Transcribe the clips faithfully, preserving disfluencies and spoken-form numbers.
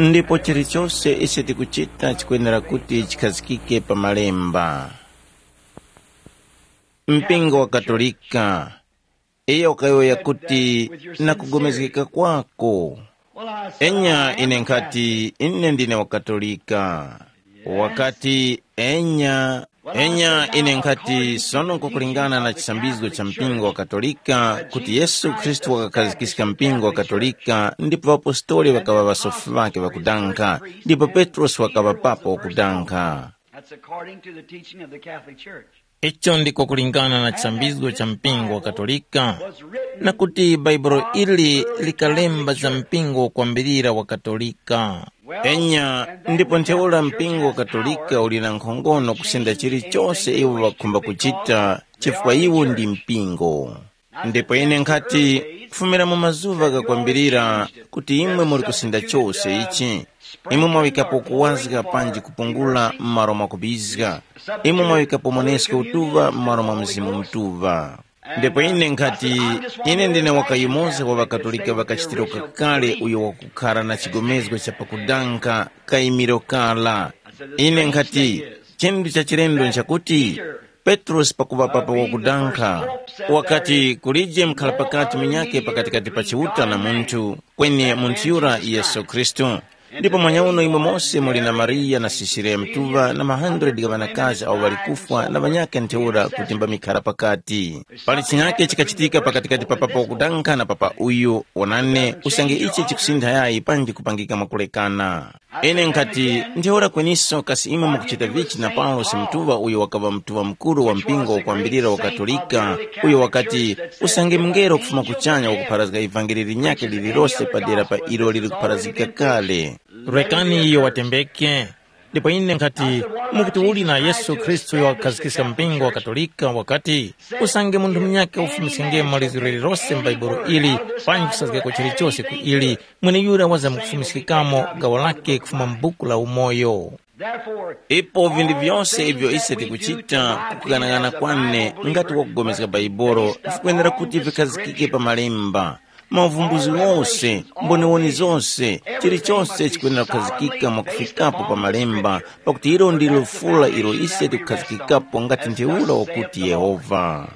Ndipo chilichose ise tikuchita chikwenera kuti chikhazikike pa malemba. Mpingo wa Katolika, iyo ukayowoya kuti, na kugomezgeka kwako. Enya ine nkhati, ine ndine wa Katolika. Wakati, enya, enya ine nkhati, sono nkukulingana na chisambizgo cha mpingo wa Katolika, kuti Yesu Khristu wakakhazikika mpingo wa Katolika, ndipo ŵapostoli ŵakaŵa ŵasofi ŵake ŵakudankha, ndipo Petrosi wakaŵa papa wakudankha. That's according to the teaching of the Catholic Church. Icho ndiko kulingana na chisambizgo cha mpingo wa Katolika, na kuti Baibulo ili likalemba za mpingo kwambirira wa Katolika. Enya, ndipo ntheura mpingo wa Katolika uli na nkhongono kusenda chilichose iwo ŵakhumba kuchita, chifukwa iwo ndi mpingo. Ndipo ine nkhati, kufumira mu mazuŵa ghakwambirira, kuti imwe muli kusinda chose ichi, imwe mwaŵikapo kuwazga panji kupungula m'malo mwa kubizga, imwe mwaŵikapo monesko utuŵa m'malo mwa Mzimu Mutuŵa. Ndipo ine nkhati, ine ndine wakayumoza wa ŵakatolika ŵakachitiro kakale uyo wakukhara na chigomezgo cha pakudanka kayimiro kala. Ine nkhati, chinthu cha chilendo nchakuti, Petrosi pakuŵa papa wakudankha, wakati kulije mkhala pakati minyake pakatikati pa Chiuta na munthu, kweni munthu yura Yesu Khristu. Ndipo mwanyauno imwe mose muli na Mariya na Sisiriya Mtuŵa na ma hundred gha ŵanakazi awo ŵali kufwa na ŵanyakhe ntheura kuti mbamikhara pakati. Pali chinyake chikachitika pakatikati pa papa wakudankha na papa uyu, wonani, usange ichi chikusintha yayi panji kupangika mwakulekana. Ine nkhati, ntheura kweniso kasi imwe mukuchita vichi na Paulosi Mtuŵa uyo wakaŵa Mtuŵa Mukuru wa mpingo wakwambirira wa Katolika, uyo wakati, usange mungelo kufuma kuchanya wakupharazga ivangeli linyakhe lililose padera pa ilo lili kupharazgika kale. Rekani iyo watembeke. Ndipo ine nkhati, mukuti uli na Yesu Khristu uyo wakakhazikika mpingo wa Katolika wakati, usange munthu munyakhe ufumiskenge maliziro lililose mu Baibulo ili, panji kusazgako chilichose ku ili, mweneyura wazamkufumiskikamo gawo lake kufuma mu buku la umoyo. Ipo vinthu vyose ivyo ise tikuchita kukughanagana kwane ngati wakugomezga Bhaibuli vikwenera kuti vikhazikike pa malemba. Mauvumbuzi ghose, mboniwoni zose, chilichose chikwenera kukhazikika mwakufikapo pa malemba, pakuti ilo ndilo fula ilo ise tikukhazikikapo ngati ntheura wakuti Yehova.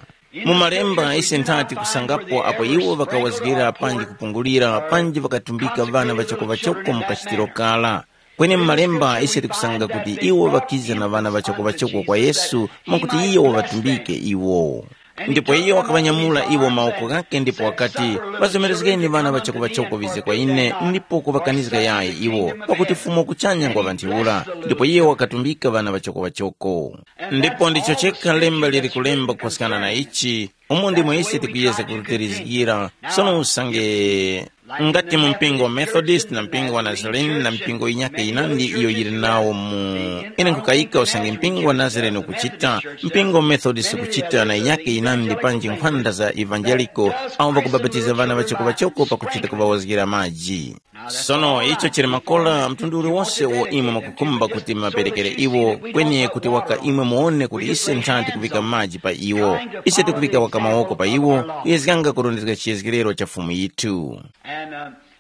Mu malemba ise nthati kusangapo apo iwo ŵakawazgira panji kupungulira panji ŵakatumbika ŵana ŵachoko-ŵachoko mu kachitiro kara. Kweni mu malemba ise tikusanga kuti iwo ŵakiza na ŵana ŵachoko-ŵachoko kwa Yesu mwakuti iyo waŵatumbike iwo. Ndipo iyo wakaŵanyamula iwo mawoko ghake ndipo wakati, ŵazomerezgeni ŵana ŵachoko-ŵachoko ŵize kwa ine ndipo kuŵakanizga yayi iwo, pakuti Fumu kuchanya ngwa ŵa ntheura. Ndipo iyo wakatumbika ŵana ŵachoko-ŵachoko. Ndipo ndicho chekha lemba lili kulemba kupaskana na ichi, umo ndimo ise tikuyezga kuterizgira. Sono usange ngati mu mpingo wa Methodist na mpingo wa Nazarene na mpingo yinyakhe yinandi iyo yili nawo mu, ine nkukayika usange mpingo wa Nazarene ukuchita, mpingo wa Methodist ukuchita na yinyakhe yinandi panji nkhwanda za evanjeliko, awo ŵakubapatiza ŵana ŵachoko-ŵachoko pakuchita kuŵawazgira maji. Sono icho chili makola mtundu uliwose uwo imwe mwakukhumba kuti muŵaperekere iwo, kweni kuti waka imwe muwone kuti ise ntha tikuvika maji pa iwo. Ise tikuvika waka mawoko pa iwo, kuyezganga kurondezga chiyezgerero cha Fumu yithu.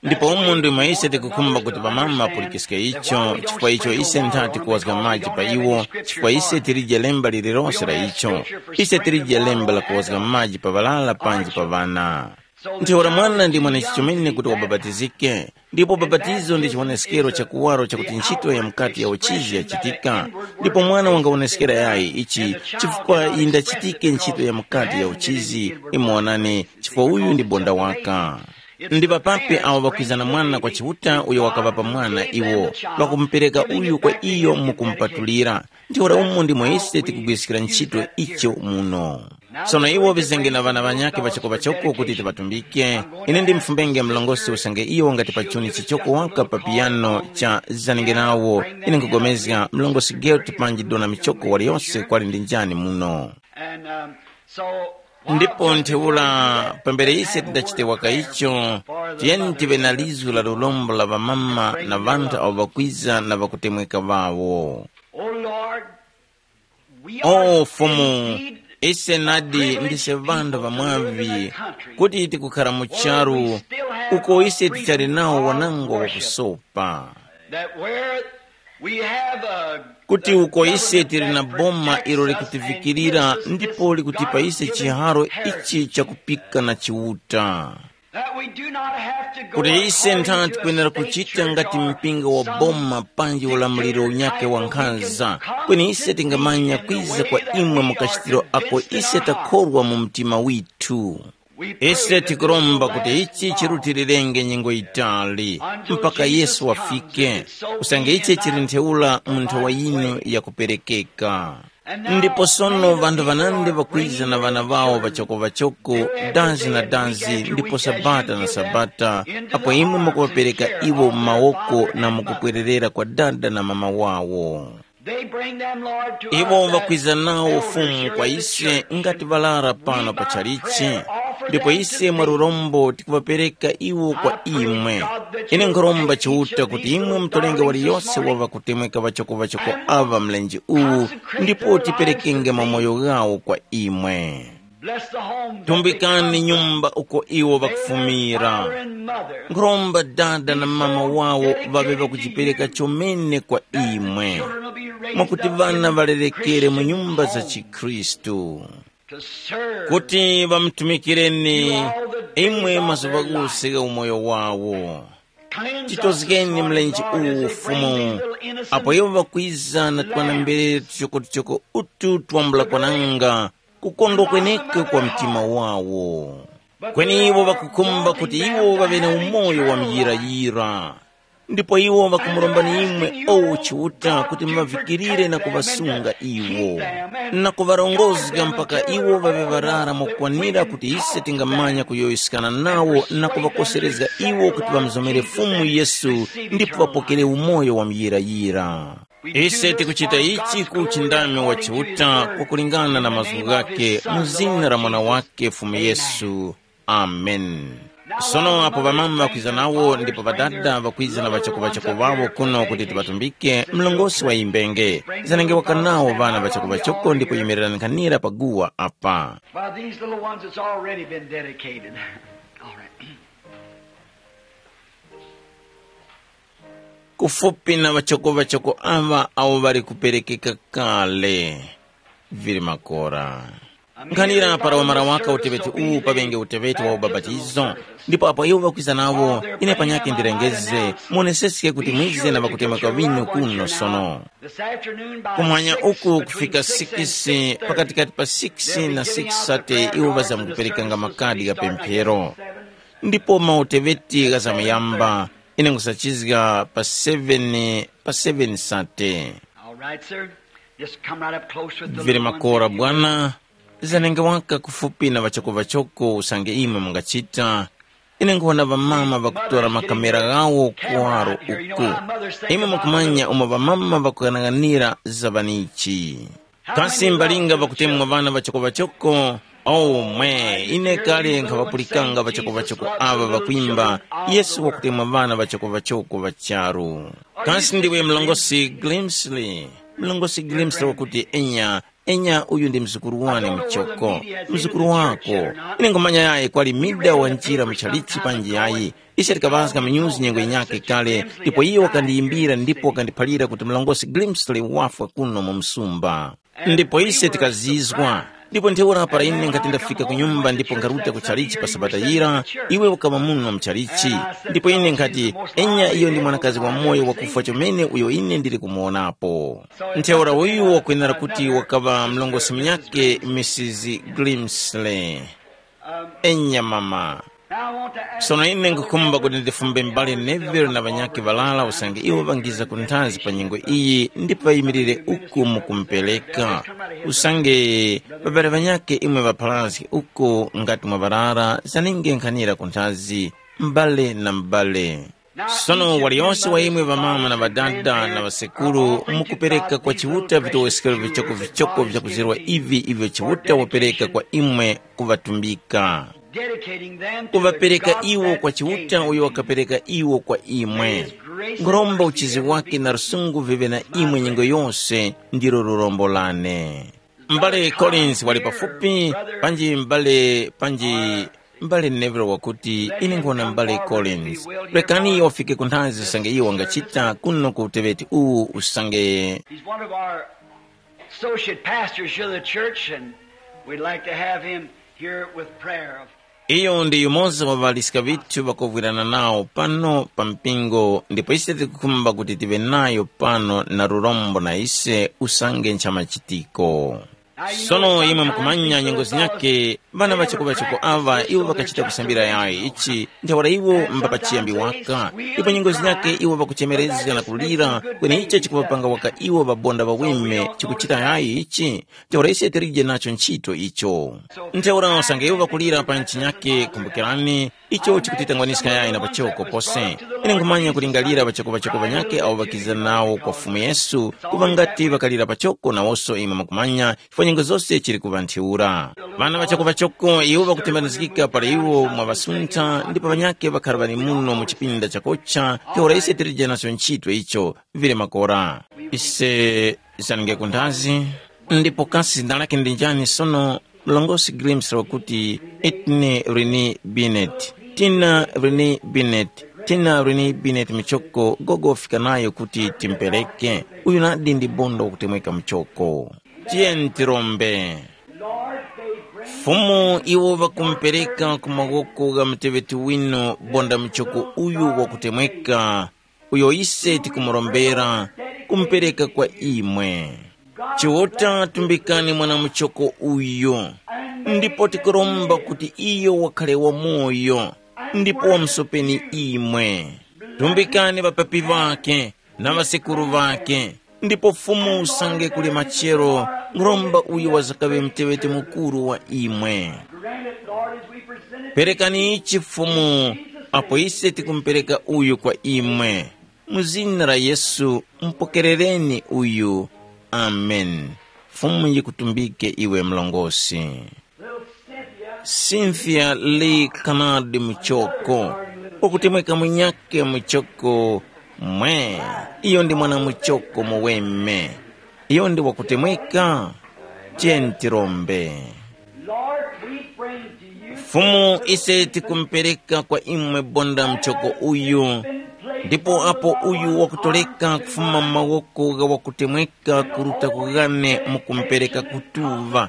Ndipo umu ndimo ise tikukhumba kuti ŵamama ŵapulikiske icho, chifukwa icho ise ntha tikuwazga maji pa iwo, chifukwa ise tilije lemba lililose la icho. Ise tilije lemba la kuwazga maji pa ŵalala panji pa ŵana. Ntheura mwana ndi mwanechi chomene kuti wabapatizike, ndipo bapatizo ndi chiwoneskero cha kuwaro chakuti ntchito ya mukati ya uchizi yachitika. Ndipo mwana wangawoneskera yayi ichi, chifukwa yindachitike ntchito ya mukati ya uchizi, imwe wonani, chifukwa uyu ndi bonda waka. Ndi ŵapapi awo ŵakwiza na mwana kwa Chiuta uyo wakaŵapa mwana iwo, ŵakumupereka uyu kwa iyo mu kumupatulira. Ntheura umo ndimo ise tikugwiriskira ntchito icho muno. Sono iwo ŵizenge na ŵana ŵanyakhe ŵachoko-ŵachoko kuti tiŵatumbike. Ine ndimfumbenge mlongosi usange iyo wangati pachuni chichoko waka pa piyano cha zanenge nawo. Ine nkugomezga mlongosi Gert panji dona michoko waliyose kwali ndi njani muno. Ndipo ntheura pambere ise tidachite waka icho, tiyeni tive na lizu la lurombo la ŵamama na ŵanthu awo ŵakwiza na ŵakutemweka ŵawo. O Fumu, ise nadi ndise ŵanthu ŵamwavi, kuti tikukhara mu charu uko ise tichali nawo wanangwa wakusopa. That where we have a kuti uko ise tili na boma ilo likutivikirira ndipo likutipa ise chiharo ichi chakupika na chiuta, that we do not have to go kuti ise ntha tikwenera kuchita ngati mpingo wa boma panji ulamuliro unyake wa nkhanza, kweni ise tingamanya kwiza kwa imwe mu kachitiro ako ise takhorwa mu mtima withu. Ise tikuromba kuti ichi chirutilirenge nyengo yitali mpaka Yesu wafike, usange ichi chili ntheura mu nthowa yinu yakuperekeka. Ndipo sono ŵanthu ŵanandi ŵakwiza na ŵana ŵawo ŵachoko-ŵachoko, dazi na dazi, ndipo sabata na sabata, apo imwe mukuŵapereka iwo mu mawoko na mukupwererera kwa dada na mama wawo. They bring them, Lord, to iwo us as ŵakwiza nawo ufumu kwa ise ngati ŵalara pano pa chalichi, ndipo ise mwa lurombo tikuŵapereka iwo kwa imwe. Ine nkhuromba Chiuta kuti imwe mutolenge waliyose wa ŵakutemweka ŵachoko-ŵachoko aŵa mlenje uwu, ndipo tiperekenge mamoyo ghawo kwa imwe. Bless the home that they tumbikani come nyumba uko iwo vakufumira. Father and mother. Nkhuromba dada na mama wawo vave vakujipereka chomene kwa imwe, children will be raised mwakuti up vana in valerekere mu Christian nyumba za homes chikhristu, to serve kuti vamutumikireni you all the days imwe of mazuva their life. Ghose gha umoyo wawo. Cleanse us this chitozgeni morning, mlenje Lord, as uwu they bring ufumu these little innocent apo iwo vakwiza na twana lambs. Mbere tuchoko-tuchoko utu twambula kwananga kukondwa kweneke kwa mtima wawo. Kweni iwo vakukhumba kuti iwo ŵaŵe na umoyo wa muyirayira. Ndipo iwo ŵakumurombani imwe owo Chiuta kuti muŵavikirire na kuŵasunga iwo, na kuŵarongozga mpaka iwo ŵaŵe ŵarara mokwanira kuti ise tingamanya kuyowoyeskana nawo na kuŵakoserezga iwo kuti ŵamuzomere Fumu Yesu ndipo ŵapokere umoyo wa muyirayira. Ise tikuchita ichi ku uchindami wa Chiuta kwakulingana na mazgu ghakhe mu zina la Mwana wakhe Fumu Yesu. Amen. Sono apo ŵamama ŵakwiza nawo ndipo ŵadada ŵakwiza na ŵachoko-ŵachoko ŵawo kuno kuti tiŵatumbike, mlongosi wa imbenge zanenge waka nawo ŵana ŵachoko-ŵachoko ndipo yimirirankhanira pa guwa apa. By these little ones, it's already been dedicated. All right. Kufupi na ŵachoko-ŵachoko aŵa awo ŵali kuperekeka kale, vili makora. Nkhanira para wamara waka uteweti uwu pavenge uteweti wa ubapatizo, ndipo apo iwo ŵakwiza nawo, ine panyakhe ndirengeze, muoneseske kuti mwize na ŵakutemweka ŵinu kuno sono. This afternoon by kumwanya six, uku between kufika six and six thirty, pakatikati pa six na six thirty iwo ŵazamkuperekanga makadi gha pemphero. Ndipo mauteweti ghazamuyamba, ine nkhusachizga pa seven, pa seven sate. All right, sir. Just come right up close with the vili little ones makora that you bwana. Zanenge waka kufupi na ŵachoko-ŵachoko usange imwe mungachita. Ine nkhona ŵamama ŵakutora makamera ghawo kuwaro uku. Imwe mukumanya umo ŵamama ŵakughanaganira za ŵanichi. Kasi mbalinga ŵakutemwa ŵana ŵachoko-ŵachoko? Omwe, ine kale nkhaŵapulikanga ŵachoko-ŵachoko aŵa ŵakwimba, Yesu wakutemwa ŵana ŵachoko-ŵachoko ŵa charu. Kasi ndiwe mlongosi Grimsley? Mlongosi Grimsley wakuti, enya, enya, uyu ndi mzukuru wane muchoko. Mzukuru wako. Ine nkhumanya yayi kwali mida wa njira mu chalichi panji yayi. Ise tikaŵazga minyuzi nyengo yinyakhe kale, ndipo iye wakandiyimbira ndipo wakandiphalira kuti mlongosi Grimsley wafwa kuno mu msumba. Ndipo ise tikazizwa. Ndipo ntheura para ine nkhati ndafika ku nyumba ndipo nkharuta ku chalichi pa sabata yira, iwe ukaŵa muno mu chalichi. Ndipo ine nkhati, enya iyo ndi mwanakazi wamoyo wakufwa chomene uyo ine ndili kumuwonapo. Ntheura uyu wakwenera kuti wakaŵa mlongosi munyakhe Mrs Grimsley. Enya mama. Sono ine nkukhumba kuti ndifumbe mbali Neville na ŵanyakhe ŵarara usange iwo ŵangiza ku nthazi pa nyengo iyi ndipo ŵayimirire uku mukumupereka. Usange ŵabale ŵanyakhe imwe ŵapharazge uku ngati mwaŵarara zaninge nkhanira ku nthazi, m'bale na m'bale. Sono waliyose wa imwe ŵamama na ŵadada na ŵasekuru mukupereka kwa Chiuta vitoweskero vichokovichoko vyakuzirwa ivi ivyo Chiuta wapereka kwa imwe kuŵatumbika. Dedicating them to the kuŵapereka God iwo that kwa gave Chiuta them. Uyo wakapereka iwo kwa imwe. Nguromba uchizi wake na lusungu vive na imwe nyengo yose, ndilo lurombo lane. M'bale Collins wali pafupi, panji m'bale panji M'bale Neville wakuti, ine nkhona m'bale Collins. Rekani iyo wafike ku nthazi usange iyo wangachita kuno ku uteweti uwu usange. He's one of our associate pastors here of the church, and we'd like to have him here with prayer. Iyo ndi yumoza wa ŵaliska ŵithu ŵakovwirana nawo pano pa mpingo, ndipo ise tikukhumba kuti tive nayo pano na lurombo na ise usange nchamachitiko. Sono imwe mukumanya nyengo zinyakhe, ŵana ŵachoko-ŵachoko aŵa iwo ŵakachita kusambira yayi ichi, ntheura iwo mba pachiyambi waka, ndipo nyengo zinyakhe iwo ŵakuchemerezga na kulira, kweni icho chikuŵapanga waka iwo ŵabonda ŵaweme chikuchita yayi ichi, ntheura ise tilije nacho nchito icho. Ntheura usange iwo ŵakulira pa nchinyakhe, kumbukirani, icho chikutitangwaniska yayi na pachoko pose. Ine nkhumanya kulingalira ŵachoko-ŵachoko ŵanyakhe awo ŵakiza nawo kwa Fumu Yesu, kuŵa ngati ŵakalira pachoko nawonso imwe mukumanya, chifukwa nyengo zose chili kuŵa ntheura. Ŵana ŵachoko-ŵachoko iwo ŵakutembanizgika para iwo mwaŵasuntha, ndipo ŵanyakhe ŵakhara ŵali muno mu chipinda chakocha, ntheura ise tilije nacho nchito icho, vili makora. Ise zanenge ku nthazi, ndipo kasi zina lakhe ndi njani sono? Mlongosi Grimes wakuti, Itni Rini Binet, Tina Rini Binet, Tina Rini Binet michoko gogo wafika nayo kuti timpereke. Uyu nadi ndi bondo wakutemweka muchoko. Tiyeni tirombe. Fumu iwo ŵakumpereka ku mawoko gha muteŵeti winu bonda muchoko uyu wakutemweka, uyo ise tikumurombera kumupereka kwa imwe. Chiuta, tumbikani mwana muchoko uyu, ndipo tikuromba kuti iyo wakhale wamoyo, ndipo wamusopeni imwe. Tumbikani ŵapapi ŵakhe na ŵasekuru ŵakhe, ndipo Fumu usange kuli machero, nkhuromba uyu wazakaŵe muteŵeti mukuru wa imwe. Perekani ichi Fumu, apo ise tikumupereka uyu kwa imwe. Mu zina la Yesu, mupokerereni uyu. Amen. Fumu yikutumbike iwe mlongosi. Cynthia Lee Canard muchoko, wakutemweka munyakhe muchoko mwe, iyo ndi mwana muchoko muweme. Iyo ndi wakutemweka? Tiyeni tirombe. Lord, we bring to you Fumu, ise tikumupereka kwa imwe bonda mchoko uyu, ndipo apo uyu wakutoleka kufuma mu mawoko gha wakutemweka kuruta kughane mukumupereka kutuva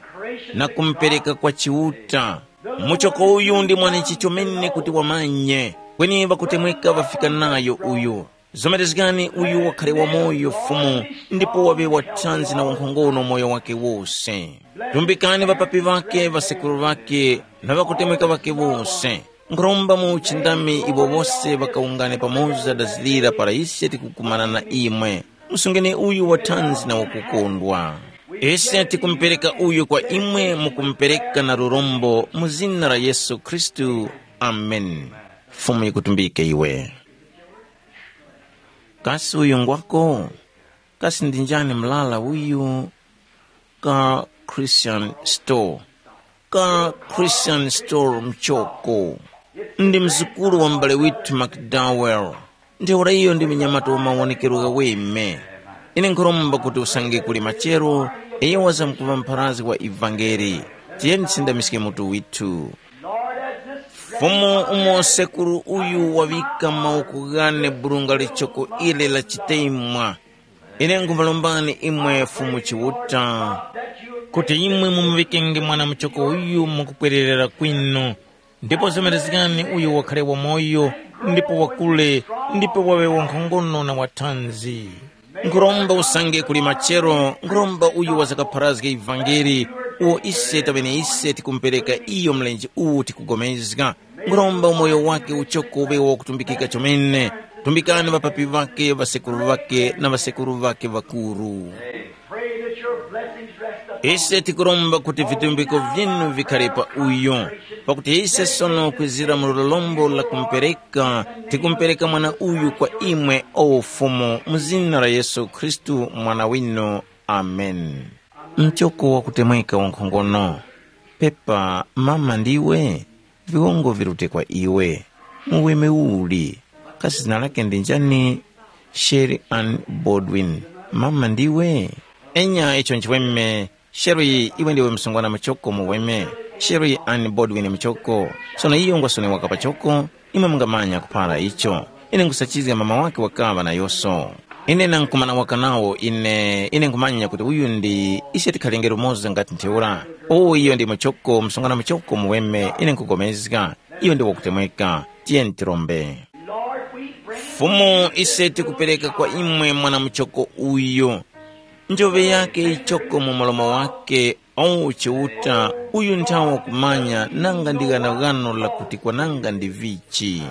na kumupereka kwa Chiuta. Muchoko uyu ndi mwanechi chomene kuti wamanye, kweni ŵakutemweka ŵafika nayo uyu. Zomerezgani uyu wakhale wamoyo Fumu, ndipo waŵe wathanzi na wankhongono moyo wake wose. Tumbikani ŵapapi ŵakhe, ŵasekuru ŵakhe, na ŵakutemweka ŵakhe wose. Nkhuromba mu uchindami iwo wose ŵakawungane pamoza dazilira para ise tikukumana na imwe. Musungeni uyu wathanzi na wakukondwa. Ise tikumupereka uyu kwa imwe, mukumupereka na lurombo mu zina la Yesu Khristu. Amen. Fumu yikutumbike iwe. Kasi uyu ngwako? Kasi ndi njani mlala uyu? Ka Christian Store. Ka Christian Store mchoko. Ndi mzukuru wa m'bale withu McDowell. Ntheura iyo ndi munyamata wa mawonekero ghaweme. Ine nkhuromba kuti usange kuli machero, iyo wazamkuŵa mpharazgi wa ivangeli. Tiyeni tisindamiske mutu withu. Fumu, umo sekuru uyu waŵika mawoko ghane burunga lichoko ili la chitemwa, ine nkhumulombani imwe Fumu Chiuta, kuti imwe mumuŵikenge mwana muchoko uyu mukupwererera kwinu, ndipo zomerezgani uyu wakhale wamoyo, ndipo wakule, ndipo waŵe wankhongono na wathanzi. Nkhuromba usange kuli machero, nkhuromba uyu wazakapharazge ivangeli, uwo ise taŵene ise tikumupereka iyo mlenje uwu tikugomezga. Nkhuromba umoyo wake uchoko uŵe wakutumbikika chomene. Tumbikani ŵapapi ŵake, ŵasekuru ŵake na ŵasekuru ŵake ŵakuru. Pray that your blessings rest upon Ise tikuromba kuti vitumbiko vyinu vikhale pa uyo, pakuti ise sono kwizira mu lolombo la kumupereka, tikumupereka mwana uyu kwa imwe, o Fumu, mu zina la Yesu Khristu, Mwana winu. Amen. Mchoko wakutemweka wankhongono. Pepa, mama ndiwe? Viwongo virute kwa iwe. Muweme uli? Kasi zina lake ndi njani? Sherry Ann Baldwin. Mama ndiwe? Enya, icho nchiweme. Sherry, iwe ndiwe msungwana muchoko muweme. Sherry Ann Bodwin Muchoko. Sono iyo ngwasonewa kapachoko, imwe mungamanya kuphara icho. Ine nkusachizga mama wake wakaŵa na yoso. Ine nankumana waka nawo ine, ine nkhumanya kuti uyu ndi ise tikhalenge lumoza ngati ntheura. Uwu iyo ndi Muchoko, msungwana Muchoko muweme, ine nkupulikana. Iyo ndi wakutemweka. Tiyeni tirombe. Fumu, ise tikupereka kwa imwe mwana Muchoko uyu. Njoŵe yake yichoko mu mlomo wake, o Chiuta, uyu nthawa kumanya nanga ndi ghanoghano lakuti kwananga ndi vichi.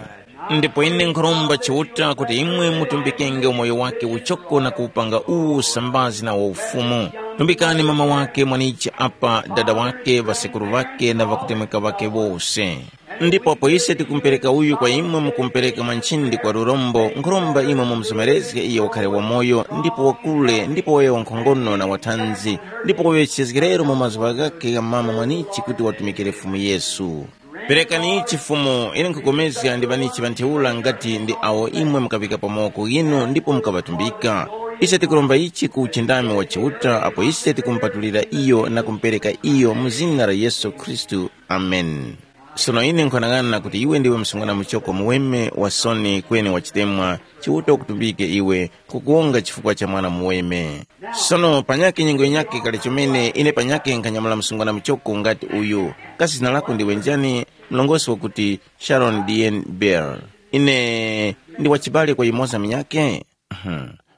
Ndipo ine nkhuromba Chiuta kuti imwe mutumbikenge umoyo wake uchoko na kuwupanga uwu usambazi na wa ufumu. Tumbikani mama wake mwanichi apa, dada wake, ŵasekuru ŵake na ŵakutemweka ŵake wose. Ndipo apo ise tikumupereka uyu kwa imwe, mukumupereka mwa nchindi kwa lurombo, nkhuromba imwe mumuzomerezge iyo wakhare wamoyo, ndipo wakule, ndipo waye wankhongono na wathanzi, ndipo waŵe chizgirero mu mazuŵa ghakhe gha mama mwanichi kuti watumikire Fumu Yesu. Perekani ichi Fumu, ine nkhupulikana ndi ŵanichi ŵa ntheura ngati ndi awo imwe mukaŵika pa mawoko ghinu ndipo mukaŵatumbika. Ise tikuromba ichi ku uchindami wa Chiuta apo ise tikumupatulira iyo na kumupereka iyo mu zina la Yesu Khristu. Ameni. Sono ine nkhwanang'ana kuti iwe ndiwe msungwana muchoko muweme wa soni kweni wa chitemwa, Chiuta ukutumbike iwe, nkukuwonga chifukwa cha mwana muweme. Sono panyakhe nyengo yinyakhe kale chomene ine panyakhe nkhanyamula msungwana muchoko ngati uyu. Kasi zina lako ndiwe njani? Mlongosi wakuti Sharon Dien Bell. Ine ndi wachibale kwa yumoza munyakhe?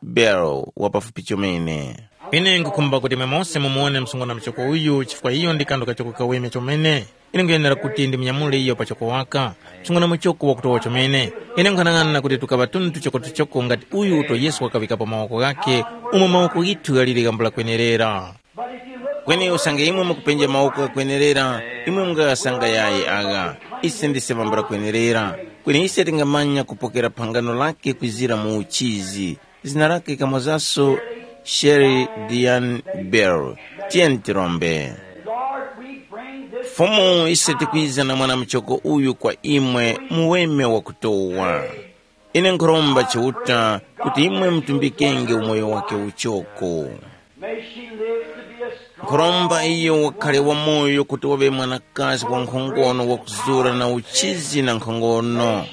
Bell, wapafupi chomene. Ine nkhukhumba kuti imwe mose mumuwone msungwana muchoko uyu chifukwa iyo ndi kanthu kachoko kaweme chomene. Ine nkhuyenera kuti ndimunyamule iyo pachoko waka. Msungwana muchoko wakutowa chomene. Ine nkhanang'ana kuti tukaŵa tunthu tuchoko-tuchoko ngati uyu uto Yesu wakaŵikapo mawoko ghakhe, umo mawoko ghithu ghaliri ghambula kwenerera. Kweni usange imwe mukupenja mawoko ghakwenerera, imwe mungaghasanga yayi agha. Ise ndise ŵambula kwenerera. Kweni ise tingamanya kupokera phangano lake kwizira mu uchizi. Zina lake kamozaso Sherry Diane Bell. Tiyeni tirombe. Lord, we bring this Fumu, ise tikwiza na mwana muchoko uyu kwa imwe, muweme wa kutowa. Ine nkhuromba Chiuta kuti imwe mutumbikenge umoyo wake uchoko. May she live to be a strong Nkhuromba iyo wakhale wamoyo kuti waŵe mwanakazi wa nkhongono wakuzura na uchizi na nkhongono.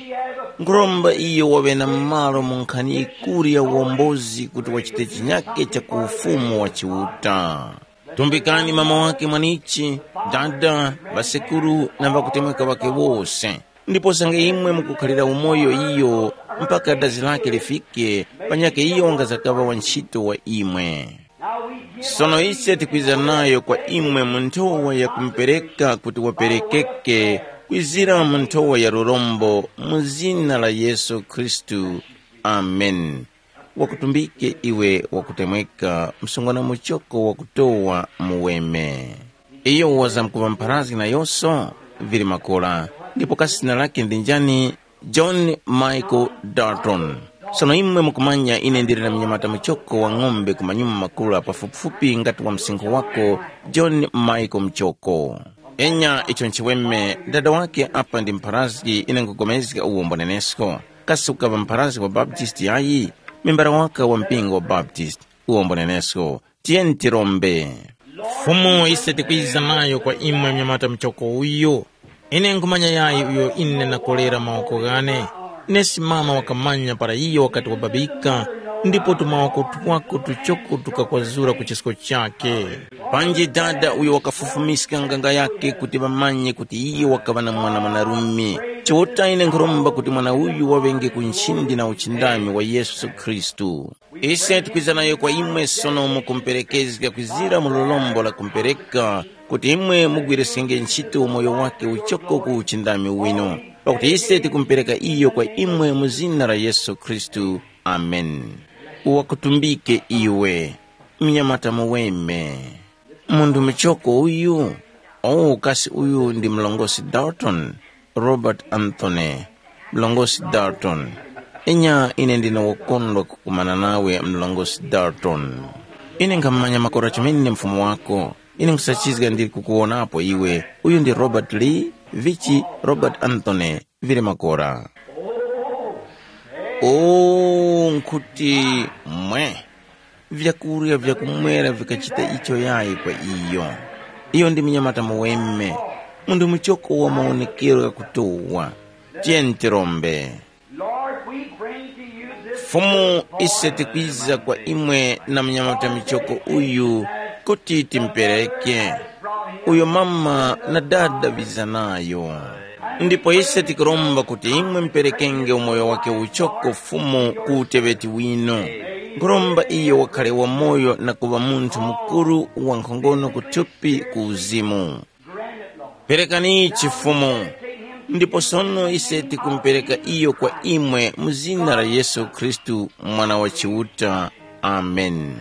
Nkhuromba iyo waŵe na malo mu nkhani yikuru ya uwombozi kuti wachite chinyake cha ku ufumu wa Chiuta. Tumbikani mama wake mwanichi, dada, ŵasekuru na ŵakutemweka ŵake wose. Ndipo sange imwe mukukhalira umoyo iyo mpaka dazi lake lifike, panyakhe iyo wangazakaŵa wa nchito wa imwe. Sono ise tikwiza nayo kwa imwe mu nthowa ya kumupereka kuti waperekeke, kwizira mu nthowa ya lurombo, mu zina la Yesu Khristu. Ameni. Wakutumbike iwe wakutemweka, msungwana muchoko wakutowa muweme. Iyo wazamkuŵa mpharazgi na yoso, vili makora, ndipo kasi zina lake ndi njani? John Michael Dalton. Sono imwe mukumanya ine ndili na mnyamata muchoko wa ng'ombe ku manyuma makula pafupifupi ngati wa msinkhu wako, John Michael Muchoko. Enya icho nchiweme, dada wake apa ndi mpharazgi, ine nkugomezga uwo mbonenesko. Kasi ukaŵa mpharazgi wa Baptist yayi? Membara waka wa mpingo wa Baptist, uwo mbonenesko. Tiyeni tirombe. Fumu, ise tikwiza nayo kwa imwe mnyamata muchoko uyu. Ine nkhumanya yayi uyo ine nakolera mawoko ghane. Nesi mama wakamanya para iyo wakati wababika, ndipo tumawoko twako tuchoko tukakwazura ku chisko chake. Panji dada uyo wakafufumiska nganga yake kuti ŵamanye kuti iyo wakaŵa na mwana mwanarume. Chiuta ine nkhuromba kuti mwana uyu waŵenge ku nchindi na uchindami wa Yesu Khristu. Ise tikwiza nayo kwa imwe sono mukumuperekezga kwizira mu lolombo la kumupereka, kuti imwe mugwiriskenge nchito umoyo wake uchoko ku uchindami winu. Pakuti ise tikumupereka iyo kwa imwe mu zina la Yesu Khristu. Ameni. Wakutumbike iwe, mnyamata muweme. Munthu muchoko uyu? Oh, kasi uyu ndi mlongosi Dalton, Robert Anthony, mlongosi Dalton. Inya ine ndine wokondwa kukumana nawe, mlongosi Dalton. Ine nkhamanya makora chomene mfumu wako. Ine nkusachizga ndili kukuwonapo iwe. Uyu ndi Robert Lee, vichi Robert Anthony, vili makora. Oh, nkhuti mwe. Vyakurya vyakumwera vikachita icho yayi kwa iyo. Iyo ndi mnyamata muweme. Munthu muchoko wa mawonekero ghakutowa. Tiyeni tirombe. Lord, we bring to you this Fumu, ise tikwiza kwa imwe na mnyamata michoko uyu kuti timpereke, uyo mama na dada ŵiza nayo. Ndipo ise tikuromba kuti imwe mperekenge umoyo wake uchoko Fumu ku uteŵeti wino. Nkhuromba iyo wakhale wamoyo na kuŵa munthu mukuru wankhongono kuthupi ku uzimu. Perekani ichi Fumu, ndipo sono ise tikumupereka iyo kwa imwe mu zina la Yesu Khristu, Mwana wa Chiuta. Amen.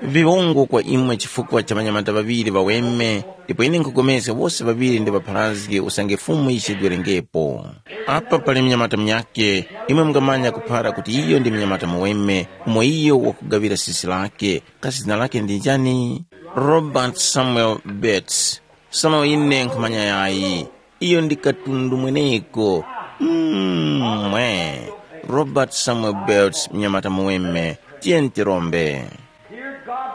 Viwongo kwa imwe chifukwa cha ŵanyamata ŵaŵiri ŵaweme, ndipo ine nkhupulikana wose ŵaŵiri ndi ŵapharazgi usange Fumu yichedwerengepo. Apa pali mnyamata munyakhe, imwe mungamanya kuphara kuti iyo ndi mnyamata muweme, umo iyo wakugaŵira sisi lakhe, kasi zina lakhe ndi njani? Robert Samuel Bates. Sono ine nkhumanya yayi, iyo ndi katundu mweneko. Mm, mwe. Robert Samuel Bates, mnyamata muweme, tiyeni tirombe.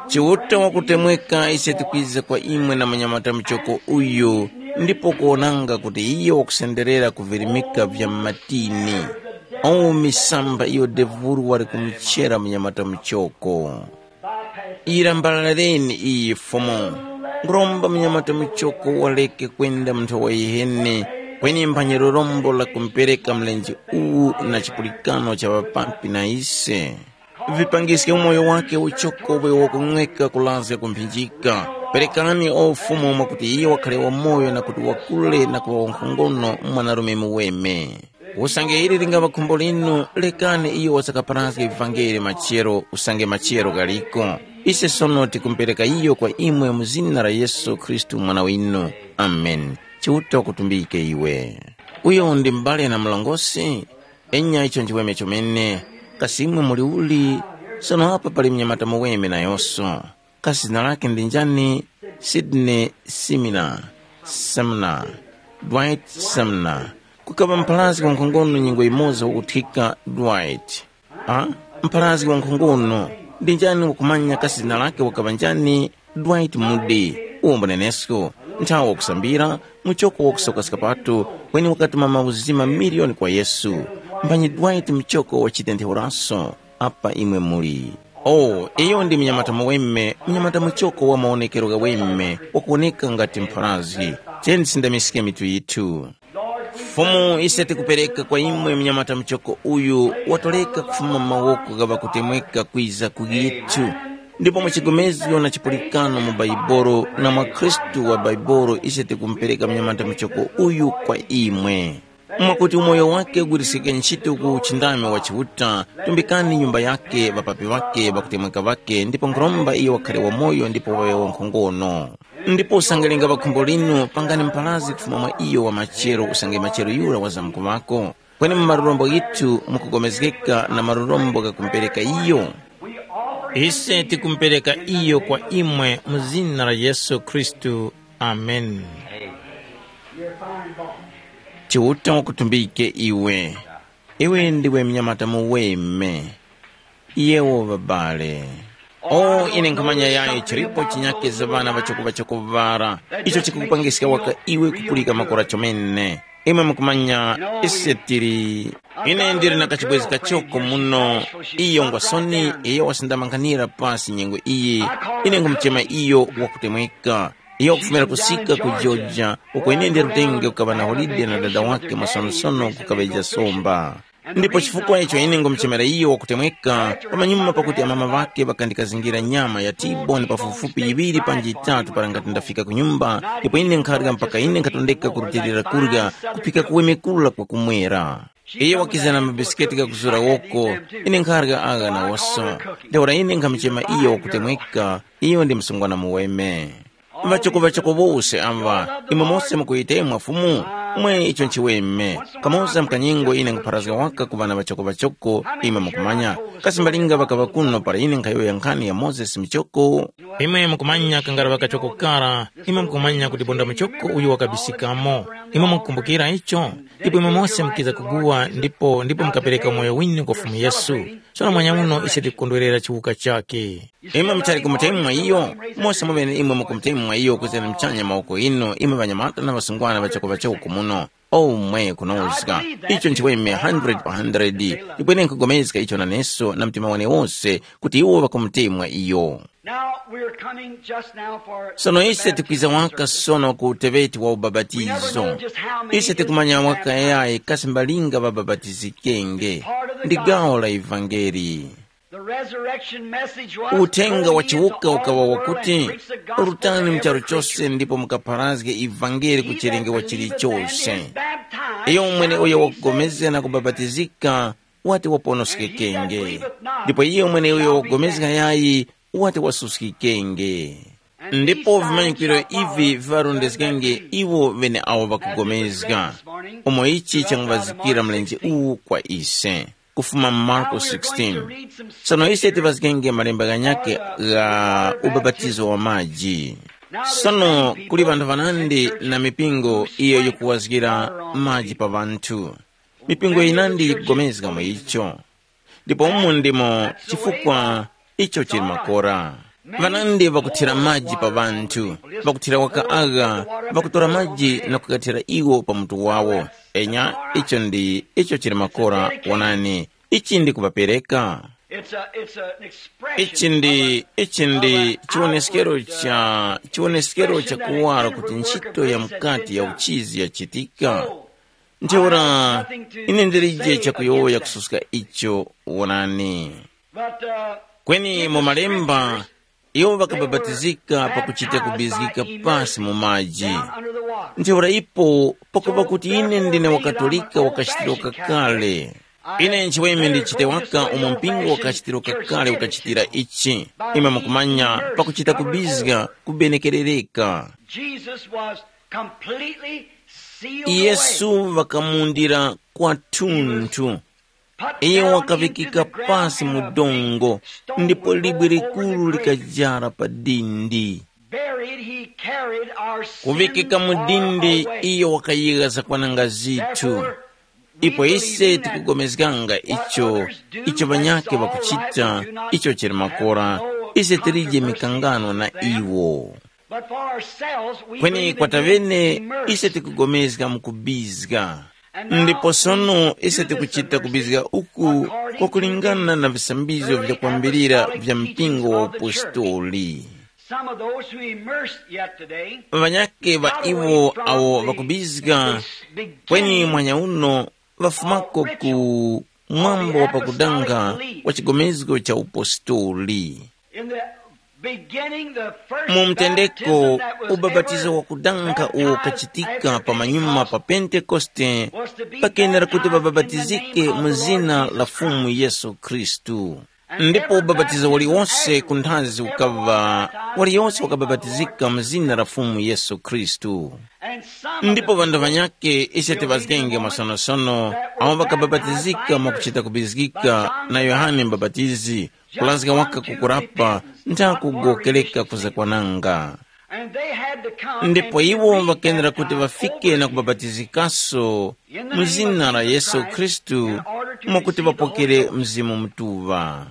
Chiuta wakutemweka ise tikwiza kwa imwe na manyamata muchoko uyu, ndipo kuwonanga kuti iyo wakusenderera kuvirimika vya matini. Awu misamba iyo devuru wali kumuchera manyamata muchoko. Irambalaleni iyi Fumu. Nguromba mnyamata muchoko waleke kwenda mu nthowa yiheni, kweni mphanyi lorombo la kumpereka mlenje uwu na chipulikano cha ŵapampi na ise. Vipangiske umoyo wake uchoko uwe wakung'weka kulazga kumphinjika. Perekani o Fumu mwakuti iye wakhale wamoyo na kuti wakule na kuŵa wankhongono mwanarume muweme. Usange ili lingaŵa khumbo linu, lekani iyo wasakaparazge vivangeli machero usange machero ghaliko. Ise sono tikumupereka iyo kwa imwe mu zina la Yesu Khristu Mwana winu. Amen. Chiuta wakutumbike iwe. Uyo ndi m'bale na mlongosi? Enya icho nchiweme chomene. Kasi imwe muli uli? Sono apa pali mnyamata muweme nayonso. Kasi zina lake ndi njani? Sydney Simina, Sumner, Dwight Sumner. Kukaŵa mpharazgi wankhongono nyengo yimoza wakuthika Dwight. A, mpharazgi wankhongono. Ndi njani wakumanya kasi zina lake wakaŵa njani? Dwight Moody, uwo mbunenesko, nthawi wakusambira, muchoko wakusoka skapato, kweni wakatuma mauzima miliyoni kwa Yesu. Mphanyi Dwight muchoko wachitenthewuraso. Apa imwe muli. Oh, iyo ndi mnyamata muweme, mnyamata muchoko wa mawonekero ghaweme, wakuwoneka ngati mpharazgi. Tiyeni tisindamiske mitu yithu. Fumu, ise tikupereka kwa imwe mnyamata muchoko uyu, watoreka kufuma mu mawoko gha ŵakutemweka kwiza ku yithu. Ndipo mu chigomezgo na chipulikano mu Baibolo na mwa Khristu wa Baibolo, ise tikumupereka mnyamata muchoko uyu kwa imwe. Mwakuti umoyo wake ugwiriskike ntchito ku uchindami wa Chiuta, tumbikani nyumba yake, ŵapapi ŵake, ŵakutemweka ŵake, ndipo nkhuromba iyo wakhale wamoyo ndipo waŵe wankhongono. Ndipo usange lingaŵa khumbo linu, pangani mpharazgi kufuma mwa iyo wa machero usange machero yura wazamkuŵako. Kweni mu malurombo ghithu mukupulikana na malurombo ghakumupereka iyo. Ise tikumupereka iyo kwa imwe mu zina la Yesu Khristu. Amen. Chiuta wakutumbike iwe. Iwe ndiwe mnyamata muweme. Yewo ŵabale. O, ine nkhamanya yayi chilipo chinyake za ŵana ŵachoko-ŵachoko ŵara, icho chikukupangiska waka iwe kupulika makora chomene. Imwe mukumanya, ise tili. Ine ndili na kachibwezi kachoko muno. Iyo ngwa soni, iyo wasindamankhanira pasi nyengo iyi. Ine nkumuchema iyo wakutemweka. Iyo wakufumira kusika ku Georgia, uko ine ndilutenge kukaŵa na holide na dada wake mwasonosono kukaŵeja somba. Ndipo chifukwa icho ine ngumuchemera iyo wakutemweka, pamanyuma pakuti amama ŵake ŵakandikazingira nyama ya T-bone pafupifupi yiŵiri panji yitatu para ngati ndafika ku nyumba, ndipo ine nkharya mpaka ine nkhatondeka kurutilira kurya, kuphika kuweme kura kwa kumwera. Iyo wakiza na mabisiketi ghakuzura woko, ine nkharya agha nawoso. Ntheura ine nkhamuchema iyo wakutemweka, iyo ndi msungwana muweme. Ŵachoko-ŵachoko wose aŵa, imwe mose mukuyitemwa Fumu, mwe icho nchiweme. Kamoza mkanyengo ine nkupharazga waka ku ŵana ŵachoko-ŵachoko, imwe mukumanya. Kasi mbalinga ŵakaŵa kuno para ine nkhayowoya nkhani ya Mozesi muchoko? Imwe mukumanya kangara ŵakachoko kara, imwe mukumanya kuti bonda muchoko uyu wakabisikamo. Imwe mukukumbukira icho? Ndipo imwe mose mukiza kuguwa ndipo ndipo mukapereka umoyo winu kwa Fumu Yesu. Sono mwanya uno ise tikukondwerera chiwuka chakhe. Imwe muchali kumutemwa iyo? Mose mumene imwe mukumutemwa iyo kuzira muchanya mawoko inu, imwe ŵanyamata na ŵasungwana ŵachoko ŵachoko kumuno. Omwe kunozga. Icho nchiweme hundred pa hundred. Ndipo ine nkugomezga icho naneso na mtima wane wose kuti iwo ŵakumutemwa iyo. Now we're coming just now for Sono the ise baptism tikwiza of waka Jesus. Sono ku uteweti wa We never ubabatizo. Know just how many Ise is tikumanya waka yayi kasi mbalinga ŵababatizikenge. Part of the ndi gawo la ivangeli. The resurrection message was uthenga wa chiwuka ukawa wakuti rutani mu charu chose ndipo mukapharazge ivangeli ku chilengero chilichose. Iyo umwene uyo wakupulikana na kubapatizika wati waponoskekenge, ndipo iye umwene uyo wakupulikana yayi wati wasuskikenge. Ndipo vimanyikiro ivi viŵarondezgenge iwo ŵeneawo ŵakupulikana, umo ichi changuvazikira mlenje uwu kwa ise. Kufuma mu Marko sixteen. Sono ise tiŵazgenge malemba ghanyakhe gha ubapatizo wa maji. Sono kuli ŵanthu ŵanandi na mipingo iyo yikuwazgira maji pa ŵanthu. Mipingo yinandi yikugomezga mu icho. Ndipo umu ndimo chifukwa icho chili makora. Ŵanandi ŵakuthira maji pa ŵanthu, ŵakuthira waka agha, ŵakutora maji na kukathira iwo pa mutu wawo. Enya, icho ndi icho chili makora. Wonani, ichi ndi kupapereka. It's a, it's an expression ichi ndi of a, ichi ndi of an chiwoneskero outward, uh, cha chiwoneskero cha expression that a kuwala inward kuti work ntchito of ya grace has mkati been ya done. Uchizi yachitika. So, ntheura I have nothing to ine ndilije say chakuyowoya against that. Kususka icho. Wonani. But, uh, kweni in mu the malemba scriptures, iwo ŵakababatizika pakuchita kubizgika pasi mu maji. Ntheura ipo pakupa kuti ine ndine wakatolika wakachitiro kakale, ine nchiweme ndichite waka umo mpingo wakachitiro kakale ukachitira ichi. Imwe mukumanya pakuchita kubizga kubenekerereka. Jesus was completely sealed away. Yesu ŵakamundira kwathunthu. Iye wakaŵikika pasi mu dongo, ndipo libwe likuru likajara pa dindi. Kuŵikika mu dindi, iyo wakayegha zakwananga zithu. Ipo ise tikugomezganga icho, icho ŵanyakhe ŵakuchita, icho chili makora, ise tilije mikangano na iwo. Kweni kwatavene ise tikugomezga mu kubizga. Ndipo sono ise tikuchita kubizga uku kwakulingana na visambizgo vyakwambirira vya mpingo wa upostoli. Ŵanyakhe ŵa iwo awo ŵakubizga kweni mwanya uno ŵafumako ku mwambo wa pakudanga wa chigomezgo cha upostoli. In the beginning, the first mu mtendeko baptism that was ubapatizo ever wakudanga uwo baptized ukachitika after pa manyuma Pentecost pa pentekoste was to be pakenera kuti baptized in the vabapatizike name of mu the zina Lord la Jesus Fumu Christ. Yesu Khristu. And ndipo every ubapatizo baptism waliwonse afterwards, kunthazi every ukava one baptized in the waliyonse name of the Lord wakabatizika mu zina la Fumu Yesu Khristu. And some of ndipo the vandhu people vanyake ise tivazgenge masonosono awo vakabapatizika mwakuchita kubizgika na Yohane Mbapatizi, kulazga waka kukurapa ntha kugowokereka kuzakwananga. Ndipo iwo ŵakenera kuti ŵafike na kubapatizikaso mu zina la Yesu Khristu mwakuti ŵapokere Mzimu Mutuŵa.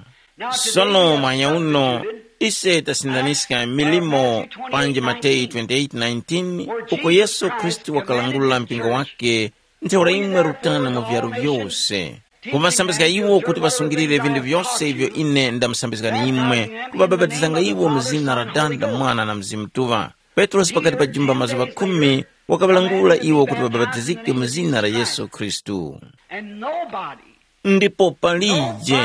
Sono mwanya uno ise tasindaniska milimo panji Mateyu twenty-eight nineteen, uko Yesu Khristu wakalangulula mpingo wake, ntheura imwe rutani mu vyaru vyose, kuŵasambizga iwo kuti ŵasungilire vinthu vyose ivyo ine ndamusambizgani imwe, kuŵabapatizanga iwo mu zina la Dada, Mwana na Mzimu Mutuŵa. Petrosi pakati pa jumba mazuŵa khumi wakaŵalangula iwo kuti ŵabapatizike mu zina la Yesu Khristu. Ndipo palije,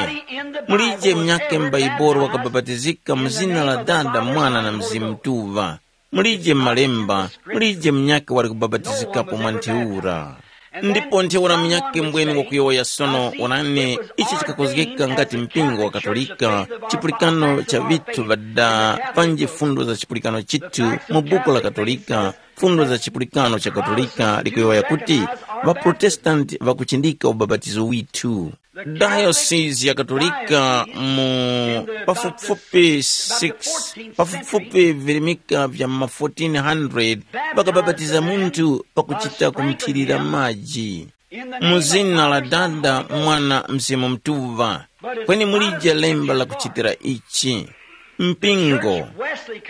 mulije munyakhe m'Baibolo wakabapatizika mu zina la Dada, Mwana na Mzimu Mutuŵa. Mulije m'Malemba, mulije munyakhe wali kubapatizikapo mwa ntheura. Ndipo ntheura munyakhe mbwene wakuyowoya sono, onani, ichi chikakozgeka ngati mpingo wa Katolika, chipulikano cha vithu vada panji fundo za chipulikano chithu mu buku la Katolika, fundo za chipulikano cha Katolika likuyowoya kuti ŵaProtestanti ŵakuchindika ubapatizo withu. Dayosisi ya Katolika mu pafupifupi six, pafupifupi virimika vya ma fourteen hundred ŵakabapatiza munthu pakuchita kumthirira maji. Mu zina la Dada, Mwana, Mzimu Mutuŵa. Kweni mulije lemba lakuchitira ichi. Mpingo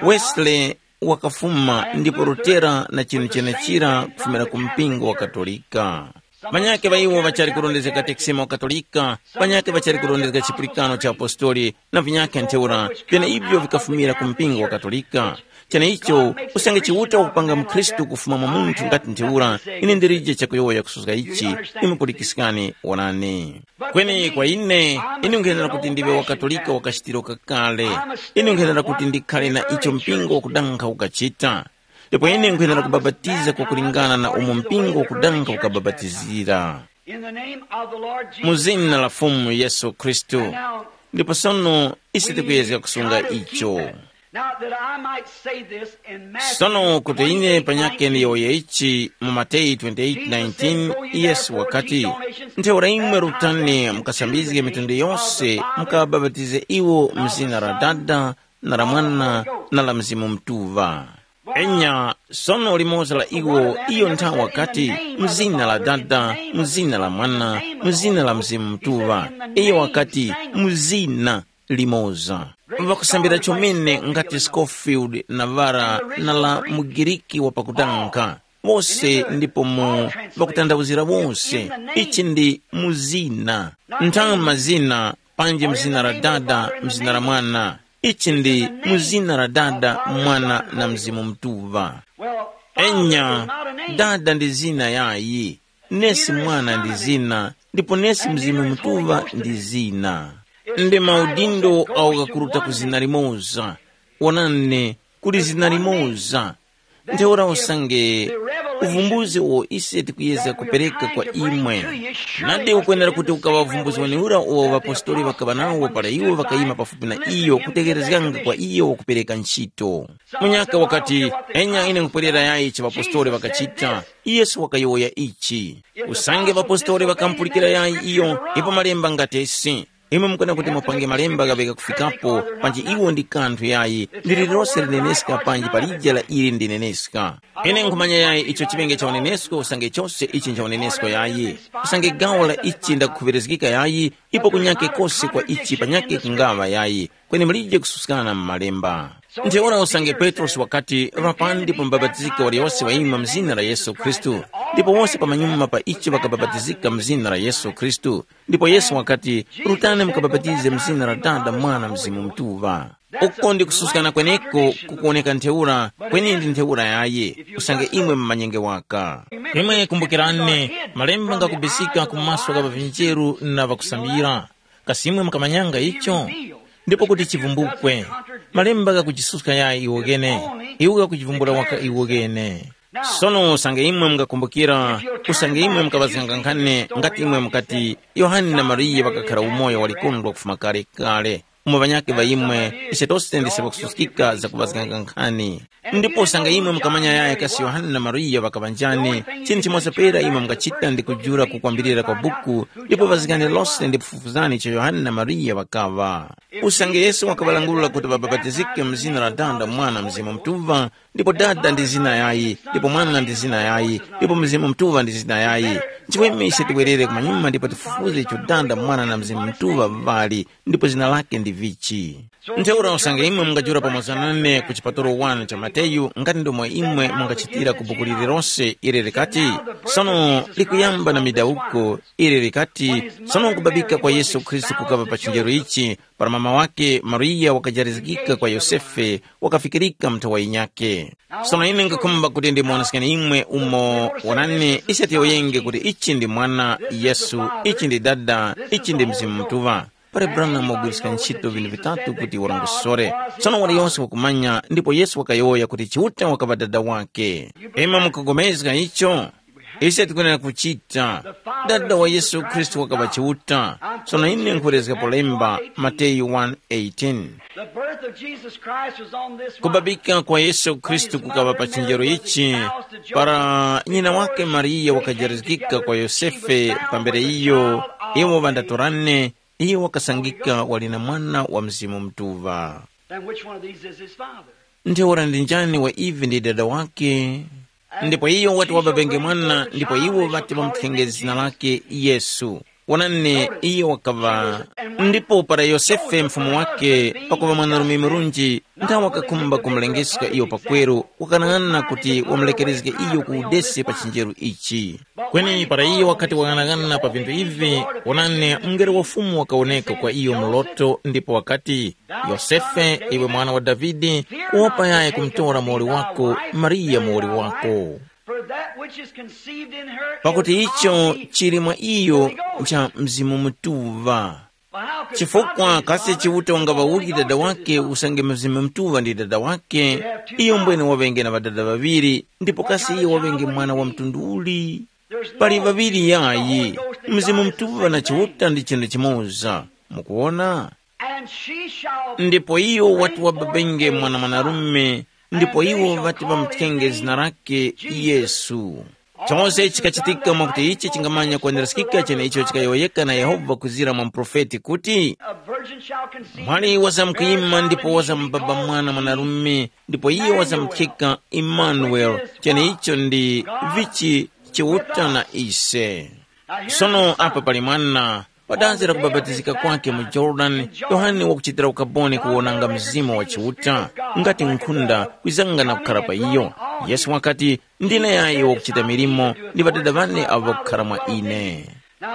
Wesley wakafuma, ndipo Lutera na chinu chenechira kufumira ku mpingo wa Katolika. Ŵanyakhe ŵa iwo ŵachali kurondezga katekisimu wa Katolika, ŵanyakhe ŵachali kurondezga chipulikano cha apostoli, na vinyakhe ntheura, vyeneivyo vikafumira ku mpingo wa Katolika. Cheneicho, usange Chiuta wakupanga mukhristu kufuma mwa munthu ngati ntheura, ine ndilije chakuyowoya kususka ichi. Imwe pulikiskani, wonani. Kweni kwa ine, ine nkhenera kuti ndiwe wakatolika wa kachitiro kakale. Ine nkhenera kuti ndikhale na icho mpingo wakudankha ukachita. Ndipo ine nkwenera kubapatiza kwakulingana na umo mpingo wakudankha ukabapatizira. In the name of the Lord Jesus Mu zina la Fumu Yesu Khristu. Ndipo sono ise tikuyezga kusunga icho. Now that I might say this in Matthew Sono kuti ine panyake ndiyowoye ichi mu Mateyu twenty-eight nineteen, Yesu wakati, ntheura imwe rutani mukasambizge mitundu yonse, mukabapatize iwo mu zina la Dada, na la Mwana, na la Mzimu Mutuŵa. Enya, sono limoza la iwo iyo nthawi wakati, mu zina la Dada, mu zina la Mwana, mu zina la Mzimu Mutuŵa. Iyo wakati, mu zina limoza. Ŵakusambira chomene ngati Scofield na Vara na la mugiriki wa pakutanka. Wose ndipo mu ŵakutandawuzira wose. Ichi ndi mu zina. Nthawi mazina, panji mu zina la Dada, mu zina la Mwana. Ichi ndi mu zina la Dada, Mwana na Mzimu Mutuŵa. Enya, Dada ndi zina yayi, nesi Mwana ndi zina, ndipo nesi Mzimu Mutuŵa ndi zina. Ndi maudindo awo ghakuruta ku zina limoza. Wonani, kuli zina limoza. Ntheura usange uvumbuzi uwo ise tikuyezga kupereka kwa imwe. Nadi ukwenera kuti ukaŵa uvumbuzi wenewura uwo ŵapostoli ŵakaŵa nawo para iwo ŵakayima pafupi na iyo kutegherezganga kwa iyo wakupereka ntchito. Munyaka wakati, enya ine nkupwerera yayi ichi ŵapostoli ŵakachita. Yesu wakayowoya ichi. Usange ŵapostoli ŵakamupulikira yayi iyo, ipo malemba ngatesi. Imwe mukana kuti mupange malemba ghaŵe gakufikapo, panji iwo ndi kanthu yayi, ndi lililose lineneska panji palija la ili ndineneska. Ine nkhumanya yayi icho chiŵenge cha unenesko usange chose ichi ncha unenesko yayi. Usange gawo la ichi ndakukhuŵerezgika yayi, ipo kunyake kose kwa ichi panyake kungaŵa yayi, kweni mulije kususkana mu malemba. Ntheura usange Petrosi wakati, ŵapandi pa mubapatizika waliyose wayima mu zina la Yesu Khristu, ndipo wose pamanyuma pa icho ŵakabapatizika mu zina la Yesu Khristu. Ndipo Yesu wakati, rutani mukabapatize mu zina la Dada, Mwana, Mzimu Mutuŵa. Uko ndi kususkana kweneko kukuwoneka ntheura, kweni ndi ntheura yaye, usange imwe mumanyenge waka. Imwe kumbukirani, malemba ngakubisika ku maso gha ŵavinjeru na ŵakusambira. Kasi imwe mukamanyanga icho? Ndipo kuti chivumbukwe, malemba ghakuchisuska yaye iwo ghene, iwo ghakuchivumbula waka iwo ghene. Sono usange imwe mungakumbukira, usange imwe mukaŵazganga nkhani ngati imwe mukati, Yohane na Mariya ŵakakhara umoyo walikondwa kufuma kale kale, umo ŵanyakhe ŵa imwe, ise tose ndise ŵakususkika zakuŵazganga nkhani. Ndipo usange imwe mukamanya yaye kasi Yohane na Mariya ŵakaŵa njani, chinthu chimoza pera imwe mungachita ndi kujula kukwambirira kwa buku, ndipo ŵazgani lose ndipo fufuzani icho Yohane na Mariya ŵakaŵa. Usange Yesu wakaŵalangula kuti ŵabapatizike mu zina la Dada, Mwana, Mzimu Mutuŵa, ndipo Dada ndi zina yayi, ndipo Mwana ndi zina yayi, ndipo Mzimu Mutuŵa ndi zina yayi. Nchiweme ise tiwerere kumanyuma ndipo tifufuze icho Dada, Mwana na Mzimu Mutuŵa ŵali, ndipo zina lake ndi vichi. Ntheura usange imwe mungajula pamoza nane ku chipatolo wanu cha Mateyu ngati ndomwe imwe mungachitira ku buku lililose ili likati, sono likuyamba na midawuko ili likati, sono kubabika kwa Yesu Khristu kukaŵa pa chinjero ichi, para mama wake Mariya wakajarizgika kwa Yosefe, wakafikirika mnthawa yinyakhe. Sono ine nkakhumba kuti ndimuwonesekeni imwe umo, wonani, ise tiyowoyenge kuti ichi ndi mwana Yesu, ichi ndi dada, ichi ndi Mzimu Mutuŵa. Pali Branham wagwiriska ntchito vinthu vitatu kuti warongosore. Tsono waliyose wakumanya, ndipo Yesu wakayowoya kuti Chiuta wakaŵa Dada wakhe. Imwe mukupulikana icho? Ise tikwenera kuchita. Dada wa Yesu Khristu wakaŵa Chiuta. Tsono ine nkhwerezgapo lemba, Mateyu one eighteen. The birth of Jesus Christ was on this rock. Kubabika kwa Yesu Khristu kukaŵa pa chinjero ichi, para nyina wake Mariya wakajarizgika kwa Yosefe pambere iyo Iwo ŵandatorane, iye wakasangika wali na mwana wa Mzimu Mutuŵa. Then which one of these is his father? Ntheura ndi njani wa ivi ndi dada wake? Ndipo iyo wati wababenge mwana, ndipo iwo ŵati ŵamuthenge zina lake Yesu. Wonani, iyo wakaŵa. Ndipo para Yosefe mfumu wake pakuŵa mwanarume murunji, nthawe wakakhumba kumulengeska iyo pakweru, wakanang'ana kuti wamulekerezge iyo ku udesi pa chinjeru ichi. Kweni para iyo wakati wang'anang'ana pa vinthu ivi, wonani, mungelo wa Fumu wakawoneka kwa iyo mu loto ndipo wakati, Yosefe, iwe mwana wa Davide, wopa yayi kumtora muwoli wako, Mariya muwoli wako. For that which is conceived in her is Pakuti icho of the chili mwa iyo ncha Mzimu Mutuŵa. Chifukwa kasi Chiuta ungaŵauli dada wake usange Mzimu Mutuŵa ndi dada wake? Iyo mbwene waŵenge na ŵadada ŵaŵiri, ndipo kasi iyo waŵenge mwana wa mtundu uli? Pali ŵaŵiri yayi, Mzimu Mutuŵa na Chiuta ndi chinthu chimoza. Mukuwona? And she shall Ndipo iyo wati wababenge mwana mwanarume, ndipo iwo ŵati ŵamuthenge zina lake Yesu. Chose chikachitika mwakuti ichi chingamanya kweneraskika cheneicho chikayowoyeka na Yehova kuzira mwa muprofeti kuti, a virgin shall conceive. Mwali wazamkuyima ndipo wazambaba mwana mwanarume, ndipo iyo wazamuthika Imanueli, cheneicho ndi vichi Chiuta na ise. Sono apa pali mwana, pa dazi la kubapatizika kwake mu Jorodani, Yohane wakuchitira ukaboni kuwonanga Mzimu wa Chiuta, ngati nkhunda kwizanga na kukhara pa iyo. Yesu wakati, ndine yayo wakuchita milimo ndi Ŵadada ŵane avo ŵakukhara mwa ine.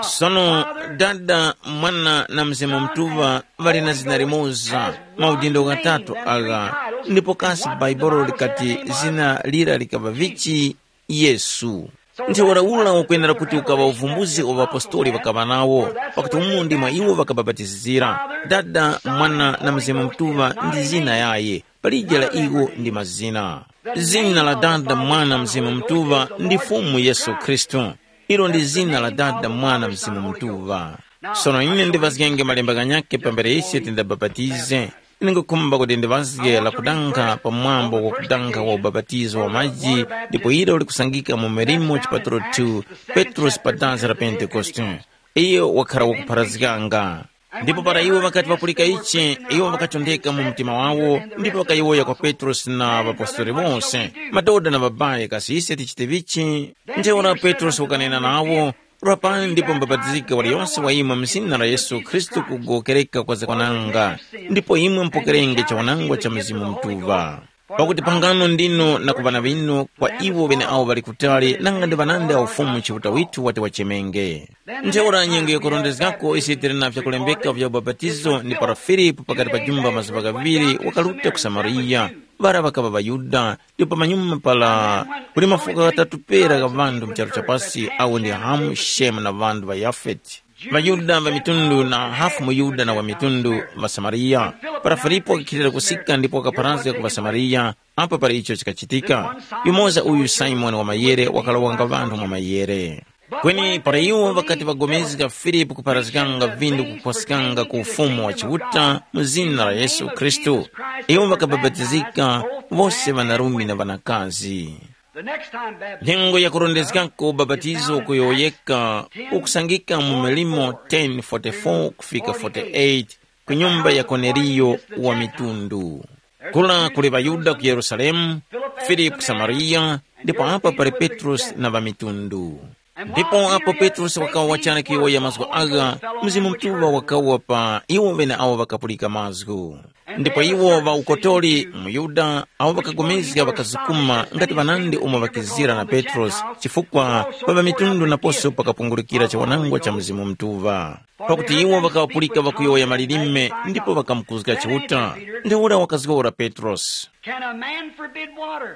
Sono Dada, Mwana na Mzimu Mutuŵa ŵali na zina limoza, maudindo ghatatu agha. Ndipo kasi Bhaibuli likati zina lira likaŵa vichi? Yesu. Ntheura ura ukwenera kuti ukaŵa uvumbuzi wa ŵapostoli ŵakaŵa nawo, pakuti umu ndi mwa iwo ŵakabapatizira. Dada, Mwana na Mzimu Mutuŵa ndi zina yaye, palije la iwo ndi mazina. Zina la Dada, Mwana, Mzimu Mutuŵa ndi Fumu Yesu Khristu. Ilo ndi zina la Dada, Mwana, Mzimu Mutuŵa. Sono ine ndivazgenge malemba ghanyakhe pambere ise tindabapatize. Ine ngukhumba kuti ndivazge la kudankha pamwambo wa kudankha wa ubapatizo wa maji, ndipo ilo likusangika mu Milimo chipatulo two, Petrosi pa dansi la Pentekoste. Iyo wakhara wakupharazganga. Ndipo para iwo ŵakati ŵapulika ichi, iwo ŵakachondeka mu mtima wawo, ndipo ŵakayowoya kwa Petrosi na ŵapostoli wose, madoda na ŵabaye, kasi ise tichite vichi? Ntheura Petrosi wakanena nawo, rapani ndipo mubapatizike waliyonse wa imwe mu zina la Yesu Khristu kugowokereka kwa zakwananga, ndipo imwe mupokerenge chawanangwa cha Mzimu Mutuŵa. Pakuti phangano ndinu na ku ŵana ŵinu kwa iwo ŵeneawo ŵali kutali, nanga ndi ŵanandi a Ufumu Chiuta withu wati wachemenge. Ntheura nyengo yakurondezgako ise tili na vyakulembeka vya ubapatizo ni para Filipu pakati pa jumba mazuŵa ghaŵiri wakaruta ku Samariya, ŵara ŵakaŵa ŵaYuda, ndipo pamanyuma pala kuli mafuko ghatatu pera gha ŵanthu mu charu cha pasi, awo ndi Hamu, Shemu na ŵanthu ŵa Yafeti. ВaYuda va mitundu na hafu muYuda na wa mitundu ŵaSamariya. Para Filipo wakakhilira kusika ndipo wakapharazga ku ŵaSamariya, apo para icho chikachitika, yumoza uyu Simoni wa mayere wakalawa nga ŵanthu mwa mayere. Kweni para iwo ŵakati ŵagomezga Filipo kupharazganga vindu kukhwaskanga ku Ufumu wa Chiuta mu zina la Yesu Khristu, iwo ŵakabapatizika, wose ŵanarume na ŵanakazi. The next time baptism. Nyengo ya kurondezgako ubapatizo kuyowoyeka ukusangika mu Milimo ten forty-four kufika forty-eight ku nyumba ya Korneliyo wa mitundu. Kula kuli ŵaYuda ku Yerusalemu, Filipu ku Samariya, ndipo apa pali Petrosi na ŵamitundu. Ndipo apo Petrosi wakawa wachara kuyowoya mazgu agha, Mzimu Mutuŵa wakawa pa iwo ŵeneawo ŵakapulika mazgu. Ndipo iwo ŵa ukotori muYuda awo ŵakagomezga ŵakazukuma ngati ŵanandi umo ŵakizira na Petrosi, chifukwa pa ŵamitundu naposo pakapungurukira chiwanangwa cha Mzimu Mutuŵa. Pakuti iwo ŵakapulika ŵakuyowoya malilime ndipo ŵakamukuzga Chiuta. Ntheura wakazgora Petrosi. Can a man forbid water?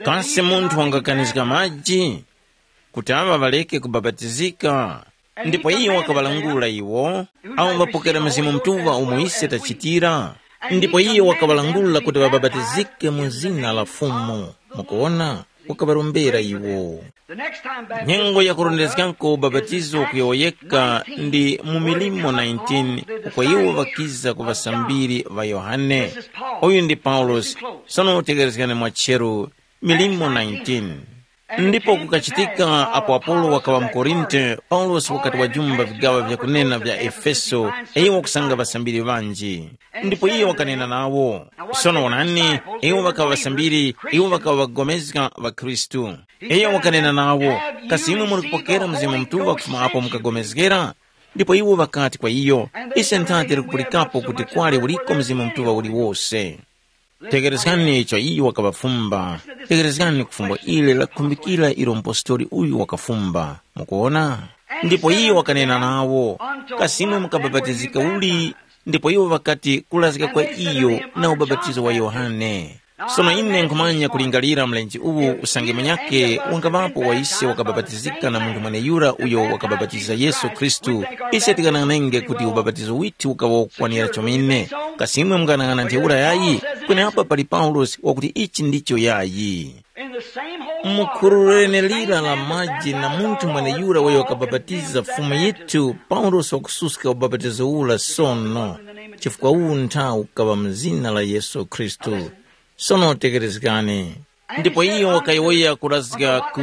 Kasi munthu wangakanizga maji kuti aŵa ŵareke kubapatizika? Ndipo iyo wakaŵalangula iwo, awo ŵapokera Mzimu Mutuŵa umo ise tachitira. Ndipo iyo wakaŵalangula kuti ŵabapatizike mu zina la Fumu. Mukuwona, wakaŵarombera iwo. Nyengo yakurondezgako ubapatizo kuyowoyeka ndi mu Milimo nineteen, uko iwo ŵakiza ku ŵasambiri ŵa Yohane. Uyu ndi Paulosi. Sono utegerezgani mwa cheru, Milimo nineteen. Ndipo kukachitika apo Apolo wakaŵa mu Korinte, Paulosi wakati wajumba vigaŵa vyakunena vya Efeso, iwo kusanga ŵasambiri ŵanji. Ndipo iye wakanena nawo. Sono wonani, iwo ŵakaŵa ŵasambiri, iwo ŵakaŵa ŵakupulikana ŵa Khristu. Iye wakanena nawo, kasi imwe muli kupokera Mzimu Mutuŵa kufuma apo mukagomezgera? Ndipo iwo ŵakati kwa iyo, ise ntha tili kupulikapo kuti kwali uliko Mzimu Mutuŵa uliwose. Tegherezgani icho iyo wakaŵafumba. Tegherezgani ku fumbo ili lakukhumbikira ilo mupostori uyu wakafumba. Mukuona? Ndipo iyo wakanena nawo, kasi imwe mukabapatizika uli? Ndipo iwo ŵakati kulazika kwa iyo na ubapatizo wa Yohane. Sono ine nkhumanya kulingalira mlenje uwu usange munyakhe wangaŵapo wa ise wakabapatizika na munthu mweneyura uyo wakabapatiza Yesu Khristu, ise tikanang'anenge kuti ubapatizo withu ukaŵa wakukwanira chomene. Kasi imwe munganang'ana ntheura yayi? Kweni apa pali Paulosi wakuti ichi ndicho yayi. Mu khuru lenelira la maji na munthu mweneyura uyo wakabapatiza Fumu yithu, Paulosi wakususka ubapatizo ura sono, chifukwa uwu nthawu ukaŵa mu zina la Yesu Khristu. Sono tekerezgani. Ndipo iyo wakayowoya kurazga ku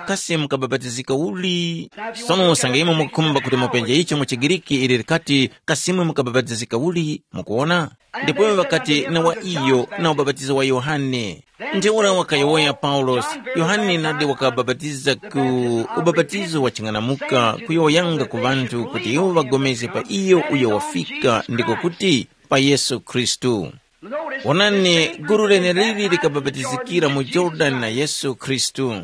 kasi mukabapatizika uli? Sono usange imwe mukukhumba kuti mupenje icho mu chiGiriki ili likati, kasi imwe mukabapatizika uli? Mukuona? Ndipo iwo ŵakati na wa iyo na ubapatizo wa Yohane. Ntheura wakayowoya Paulosi, Yohane nadi wakabapatiza ku ubapatizo wa ching'anamuka kuyowoyanga ku ŵanthu kuti iwo ŵagomezge pa iyo uyo wafika ndiko kuti pa Yesu Khristu. Wonani, gulu leneliri likabapatizikira mu Jorodani na Yesu Khristu.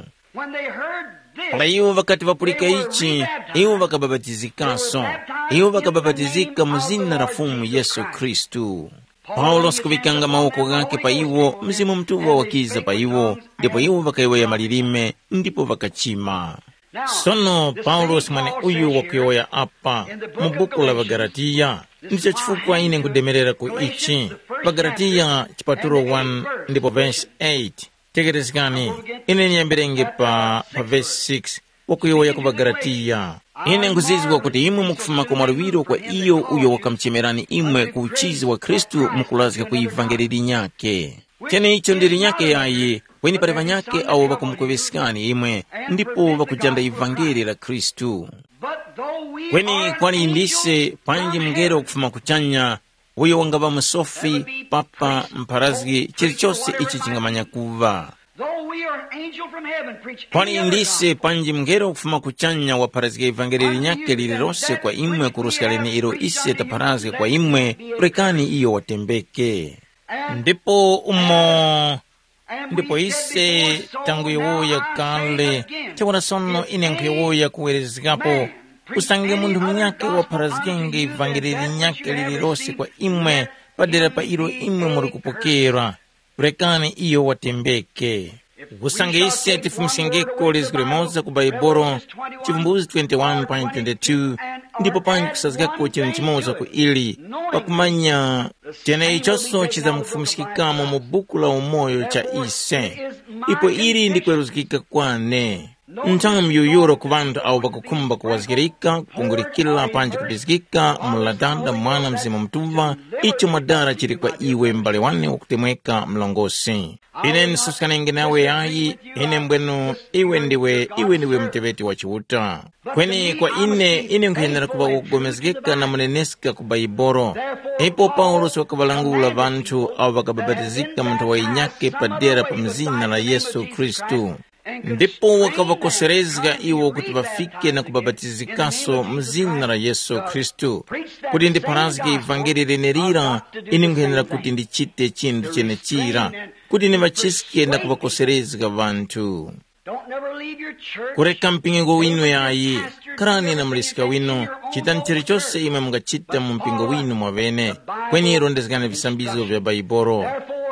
Para iwo ŵakati ŵapulika ichi, iwo ŵakabapatizikaso. Iwo ŵakabapatizika mu zina la Fumu Yesu Khristu. Paulosi kuŵikanga mawoko ghakhe pa iwo, Mzimu Mutuŵa wakiza pa iwo, ndipo iwo ŵakayowoya malilime ndipo ŵakachima. Sono Paulosi mweneuyu wakuyowoya apa mu buku la ŵaGalatiya. Ndicho chifukwa ine nkudemerera ku ichi. ޣaGalatiya chipatulo one ndipo vesi eight. Tekerezgani, ine ndiyambirenge pa, pa vesi six, wakuyowoya ku ŵaGalatiya. Ine nkhuzizwa kuti imwe mukufuma ku mwaluŵiro kwa iyo uyo wakamuchemerani imwe ku uchizi wa Khristu mukulazga ku ivangeli linyakhe. Cheneicho ndi linyakhe yayi, kweni pali ŵanyakhe awo ŵakumukuŵeskani imwe, ndipo ŵakujanda ivangeli la Khristu. Kweni kwali ndise panji mngelo kufuma kuchanya, uyo wangaŵa musofi, papa, mpharazgi, chilichose ichi chingamanya kuŵa. Though we are an angel from heaven preach kwali any other ndise gospel, panji mngelo kufuma kuchanya wapharazga ivangeli linyakhe lililose kwa imwe kuruska leneilo ise tapharazga kwa imwe, rekani iyo watembeke. Ndipo umo ndipo ise tanguyowoya kale, ntheura sono ine nkhuyowoya kuwerezgapo, usange munthu munyakhe wapharazgenge ivangeli linyakhe lililose kwa imwe, padera pa ilo imwe muli kupokera, rekani iyo watembeke. Usange ise tifumiskengeko lizgu limoza ku Baibolo, Chivumbulutso twenty-one pa twenty-two, ndipo panji kusazgako chinthu chimoza ku ili, pakumanya cheneichonso chizamkufumiskikamo mu buku la umoyo cha ise. Ipo ili ndi kweruzgika kwane. Nthawi miyuyuro ku ŵanthu awo ŵakukhumba kuwazgirika, kupungulikira panji kubizgika, mulatanda mwana mzimu mtuŵa, icho mwadala chili kwa iwe m'bale wane wakutemweka mlongosi. Ine ndisuskananinge nawe yayi, ine mbwenu iwe ndiwe iwe ndiwe muteŵeti wa Chiuta. Kweni kwa ine, ine nkhuyenera kuŵa wakupulikana na muneneska ku Baibolo. Ipo Paulosi wakaŵalangula ŵanthu awo ŵakabapatizika mu nthowa yinyakhe padera pa mzina la Yesu Khristu. Ndipo wakaŵakoserezga iwo kuti ŵafike na kubapatizikaso mu zina la Yesu Khristu. Kuti ndipharazge ivangeli lenelira, ine nkhuyenera kuti ndichite chinthu chenechira, kuti ndiŵachiske na kuŵakoserezga ŵanthu. Don't never leave your church. Kureka mpingo winu yayi. Kharani na muliska winu. Chitani chilichose imwe mungachita mu mpingo winu mwaŵene, kweni rondezgani visambizo vya Baibolo.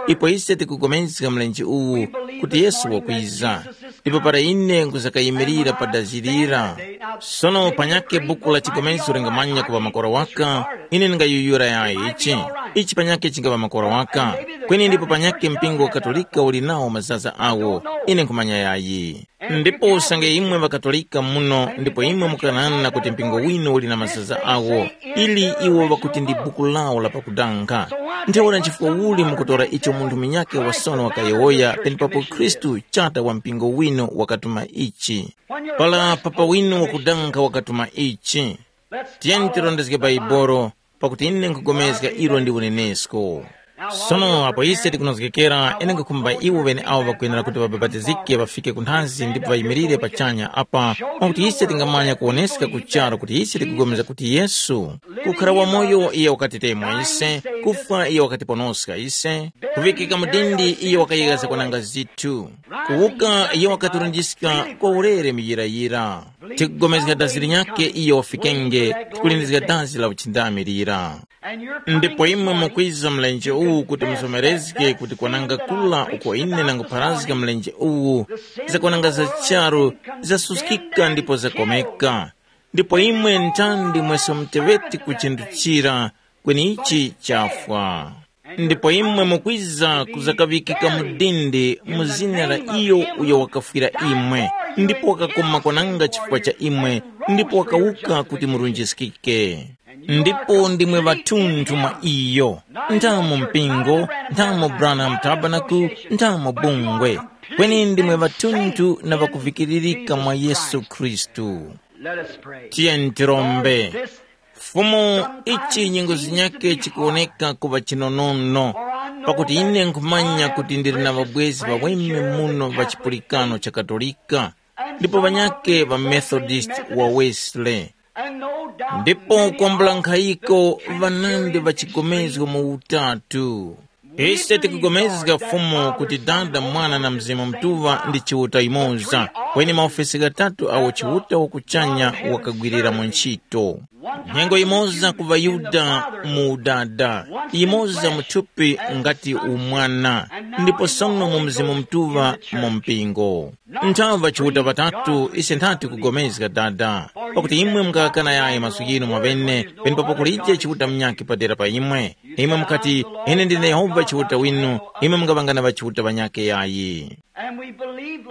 Ipo ise tikupulikana mlenje uwu, kuti Yesu wakwiza. Ndipo para ine nkuzakayimirira pa dazi lira. Sono panyakhe buku la chipulikano lingamanya kuŵa makora waka, ine ndingayuyura yayi ichi. Ichi panyakhe chingaŵa makora waka. Kweni ndipo panyakhe mpingo wa Katolika uli nawo mazaza awo, ine nkhumanya yayi. Ndipo usange imwe ŵaKatolika muno ndipo imwe mukanana kuti mpingo winu uli na mazaza awo, ili iwo ŵakuti ndi buku lawo la pakudanga. Ntheura nchifukwa uli mukutora icho munthu munyakhe wasono wakayowoya penepapo Khristu chata wa mpingo winu wakatuma ichi? Para papa winu wakudanga wakatuma ichi? Tiyeni tirondezge Baibolo, pakuti ine nkhupulikana ilo ndi unenesko. Sono apo ise tikunozgekera, ine nkhukhumba iwo ŵeneawo ŵakwenera kuti ŵabapatizike ŵafike ku nthazi ndipo ŵayimirire pachanya apa, mwakuti ise tingamanya kuwoneska ku charu kuti ise tikupulikana kuti Yesu, kukhara wamoyo iye wakatitemwa ise, kufwa iye wakatiponoska ise, kuŵikika mu dindi iye wakayegha zakwananga zithu, kuwuka iye wakaturunjiska kwa ulere muyirayira. Tikupulikana dazi linyakhe iyo wafikenge, tikulindizga dazi la uchindami lira. Ndipo imwe mukwiza mlenje uwu kuti muzomerezge kuti kwananga kula uko ine nangupharazga mlenje uwu, zakwananga za charu, zasuskika ndipo zakomeka. Ndipo imwe ntandi mwese muteŵeti ku chinthu chira, kweni ichi chafwa. Ndipo imwe mukwiza kuzakaŵikika mu dindi mu zina la iyo uyo wakafwira imwe, ndipo wakakoma kwananga chifukwa cha imwe, ndipo wakawuka kuti murunjiskike. Ndipo ndimwe ŵathunthu mwa iyo, ntha mu mpingo, ntha mu Branham Tabernacle, ntha mu bungwe, kweni ndimwe ŵathunthu na ŵakuvikiririka mwa Yesu Khristu. Let us pray. Tiyeni tirombe. Fumu, ichi nyengo zinyakhe chikuwoneka kuŵa chinonono, pakuti ine nkhumanya kuti ndili na ŵabwezi ŵaweme muno ŵa chipulikano cha Katolika, ndipo ŵanyakhe ŵa Methodist wa Wesley, ndipo kwambula nkhayiko ŵanandi ŵa chigomezgo mu utatu. Ise tikugomezga Fumu kuti Dada, Mwana na Mzimu Mutuŵa ndi Chiuta yumoza, kweni maofesi ghatatu agho Chiuta wa kuchanya wakagwirira mu ntchito. Nyengo yimoza ku ŵaYuda mu udada, yimoza mu thupi ngati umwana, ndipo sono mu Mzimu Mutuŵa mu mpingo. Nthaŵa Chiuta ŵatatu ise nthati kugomezga Dada, pakuti imwe mungakana yayi mazgu ghinu mwaŵene, penepapo kulije Chiuta munyakhe padera pa imwe. Imwe mukati, “Ine ndine Yehova Chiuta winu,” imwe mungaŵanga na ŵachiuta ŵanyakhe yayi.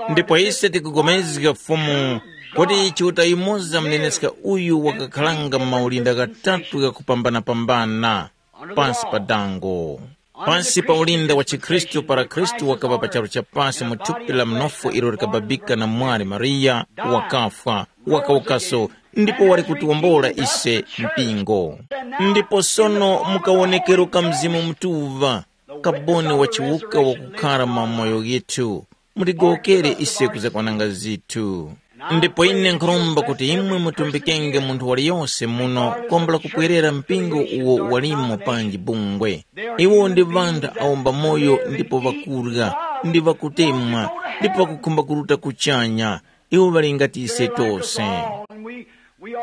Ndipo ise tikugomezga Fumu, kuti Chiuta yumoza muneneska uyu wakakharanga mu maulinda ghatatu ghakupambana-pambana pansi pa dango. Pansi pa ulinda wa chikhristu para Khristu wakaŵa pa charu cha pasi mu thupi la mnofu ilo likababika na mwali Mariya, wakafwa, wakawukaso, ndipo wali kutiwombola ise mpingo. Ndipo sono mu kawonekero ka Mzimu Mutuŵa, kaboni wa chiwuka wakukhara mwa moyo yithu, mutigowokere ise kuzakwananga zithu. Ndipo ine nkhuromba kuti imwe mutumbikenge munthu waliyose muno kwambula kupwerera mpingo uwo walimo panji bungwe. Iwo ndi ŵanthu awo mbamoyo ndipo ŵakurya, ndi ŵakutemwa, ndipo ŵakukhumba kuruta kuchanya. Iwo ŵali ngati ise tose.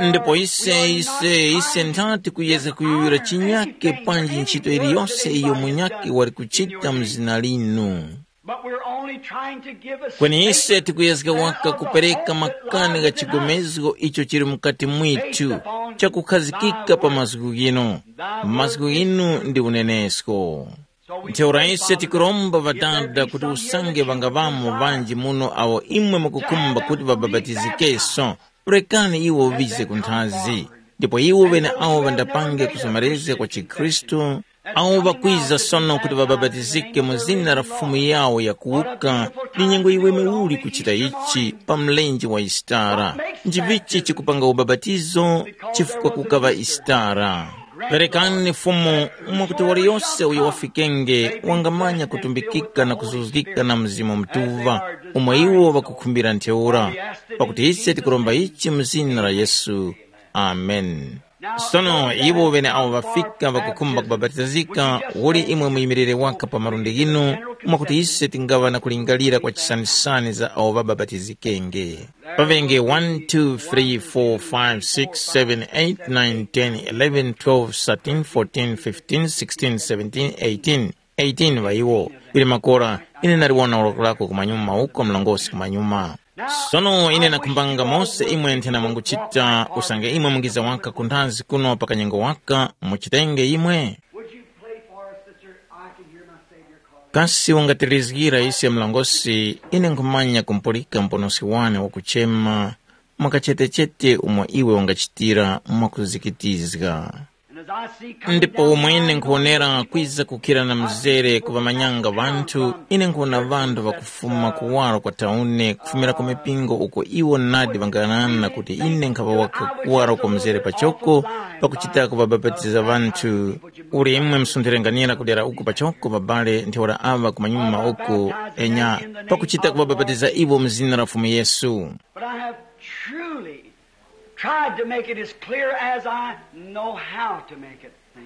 Ndipo ise ise ise nthati kuyezga kuyuyura chinyake panji ntchito iliyose iyo munyake wali kuchita mu zina linu. But we're only trying to give a kweni ise tikuyezga waka kupereka makani gha chigomezgo icho chili mukati mwithu, chakukhazikika pa mazgu ghinu. Mazgu ghinu ndi unenesko. Ntheura ise tikuromba Ŵadada kuti usange ŵangaŵamo ŵanji muno awo imwe mukukhumba kuti ŵabapatizikenso, rekani iwo ŵize ku nthazi. Ndipo iwo ŵeneawo ŵandapange kuzomerezga kwa chikhristu, awo ŵakwiza sono kuti ŵabapatizike mu zina la Fumu yawo yakuwuka, ndi nyengo yiweme uli kuchita ichi pa mlenje wa Yisitara. Nchivichi chikupanga ubapatizo? Chifukwa kukaŵa Yisitara. Perekani Fumu, mwakuti waliyose uyo wafikenge wangamanya kutumbikika na kuzuzgika na Mzimu Mutuŵa, umo iwo ŵakukhumbira ntheura. Pakuti ise tikuromba ichi mu zina la Yesu. Amen. Sono iwo ŵeneawo ŵafika ŵakukhumba kubapatizika, uli imwe muyimirire waka pa malundi ghinu, mwakuti ise tingaŵa na kulingalira kwa chisanisani za awo ŵabapatizikenge. Paŵenge one, two, three, four, five, six, seven, eight, nine, ten, eleven, twelve, thirteen, fourteen, fifteen, sixteen, seventeen, eighteen. Eighteen ŵa iwo. Ŵili makora, ine ndaliwona uloko lako kumanyuma uko mlongosi kumanyuma. Sono ine nakhumbanga mose imwe nthena mwanguchita usange imwe mungiza waka ku nthazi kuno pa kanyengo waka, muchitenge imwe. Would you play for us, sister? I can hear my Savior calling. Kasi ungatilizgira ise mlongosi, ine nkhumanya kumpulika mponoski wane wakuchema, mwakachetechete umo iwe ungachitira mwakuzikitizga. Ndipo umwene nkhuwonera kwiza kukhira na mzere ku ŵamanyanga ŵanthu, ine nkhuwona ŵanthu ŵakufuma kuwaro kwa tauni, kufumira ku mipingo uko iwo nadi ŵanganana kuti ine nkhaŵa waka kuwaro kwa mzere pachoko, pakuchita kuŵabapatiza ŵanthu. Uli imwe msunthirenganira kudera uku pachoko, babale, ntheura aŵa kumanyuma uku, enya, pakuchita kuŵabapatiza iwo mu zina la Fumu Yesu. But I have truly tried to make it as clear as I know how to make it. See?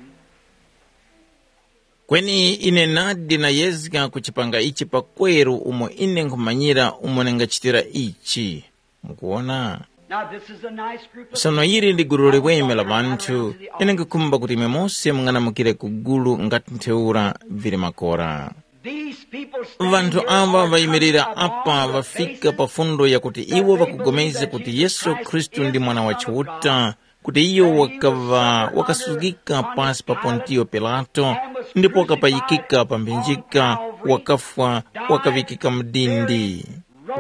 Kweni ine nadi nayezga kuchipanga ichi pakweru umo ine nkhumanyira umo ningachitira ichi. Mukuwona? Now, this is a nice group of Sono ili ndi gulu liweme la ŵanthu, ine nkukhumba kuti imwe mose munganamukire ku gulu ngati ntheura vili makora. These people stand Ŵanthu here awa are vayimirira coming apa upon the ŵafika basis pa fundo yakuti iwo ŵakugomezga kuti Yesu Khristu ndi Mwana wa Chiuta, kuti iyo wakaŵa wakasuzgika pasi pa Pontiyo Pilato, ndipo wakapayikika pa mphinjika, wakafwa, wakaŵikika mu dindi.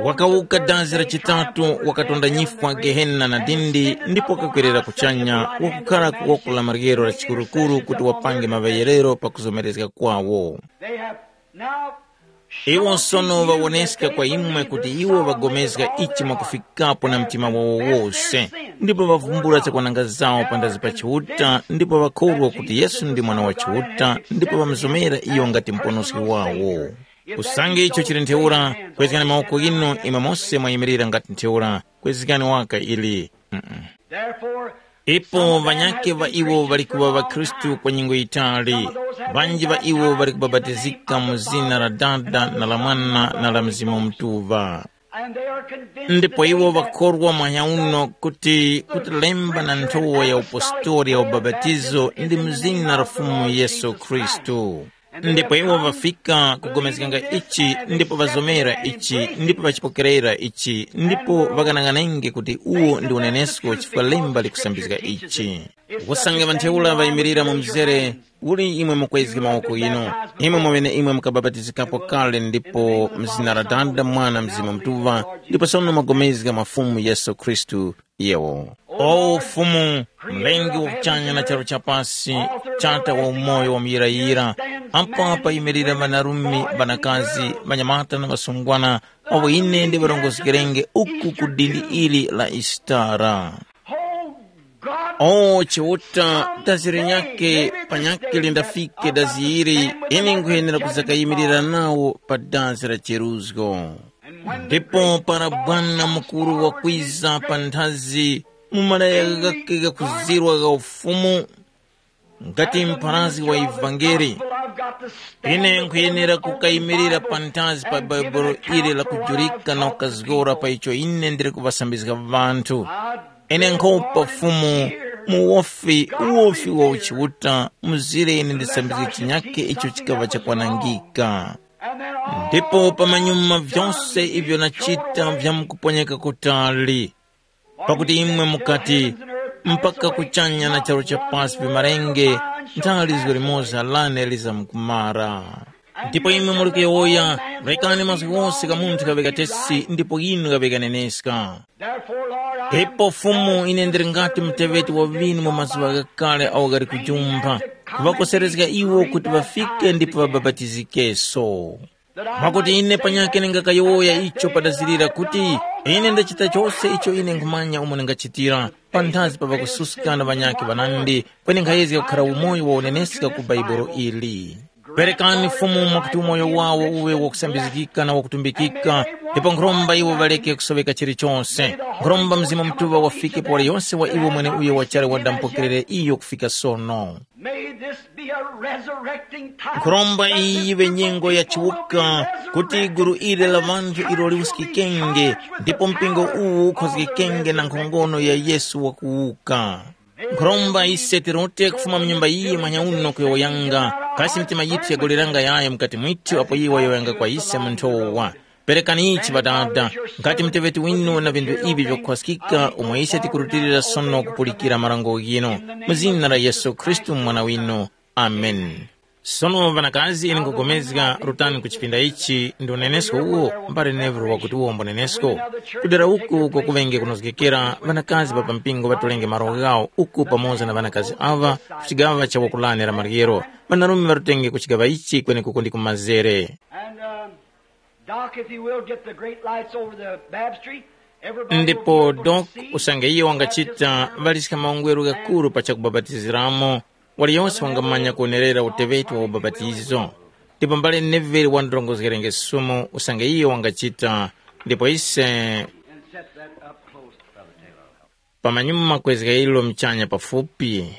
Wakawuka dazi la chitatu, wakatonda nyifwa, gehena na dindi, ndipo wakakwerera kuchanya, wakukhara ku woko la maryero la chikurukuru kuti wapange maŵeyerero pakuzomerezga kwawo. They have now Iwo sono ŵawoneska kwa imwe kuti iwo ŵagomezga ichi mwakufikapo na mtima wawo wose, ndipo ŵavumbula zakwananga zawo pandazi pa Chiuta, ndipo ŵakhorwa kuti Yesu ndi Mwana wa Chiuta, ndipo ŵamuzomera iyo ngati Muponoski wawo. Usange icho chili ntheura, kwezgani mawoko ghinu imwe mose mwayimirira ngati ntheura, kwezgani waka ili. Mm-mm. Ipo ŵanyakhe ŵa iwo ŵali kuŵa ŵakhristu kwa nyengo yitali, ŵanji ŵa iwo ŵali kubapatizika mu zina la Dada na la Mwana na la Mzimu Mutuŵa. Ndipo iwo ŵakhorwa mwanya uno kuti kuti lemba na nthowa ya upostori ya ubapatizo ndi mu zina la Fumu Yesu Khristu. Ndipo iwo ŵafika kugomezganga ichi, ndipo ŵazomera ichi, ndipo ŵachipokerera ichi, ndipo ŵakanang'anenge kuti uwo ndi unenesko chifukwa lemba likusambizga ichi. Usange ŵantheura ŵayimirira mu mzere, uli imwe mukwezge mawoko inu, imwe mweneimwe mukabapatizikapo kale ndipo mzina la Dada, Mwana, Mzimu Mutuŵa, ndipo sono mwagomezga mwa Fumu Yesu Khristu, yewo. O Fumu, Mlengi wa kuchanya na charu cha pasi, Chata wa umoyo wa muyirayira, apa payimirira ŵanarume, ŵanakazi, ŵanyamata na ŵasungwana, awo ine ndiŵarongozgerenge uku ku dindi ili la Isitara. O Chiuta, dazi linyakhe panyakhe lindafike dazi ili, ine nkhuyenera kuzakayimirira nawo pa dazi la cheruzgo. Ndipo para Bwana mukuru wakwiza pa nthazi, mu malaya ghakhe ghakuzirwa gha ufumu, ngati mpharazgi wa ivangeli, ine nkhuyenera kukayimirira panthazi pa Bhaibuli ili lakujurika na kukazgora pa icho ine ndili kuŵasambizga ŵanthu. Ine nkhupa Fumu, mu wofi, uwofi wa uchiuta, mzire ine ndisambizge chinyakhe icho chikaŵa chakwanangika. Ndipo pamanyuma vyose ivyo nachita vyamkuponyeka kutali, pakuti imwe mukati, mpaka kuchanya na charu cha pasi vimarenge, ntha lizgo limoza lane lizamkumara. Ndipo imwe muli kuyowoya, rekani mazgu ghose gha munthu ghaŵe gatesi ndipo inu ghaŵe ganeneska. Ipo Fumu, ine ndili ngati muteŵeti wa ŵinu mu mazuŵa ghakale awo ghali kujumpha, kuŵakoserezga iwo kuti ŵafike ndipo ŵabapatizikeso. Mwakuti ine panyakhe ndingakayowoya icho padazirira kuti, ine ndachita chose icho ine nkhumanya umo ndingachitira, panthazi pa ŵakususka na ŵanyakhe ŵanandi, kweni nkhayezga kukhara umoyo wa uneneska ku Bhaibuli ili. Perekani Fumu mwakuti umoyo wawo uwe wakusambizgika na wakutumbikika, ndipo nkhuromba iwo ŵaleke kusoŵeka chilichose. Nkhuromba Mzimu Mutuŵa wafike pa waliyonse wa iwo mweneuyo wachali wadamupokerere iyo kufika sono. May this be a resurrecting time. Nkhuromba iyi yiŵe nyengo ya chiwuka, kuti gulu ili la ŵanthu ilo liwuskikenge, ndipo mpingo uwu ukhozgekenge na nkhongono ya Yesu wakuwuka. Nkhuromba ise tirote kufuma mu nyumba iyi mwanya uno kuyowoyanga, kasi mitima yithu yagoleranga yayo mukati mwithu apo iye wayowoyanga kwa ise mu nthowa. Perekani ichi Ŵadada, ngati muteŵeti winu na vinthu ivi vyakukhwaskika umo ise tikurutilira sono kupulikira marango ghinu, mu zina la Yesu Khristu Mwana winu. Ameni. Sono ŵanakazi, ine nkugomezga, rutani ku chipinda ichi ndi unenesko uwo mbale Neville wakuti uwo mbunenesko. Kudera uku uko kuŵenge kunozgekera, ŵanakazi ŵa pa mpingo ŵatolenge malo ghawo uku pamoza na ŵanakazi aŵa ku chigaŵa cha wakulane la maryero. Ŵanarume ŵarutenge ku chigaŵa ichi kwenekuko ndi kumazere. And uh, Doc, if you will, get the great lights over the baptistry. Everybody will be Ndipo able to Dok see. Usange iye wangachita, ŵaliska maungweru ghakuru pa chakubapatiziramo. Waliyose wangamanya kuonerera uteŵeti wa ubapatizo. Ndipo mbale Neville wandorongozgerenge sumu usange iyo wangachita. Ndipo ise And set that up close, Brother Taylor. Pamanyuma kwezga ilo mchanya pafupi,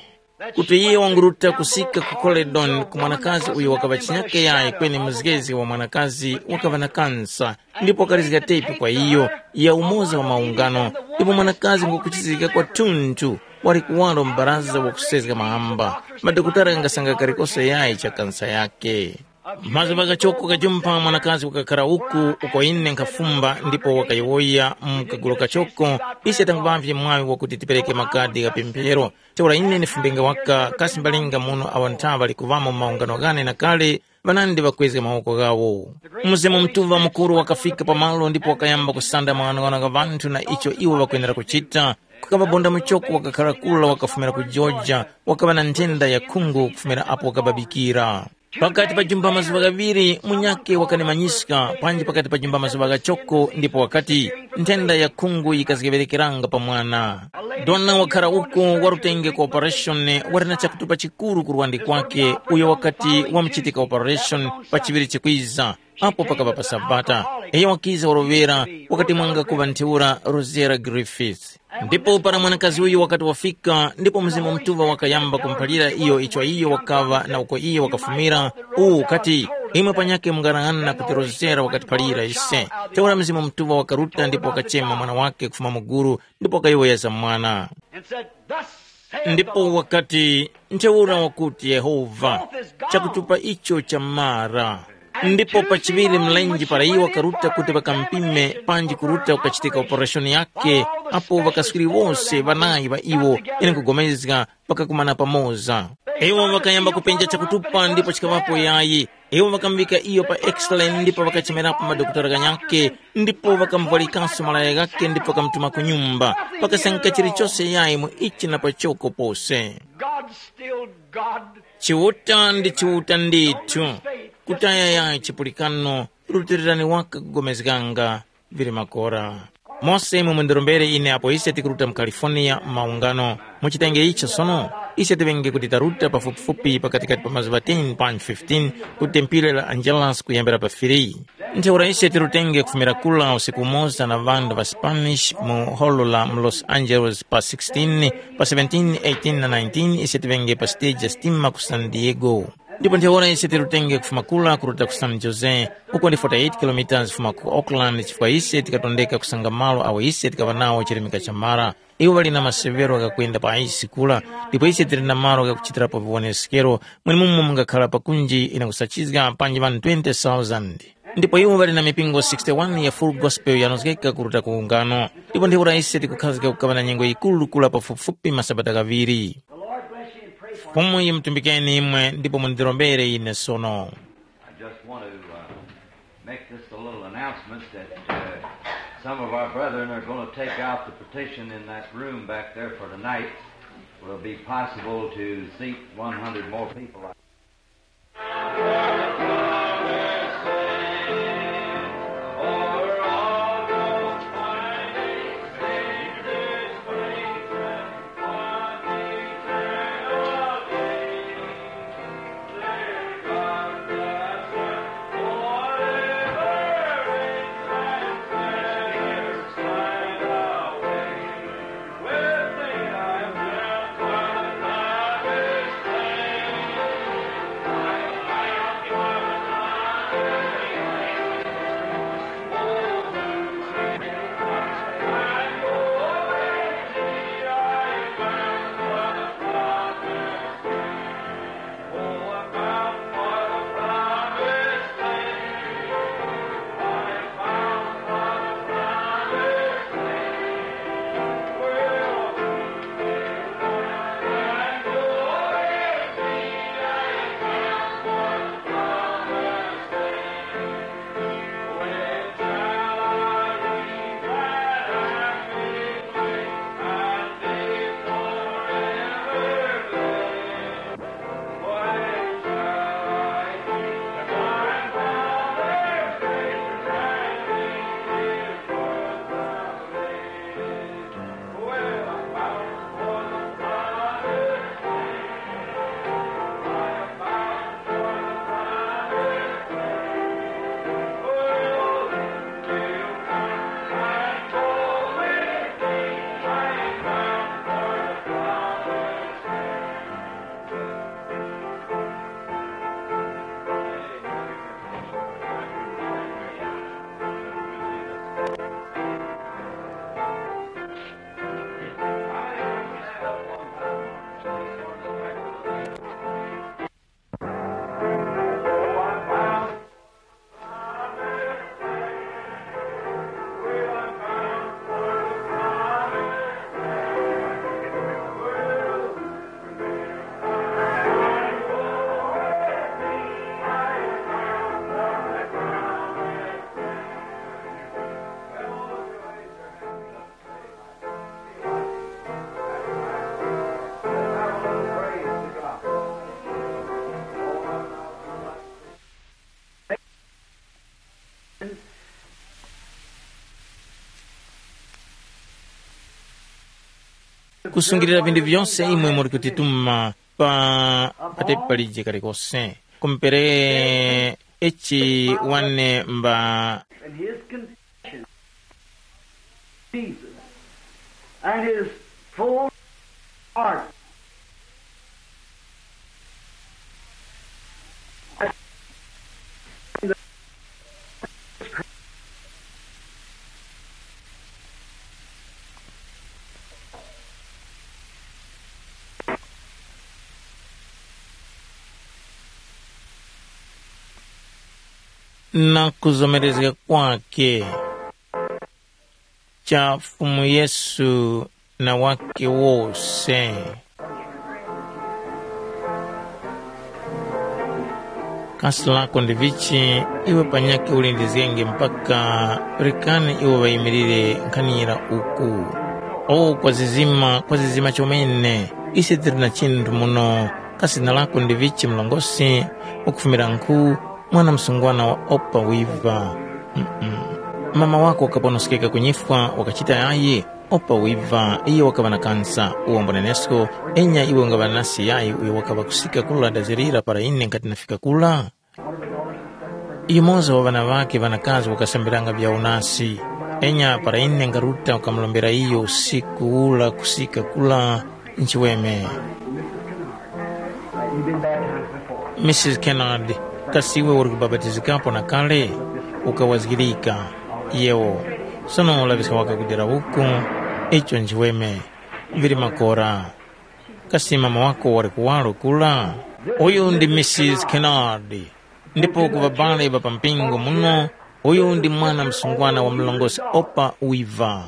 kuti iye wanguruta kusika ku Coledon ku mwanakazi uyo wakaŵa chinyake yayi kweni muzgezi wa mwanakazi wakaŵa na kansa, ndipo wakalizga tepi kwa iyo ya umoza wa maungano. Ndipo mwanakazi ngukuchizgika kwathunthu, wali kuwaro m'baraza wakusezga mahamba. Madokotala ghangasanga kalikose yayi cha kansa yake. Mazuŵa ghachoko kajumpha mwanakazi wakakhara uku uko ine nkhafumba ndipo wakayowoya mu kagulu kachoko, ise tanguŵavye mwaŵi wakuti tipereke makadi gha pemphero. Ntheura ine ndifumbenga waka kasi mbalinga muno awo nthaŵa likuŵamo mu maungano ghane na kale, ŵanandi ŵakwezga mawoko ghawo. Mzimu Mutuŵa mukuru wakafika pamalo ndipo wakayamba kusanda maghanoghano gha ŵanthu na icho iwo ŵakwenera kuchita. Kukaŵa bonda muchoko wakakhara kura wakafumira ku Georgia, wakaŵa na nthenda ya khungu kufumira apo wakababikira. Pakati pa jumba mazuŵa ghaŵiri munyakhe wakanimanyiska, panji pakati pa jumba mazuŵa ghachoko ndipo wakati, nthenda ya khungu yikazgeŵerekeranga pa mwana. Dona wakhara uko warutenge ku operation wali na chakutupa chikuru ku lwandi kwakhe, uyo wakati wamuchitika operation pa chiŵiri chikwiza, apo pakaŵa pa Sabata. Iyo wakiza waloŵera, wakati mwanga kuŵa ntheura Rosera Griffiths. Ndipo para mwanakazi uyu wakati wafika, ndipo Mzimu Mutuŵa wakayamba kumuphalira iyo icho iyo wakaŵa na uko iyo wakafumira, uwu ukati, imwe panyakhe mungarang'ana kuti Rosera wakatiphalira ise. Ntheura Mzimu Mutuŵa wakaruta ndipo wakachema mwana wakhe kufuma mu gulu, ndipo wakayowoya za mwana. And said, "Thus saith the Ndipo Lord." Wakati, ntheura wakuti Yehova, chakutupa icho chamara. Ndipo pachiŵiri mlenje para iwo wakaruta kuti ŵakampime panji kuruta kukachitika opereshoni yake, apo ŵakaswiri wose ŵanayi ŵa iwo ine nkugomezga ŵakakumana pamoza. Iwo ŵakayamba kupenja chakutupa ndipo chikaŵapo yayi. Iwo ŵakamuŵika iyo pa x-ray ndipo ŵakachemerapo madokotala ghanyakhe, ndipo ŵakamuvwalikanso malaya ghakhe ndipo ŵakamutuma ku nyumba. Pakasangika chilichose yayi mu ichi na pachoko pose. God still God. Chiuta ndi Chiuta ndithu. Kutaya yayi chipulikano, rutilirani waka kugomezganga vili makora. Mose imwe mundirombere ine apo ise tikuruta mu California mu maungano. Muchitenge icho sono, ise tiŵenge kuti taruta pafupifupi pakatikati pa mazuŵa ten panji fifteen ku tempile la Angeles kuyambira pa three. Ntheura ise tirutenge kufumira kula usiku umoza na ŵanthu ŵa Spanish mu holo la mu Los Angeles pa sixteen, pa seventeen, eighteen na nineteen ise tiŵenge pa stage ya sitima ku San Diego. Ndipo ntheura ise tirutenge kufuma kula kuruta ku San Jose, uko ndi forty-eight kilometers kufuma ku Oakland chifukwa ise tikatondeka kusanga malo awo ise tikaŵa nawo chirimika cha mara. Iwo ŵali na masevero ghakwenda pa aisi kula, ndipo ise tili na malo ghakuchitirapo viwoneskero, mwenemumo mungakhala pakunji ine kusachizga panji ŵanthu twenty thousand. Ndipo iwo ŵali na mipingo sixty-one ya Full Gospel yanozgeka kuruta ku ungano. Ndipo ntheura ise tikukhazika kukaŵa na nyengo yikuru kula pafupifupi masabata ghaŵiri. Fumu yimutumbikeni imwe ndipo mundirombere ine sono. I just want to uh, make this a little announcement that uh, some of our brethren are going to take out the petition in that room back there for tonight. Will be possible to seat one hundred more people. kusungilira vinthu vyose imwe muri kutituma pa patepi palije kalikose. Kumpere echi wane mba And his confession, Jesus, and his full heart. Na kuzomerezga kwake cha Fumu Yesu na wake wose. Kasi lako ndi vichi, iwe panyakhe ulindizgenge mpaka rekani iwo ŵayimilire nkhanira uku. O kwazizima, kwazizima chomene, ise tili na chinthu muno. Kasi zina lako ndi vichi mlongosi? Ukufumira nkhu, mwana msungwana wa Opa Wiva. Mm-mm. Mama wako wakaponoskeka kunyifwa wakachita yayi? Opa wiva, iyo wakaŵa na kansa, uwombo nenesko, enya iwe ungaŵa nasi yayi uyo wakaŵa kusika kula dazirira para ine nkati nafika kula? Yumoza wa ŵana ŵakhe ŵanakazi wakasambiranga vyawo nasi, enya para ine ngaruta ukamulombera iyo usiku ula kusika kula nchiweme. Missus Kennard, kasi iwe uri kubapatizikapo na kale? Ukawazgirika. Yewo. Sono ulaŵiska waka kudera uku, icho nchiweme. Vili makora. Kasi mama wako wali kuwaro kula? Uyu ndi Missus Kennard. Ndipo ku ŵabale ŵa pa mpingo muno, uyu ndi mwana msungwana wa mlongosi Opa Wiva.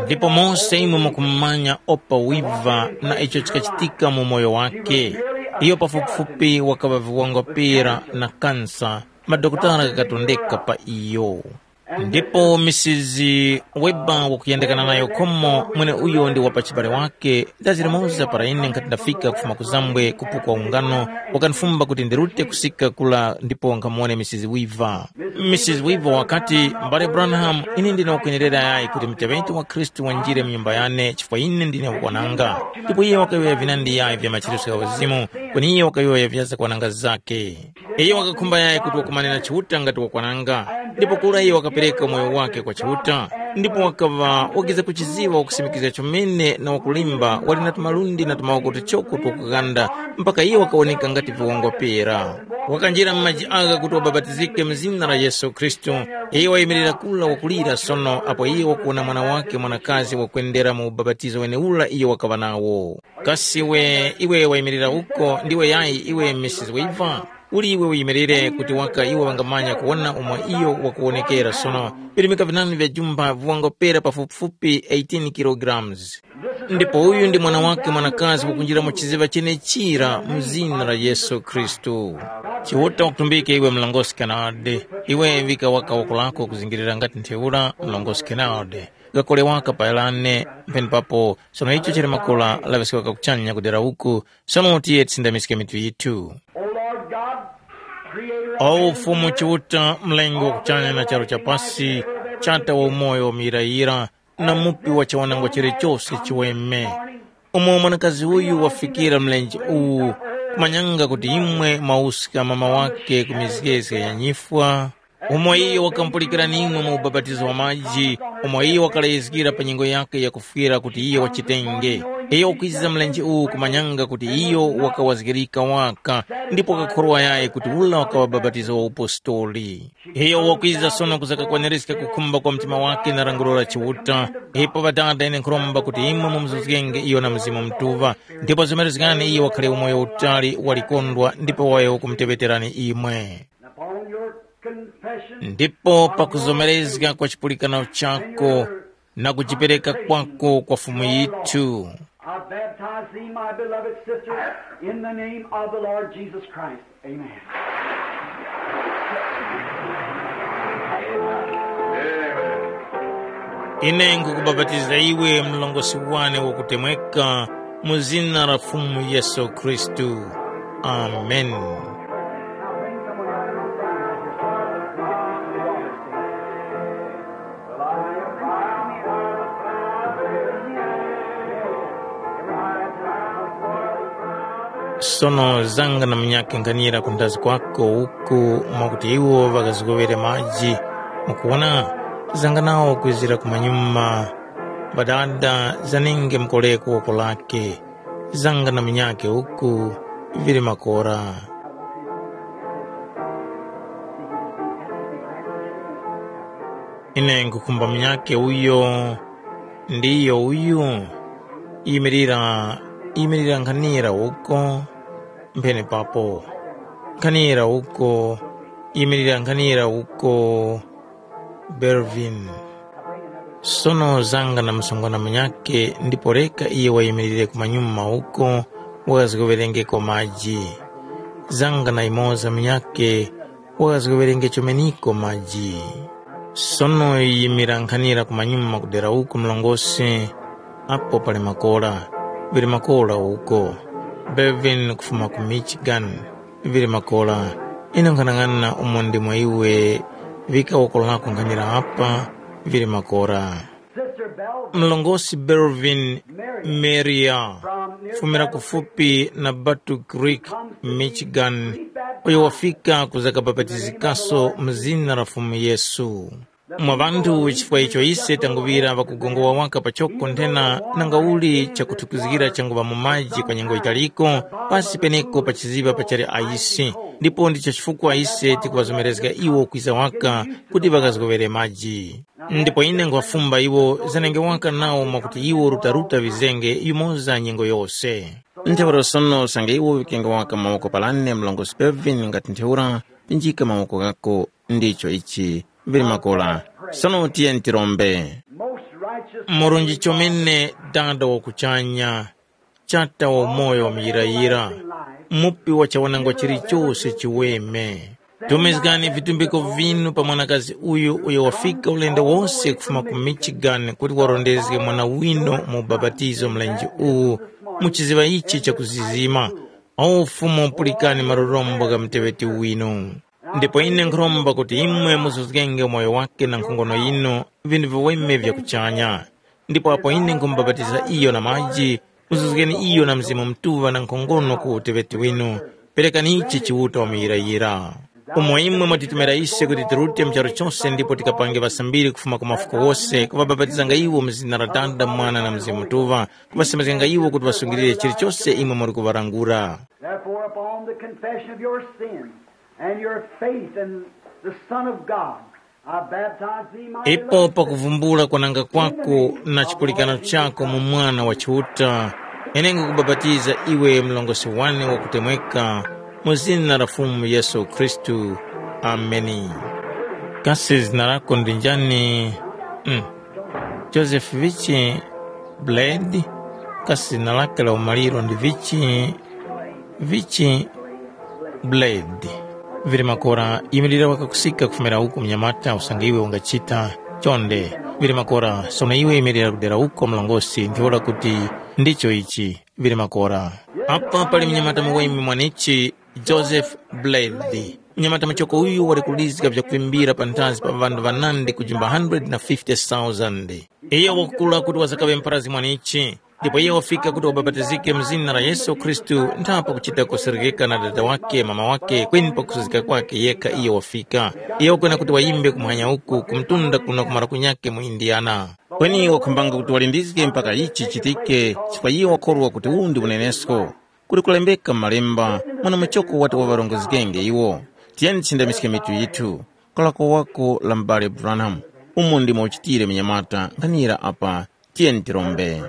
Ndipo mose imwe mukumumanya Opa Wiva na icho chikachitika mu moyo wakhe. Iyo pafupifupi wakaŵa viwangwa pera na kansa, madokotala ghakatondeka pa iyo. Ndipo Misisi Weber wakuyandikana nayo khomo, mweneuyo ndi wa pachibale wakhe, dazi limoza para ine nkhati ndafika kufuma ku Zambwe kupukwa ungano, wakanifumba kuti ndirute kusika kula ndipo nkhamuwone Misisi Weaver. Misisi Weaver wakati, "M'bale Branham, ine ndine wakwenerera yayi kuti muteŵeti wa Khristu wanjire mu nyumba yane chifukwa ine ndine wakwananga." Ndipo iye wakayowoya vinandi yayi vya machiritso gha uzimu, kweni iye wakayowoya vya zakwananga zakhe. Iyo wakakhumba yayi kuti wakumane na Chiuta ngati wakwananga, ndipo kura iyo wakapereka umoyo wakhe kwa Chiuta, ndipo wakaŵa wakiza kuchiziŵa wakusimikizga chomene na wakulimba, wali na tumalundi na tumawoko tuchoko twakughanda, mpaka iyo wakawoneka ngati viwongwa pera. Wakanjira mu maji agha kuti wabapatizike mu zina la Yesu Khristu. Iyo wayimirira kura wakulira sono apo iyo wakuwona mwana wakhe mwanakazi wakwendera mu ubapatizo wenewura iyo wakaŵa nawo. Kasi iwe, iwe wayimirira uko, ndiwe yayi iwe Misisi Weaver? Uli iwe uyimirire kuti waka iwo ŵangamanya kuwona umo iyo wakuwonekera sono, virimika vinandi vya jumba viwangopera pafupifupi eighteen kilograms. Ndipo uyu ndi mwana wake mwanakazi wakunjira mu chiziŵa chenechira mu zina la Yesu Khristu. Chiuta wakutumbike iwe mlongosi Kennard, iwe vika waka woko lako kuzingirira ngati ntheura mlongosi Kennard. Gakole waka pa Elane, mpeni papo, sono icho chili makora laŵeska waka kuchanya kudera uku, sono tiye tisindamiske mitu yithu. O Lord God, creator of O heaven Fumu and earth, Chiuta, mlengi wa kuchanya na charu chapasi, chata wa umoyo wa muyirayira, na mupi wa chawanangwa chilichose chiweme. Umo mwanakazi uyu wafikira mlenje uwu, kumanyanga kuti imwe mwawuska mama wake ku mizgezge ya nyifwa, umo iyo wakamupulikirani imwe mu ubapatizo wa maji, umo iyo wakaleyizgira pa nyengo yakhe yakufwira kuti iyo wachitenge. Iyo wakwiza mlenje uwu kumanyanga kuti iyo wakawazgirika waka, ndipo wakakhorwa yayi kuti ula wakaŵa bapatizo wa upostoli. Iyo wakwiza sono kuzakakwanirizga kukhumba kwa mtima wake na languro la Chiuta. Ipo Ŵadada ine nkhuromba kuti imwe mumuzuzgenge iyo na Mzimu Mutuŵa, ndipo zomerezgani iyo wakhale umoyo utali walikondwa ndipo wayo kumuteŵeterani imwe. Upon your confession, ndipo pakuzomerezga kwa chipulikano chako na kujipereka kwako kwa Fumu yithu. I baptize thee, my beloved sister, in the name of the Lord Jesus Christ. Amen. Ine nkukubapatiza iwe mlongosi wane wakutemweka mu zina la Fumu Yesu Khristu. Amen. Sono zanga na munyakhe nkhanira ku ndazi kwako uku mwakuti iwo ŵakazgoŵere maji. Mukuwona, zanga nawo kwizira kumanyuma, ŵadada zanenge mukoreko woko lake. Zanga na munyakhe uku vili makora. Ine nkukhumba munyakhe uyo, ndiyo uyu. Yimirira, yimirira nkhanira uko. Mphene papo. Nkhanira uko. Yimirira nkhanira uko. Belvin. Sono zanga na msungwana munyakhe ndipo reka iye wayimirire kumanyuma uko, wakazgoŵerengeko maji. Zanga na imoza munyakhe, wakazgoŵerenge chomeniko maji. Sono yimira nkhanira kumanyuma kudera uko mlongosi, apo pali makora, vili makora uko. Belvin kufuma ku Michigan, vili makora. Ine nkhanang'ana umo ndimo iwe, vika woko lako nkhanira apa, vili makora. Mlongosi Belvin Meria, fumira kufupi na Battle Creek, Michigan, uyo wafika kuzakabapatizikaso mu zina la Fumu Yesu. Mwa ŵanthu chifukwa icho ise tanguŵira ŵakugongowa waka pachoko nthena nangauli chakuthukizgira changuŵa mu maji kwa nyengo yitaliko, pasi peneko pa chiziŵa pachali ayisi, ndipo ndicho chifukwa ise tikuŵazomerezga iwo kwiza waka kuti ŵakazgoŵere maji. Ndipo ine nkhwafumba iwo zanenge waka nawo mwakuti iwo rutaruta vizenge yumoza nyengo yose. Ntheura sono usange iwo vikenge waka mawoko palane mlongosi Belvin ngati ntheura, pinjika mawoko ghako, ndicho ichi, vili makora. Sono tiyeni tirombe. Murunji chomene, Dada wa kuchanya, Chata wa umoyo wa muyirayira, Mupi wa chawanangwa chilichose chiweme. Tumizgani vitumbiko vinu pa mwanakazi uyu uyo wafika ulendo wose kufuma ku Michigan kuti warondezge mwana winu mu ubapatizo mlenje uwu mu chiziŵa ichi chakuzizima. O Fumu, pulikani malurombo gha muteŵeti winu. Ndipo ine nkhuromba kuti imwe muzuzgenge umoyo wake na nkhongono yinu vinthu viweme vya kuchanya. Ndipo apo ine nkhumubapatiza iyo na maji, muzuzgeni iyo na Mzimu Mutuŵa na nkhongono ku uteŵeti winu. Perekani ichi Chiuta wamuyirayira. Umo imwe mwatitumira ise kuti tirute mu charu chose ndipo tikapange ŵasambiri kufuma ku mafuko wose, kuŵabapatizanga iwo mu zina la Dada, Mwana na Mzimu Mutuŵa, kuŵasembezganga iwo kuti ŵasungilire chilichose imwe muli kuŵalangula. Therefore, upon the confession of your sins and your faith in the Son of God, I baptize thee, my Ipo beloved pakuvumbula kwananga kwako na chipulikano chako mu Mwana wa Chiuta, ine nkukubapatiza iwe mlongosi wane wakutemweka, mu zina la Fumu Yesu Khristu. Ameni. Kasi zina lako ndi njani? Mm. Joseph Vichi Blade? Kasi zina lake la umaliro ndi Vichi, Vichi Blade? Vili makora, imilira wakakusika kufumira uko mnyamata usange iwe ungachita chonde. Vili makora, sono iwe imilira kudera uko mlongosi, ntheura kuti ndicho ichi. Vili makora. Apa pali mnyamata muweme mwanichi, Joseph Blade. Mnyamata muchoko uyu wali kulizga vyakuvimbira panthazi pa ŵanthu ŵanandi kujimba hundred na fifty thousand. Iyo wakukula kuti wazakaŵe mparazi mwanichi. Ndipo iyo wafika kuti wabapatizike mu zina la Yesu Khristu, nthapo kuchita kuserekeka na dada wake, mama wake, kweni pakusuzika kwake yekha iyo wafika. Iyo wakwena kuti wayimbe kumuhanya uku, kumtunda kuno ku maluko nyakhe mu Indiana. Kweni wakhumbanga kuti walindizge mpaka ichi chichitike, chifukwa iyo wakhorwa kuti uwu ndi unenesko. Kuli kulembeka mu Malemba, mwana muchoko wati waŵarongozgenge iwo. Tiyeni tichindamiske mitu yithu. Kalako wako la m'bale Branham. Umo ndimo uchitire munyamata, nkhanira apa. Tiyeni tirombe.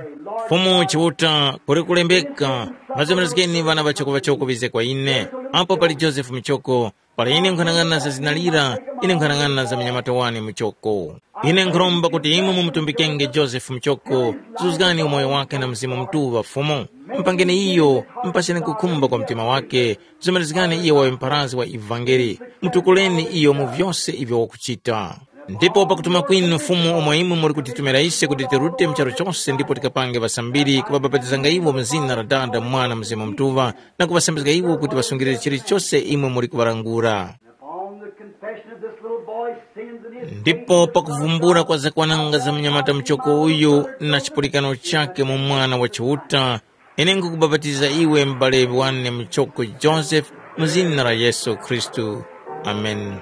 Fumu Chiuta, kuli kulembeka, ŵazomerezgeni ŵana ŵachoko-ŵachoko ŵize kwa ine. Apo pali Josefu muchoko, para ine nkhanang'ana za zina lira, ine nkhanang'ana za munyamata wane muchoko. Ine nkhuromba kuti imwe mumutumbikenge Josefu muchoko, zuzgani umoyo wake na Mzimu Mutuŵa Fumu. Mpangeni iyo, mpaseni kukhumba kwa mtima wake, zomerezgani iyo wawe mpharazgi wa ivangeli. Mutukuleni iyo mu vyose ivyo wakuchita. Ndipo pakutuma kwinu Fumu umo imwe muli kutitumira ise kuti tirute mu charu chose ndipo tikapange ŵasambiri, kuŵabapatizanga iwo mu zina la Dada, Mwana, Mzimu Mutuŵa, na kuŵasambizga iwo kuti ŵasungilire chilichose imwe muli kuŵalangula. Upon the confession of this little boy's sins and his Ndipo faith in the Son of pakuvumbula God, kwa zakwananga za mnyamata muchoko uyu na chipulikano chake mu Mwana wa Chiuta, Ine nkukubapatiza iwe m'bale wane muchoko Josefe, mu zina la Yesu Khristu. Ameni.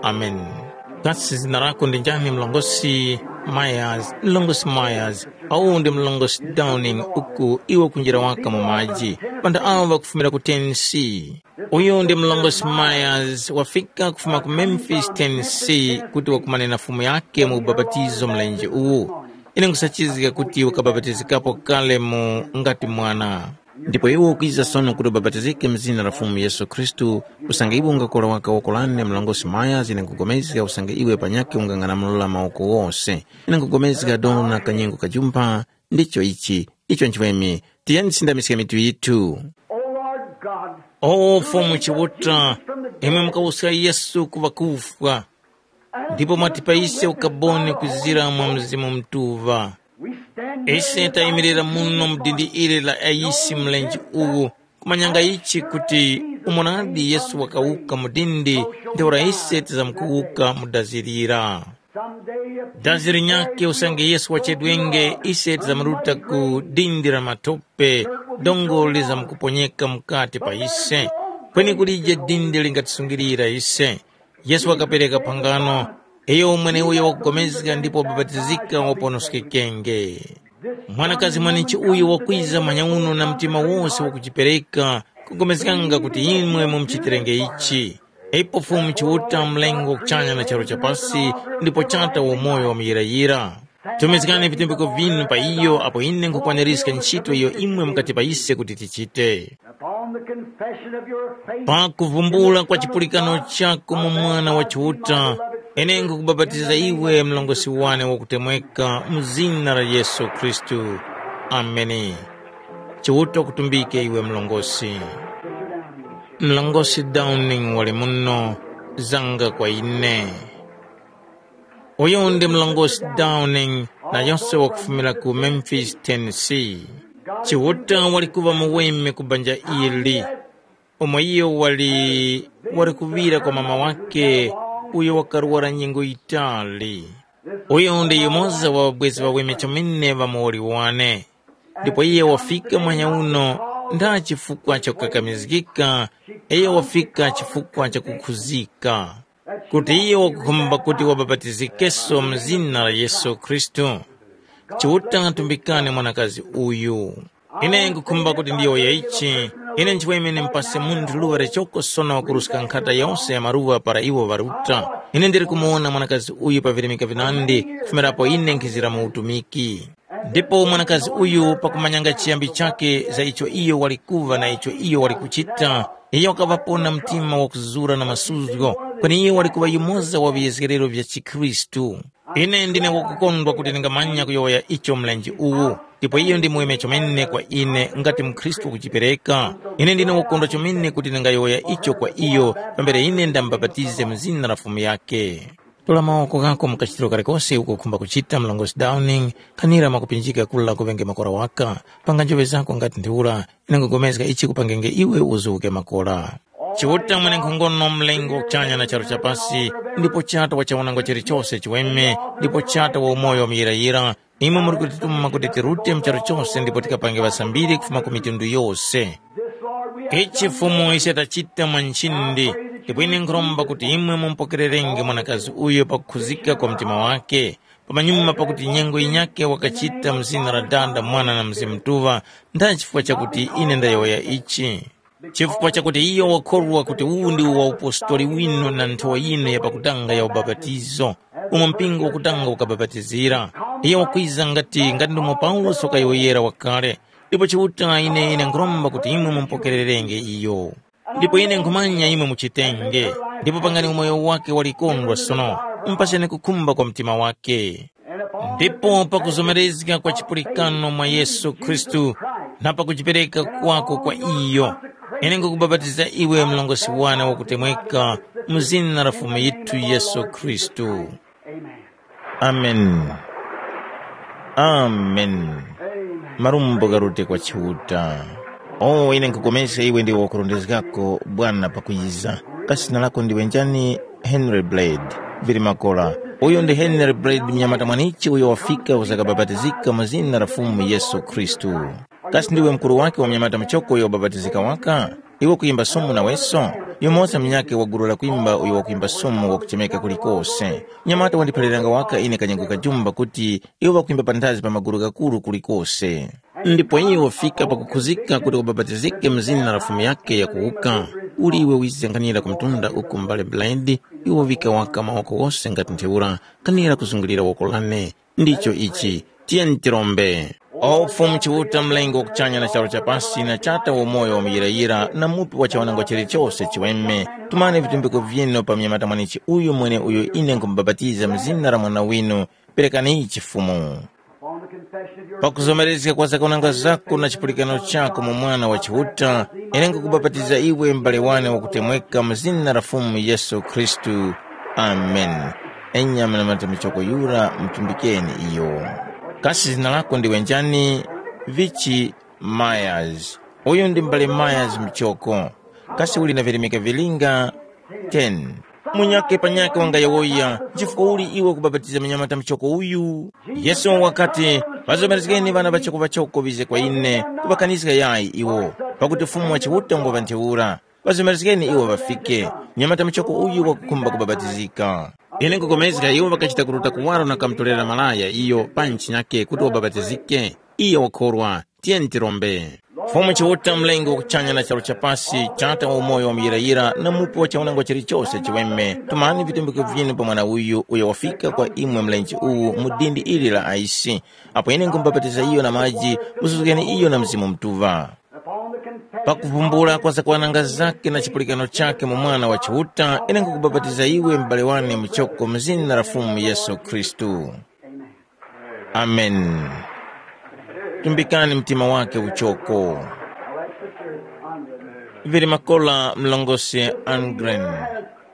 Ameni. Kasi zina lako ndi njani, mlongosi Myers? Mlongosi Myers, uwu ndi mlongosi Downing, uku iwe kunjira waka mu maji. Pantha awo ŵakufumira ku Tennessee. Uyu ndi mlongosi Myers, wafika kufuma ku Memphis, Tennessee, kuti wakumane na Fumu yake mu ubapatizo mlenje uwu. Ine nkhusachizga kuti wakabapatizikapo kale mu ngati mwana. Ndipo iwe ukwiza sono kuti ubapatizike mu zina la Fumu Yesu Khristu, usange iwe ungakora waka woko lane mlongosi Myers, ine nkupulikana usange iwe panyakhe ungang'anamula mawoko wose. Ine nkupulikana dona kanyengo kajumpha, ndicho ichi, icho nchiweme. Tiyeni tisindamiske mitu yithu. O Lord God, O Fumu Chiuta, imwe mukawuska Yesu ku ŵakufwa, ndipo mwatipa ise ukaboni kuzira mwa Mzimu Mutuŵa. Ise tayimirira muno mu dindi ili la ayisi mlenje uwu, kumanyanga ichi kuti umo nadi Yesu wakawuka mu dindi, ntheura ise tizamkuwuka mu dazi lira. Dazi linyakhe usange Yesu wachedwenge, ise tizamuruta ku dindi la matope, dongo lizamkuponyeka mukati pa ise. Kweni kulije dindi lingatisungilira ise. Yesu wakapereka phangano, iyo mweneuyo wakupulikana ndipo wabapatizika waponoskekenge. Mwanakazi mwanechi uyu wakwiza manyauno na mtima wose wakujipereka, kupulikana kuti imwe mumuchitirenge ichi. Ipo Fumu Chiuta mlengo kuchanya na charu cha pasi, ndipo Chata wa umoyo wamuyirayira. Tumizgani vitumbiko vinu pa iyo apo ine nkhukwaniska ntchito iyo imwe mukatipa ise kuti tichite. Upon the confession of your faith, Pa kuvumbula kwa chipulikano chako mu Mwana wa Chiuta, ine nkukubapatiza iwe mlongosi wane wakutemweka mu zina la Yesu Khristu. Ameni. Chiuta kutumbike iwe mlongosi. Mlongosi Downing wali muno, zanga kwa ine. Uyu ndi mlongosi Downing, na yose wakufumira ku Memphis, Tennessee. Chiuta wali kuŵa muweme ku banja ili, umo iyo wali, wali kuŵira kwa mama wakhe, uyo wakaruwara nyengo yitali. Uyu ndi yumoza wa ŵabwezi ŵaweme chomene ŵa muwoli wane. Ndipo iye wafika mwanya uno, ndha chifukwa cha kukakamizgika, iye wafika chifukwa cha kukhuzika. Kuti iyo wakukhumba kuti wabapatizikenso mu zina la Yesu Khristu. Chiuta tumbikani mwanakazi uyu. Ine nkukhumba kuti ndiyowoye ichi, ine nchiweme mupase munthu luŵa lichoko sono kuruska nkhata yose ya maluŵa para iwo ŵaruta. Ine ndili kumuwona mwanakazi uyu pa virimika vinandi, kufumirapo ine nkhizira mu utumiki. Ndipo mwanakazi uyu pakumanyanga chiyambi chakhe za icho iyo wali kuŵa na icho iyo wali kuchita, iyo wakaŵapo na mtima wakuzura na masuzgo, kweni iyo wali kuŵa yumoza wa viyezgerero vya chikhristu. Ine ndine wakukondwa kuti ndingamanya kuyowoya icho mlenje uwu, ndipo iyo ndi muweme chomene kwa ine ngati mukhristu wakujipereka. Ine ndine wakukondwa chomene kuti ndingayowoya icho kwa iyo, pambere ine ndamubapatize mu zina la Fumu yake. Tola mawoko ghako mu kachitiro kalikose uko ukhumba kuchita, mlongosi Downing, khanira mwakupinjika kura kuŵenge makora waka, panga njoŵe zako ngati ntheura, ine nkhugomezga ichi kupangenge iwe uzuke makora. Chiuta mwenenkhongono mlengo wa kuchanya na charu cha pasi, ndipo Chata wa chaunanga chilichose chiweme, ndipo Chata wa umoyo wa muyirayira, imwe muri kutituma kuti tirute mu charu chose ndipo tikapange ŵasambiri kufuma ku mitundu yose. Ichi Fumu ise tachita mwa nchindi, ndipo ine nkhuromba kuti imwe mumupokererenge mwanakazi uyo pakukhuzika kwa mtima wake, pamanyuma pakuti nyengo yinyakhe wakachita mu zina la Dada, Mwana na Mzimu Mutuŵa, ndani chifukwa chakuti ine ndayowoya ichi. Chifukwa chakuti iyo wakhorwa kuti uwu ndi uwaupostori winu na nthowa yinu ya pakutanga ya ubapatizo, umo mpingo wakutanga ukabapatizira. Iyo wakwiza ngati, ngati ndomwe Paulosi wakayowoyera wakale, ndipo Chiuta ine, ine nkhuromba kuti imwe mumupokererenge iyo. Ndipo ine nkhumanya imwe muchitenge, ndipo pangani umoyo wake walikondwa sono, mupaseni kukhumba kwa mtima wake. Ndipo pakuzomerezga kwa chipulikano mwa Yesu Khristu, na pakujipereka kwako kwa iyo, ine nkukubapatiza iwe mlongosi wane wakutemweka, mu zina la Fumu yithu Yesu Khristu. Amen. Amen. Marumbo garute kwa Chiuta. Oh, ine nkukomeska iwe ndiwe wakurondezgako bwana pakwiza. Kasi zina lako ndiwe njani? Henry Blade. Mbiri makora. Uyo ndi Henry Blade, mnyamata mwanichi uyo wafika uzakabapatizika mu zina la Fumu Yesu Khristu. Kasi ndiwe mukuru wake wa munyamata muchoko uyo wabapatizika waka? Iwe kuyimba sumu naweso? Yumoza munyakhe wa gulu la kwimba uyo wakuyimba sumu wakuchemeka kulikose. Munyamata wandiphaliranga waka ine kanyengo kajumba kuti iwo ŵakwimba panthazi pa magulu ghakuru kulikose. Ndipo iwo fika pakukhuzika kuti wabapatizike mu zina la Fumu yakhe yakuwuka. Uli iwe wize nkhanira ku mtunda uku mbale Blaidi, iwo wika waka mawoko wose ngati ntheura, nkhanira kuzungulira woko lane. Ndicho ichi, tiyeni tirombe. O Fumu Chiuta, Mlengi wa kuchanya na charu cha pasi, na Chata wa umoyo wa muyirayira, na Mupi wa chawanangwa chilichose chiweme, tumani vitumbiko vyinu pa mnyamata mwanichi uyu mwene uyo ine nkhumubapatiza mu zina la Mwana winu, perekani ichi Fumu. Pakuzomerezga kwa zakunanga zako na chipulikano chako mu Mwana wa Chiuta, ine nkukubapatiza iwe m'bale wane wakutemweka mu zina la Fumu Yesu Khristu. Amen. Enya mwana mata michoko yura mutumbikeni iyo. Kasi zina lako ndiwe njani? Vichi Myers. Uyu ndi m'bale Myers Michoko. Kasi uli na virimika vilinga? Ten. Munyakhe panyakhe wangayowoya, chifukwa uli iwe kubapatiza munyamata muchoko uyu? Yesu wakati, ŵazomerezgeni ŵana ŵachoko-ŵachoko ŵize kwa ine, kuŵakaniska yayi iwo, pakuti Fumu wa Chiuta ngwa ŵa ntheura. Ŵazomerezgeni iwo ŵafike, munyamata muchoko uyu wakukhumba kubapatizika. Ine nkupulikana iwo ŵakachita kuruta kuwaro na kamutorera malaya iyo pa ntchi nyakhe kuti wabapatizike. Iyo wakhorwa. Tiyeni tirombe. Fumu Chiuta, Mlengi wa kuchanya na charu cha pasi, Tata wa umoyo wa muyirayira na Mupi wa chaunangwa chilichose chiweme, tumani vitumbiko vyinu pa mwana uyu uyo wafika kwa imwe mlenje uwu mu dindi ili la aisi. Apo ine nkhumubapatiza iyo na maji, musuzgeni iyo na Mzimu Mutuŵa. Pakuvumbula kwa zakwananga zake na chipulikano chake mu Mwana wa Chiuta, ine nkhukubapatiza iwe m'bale wane muchoko mu zina la Fumu Yesu Khristu. Amen. Tumbikani mtima wake uchoko. Vili makola mlongosi Angren.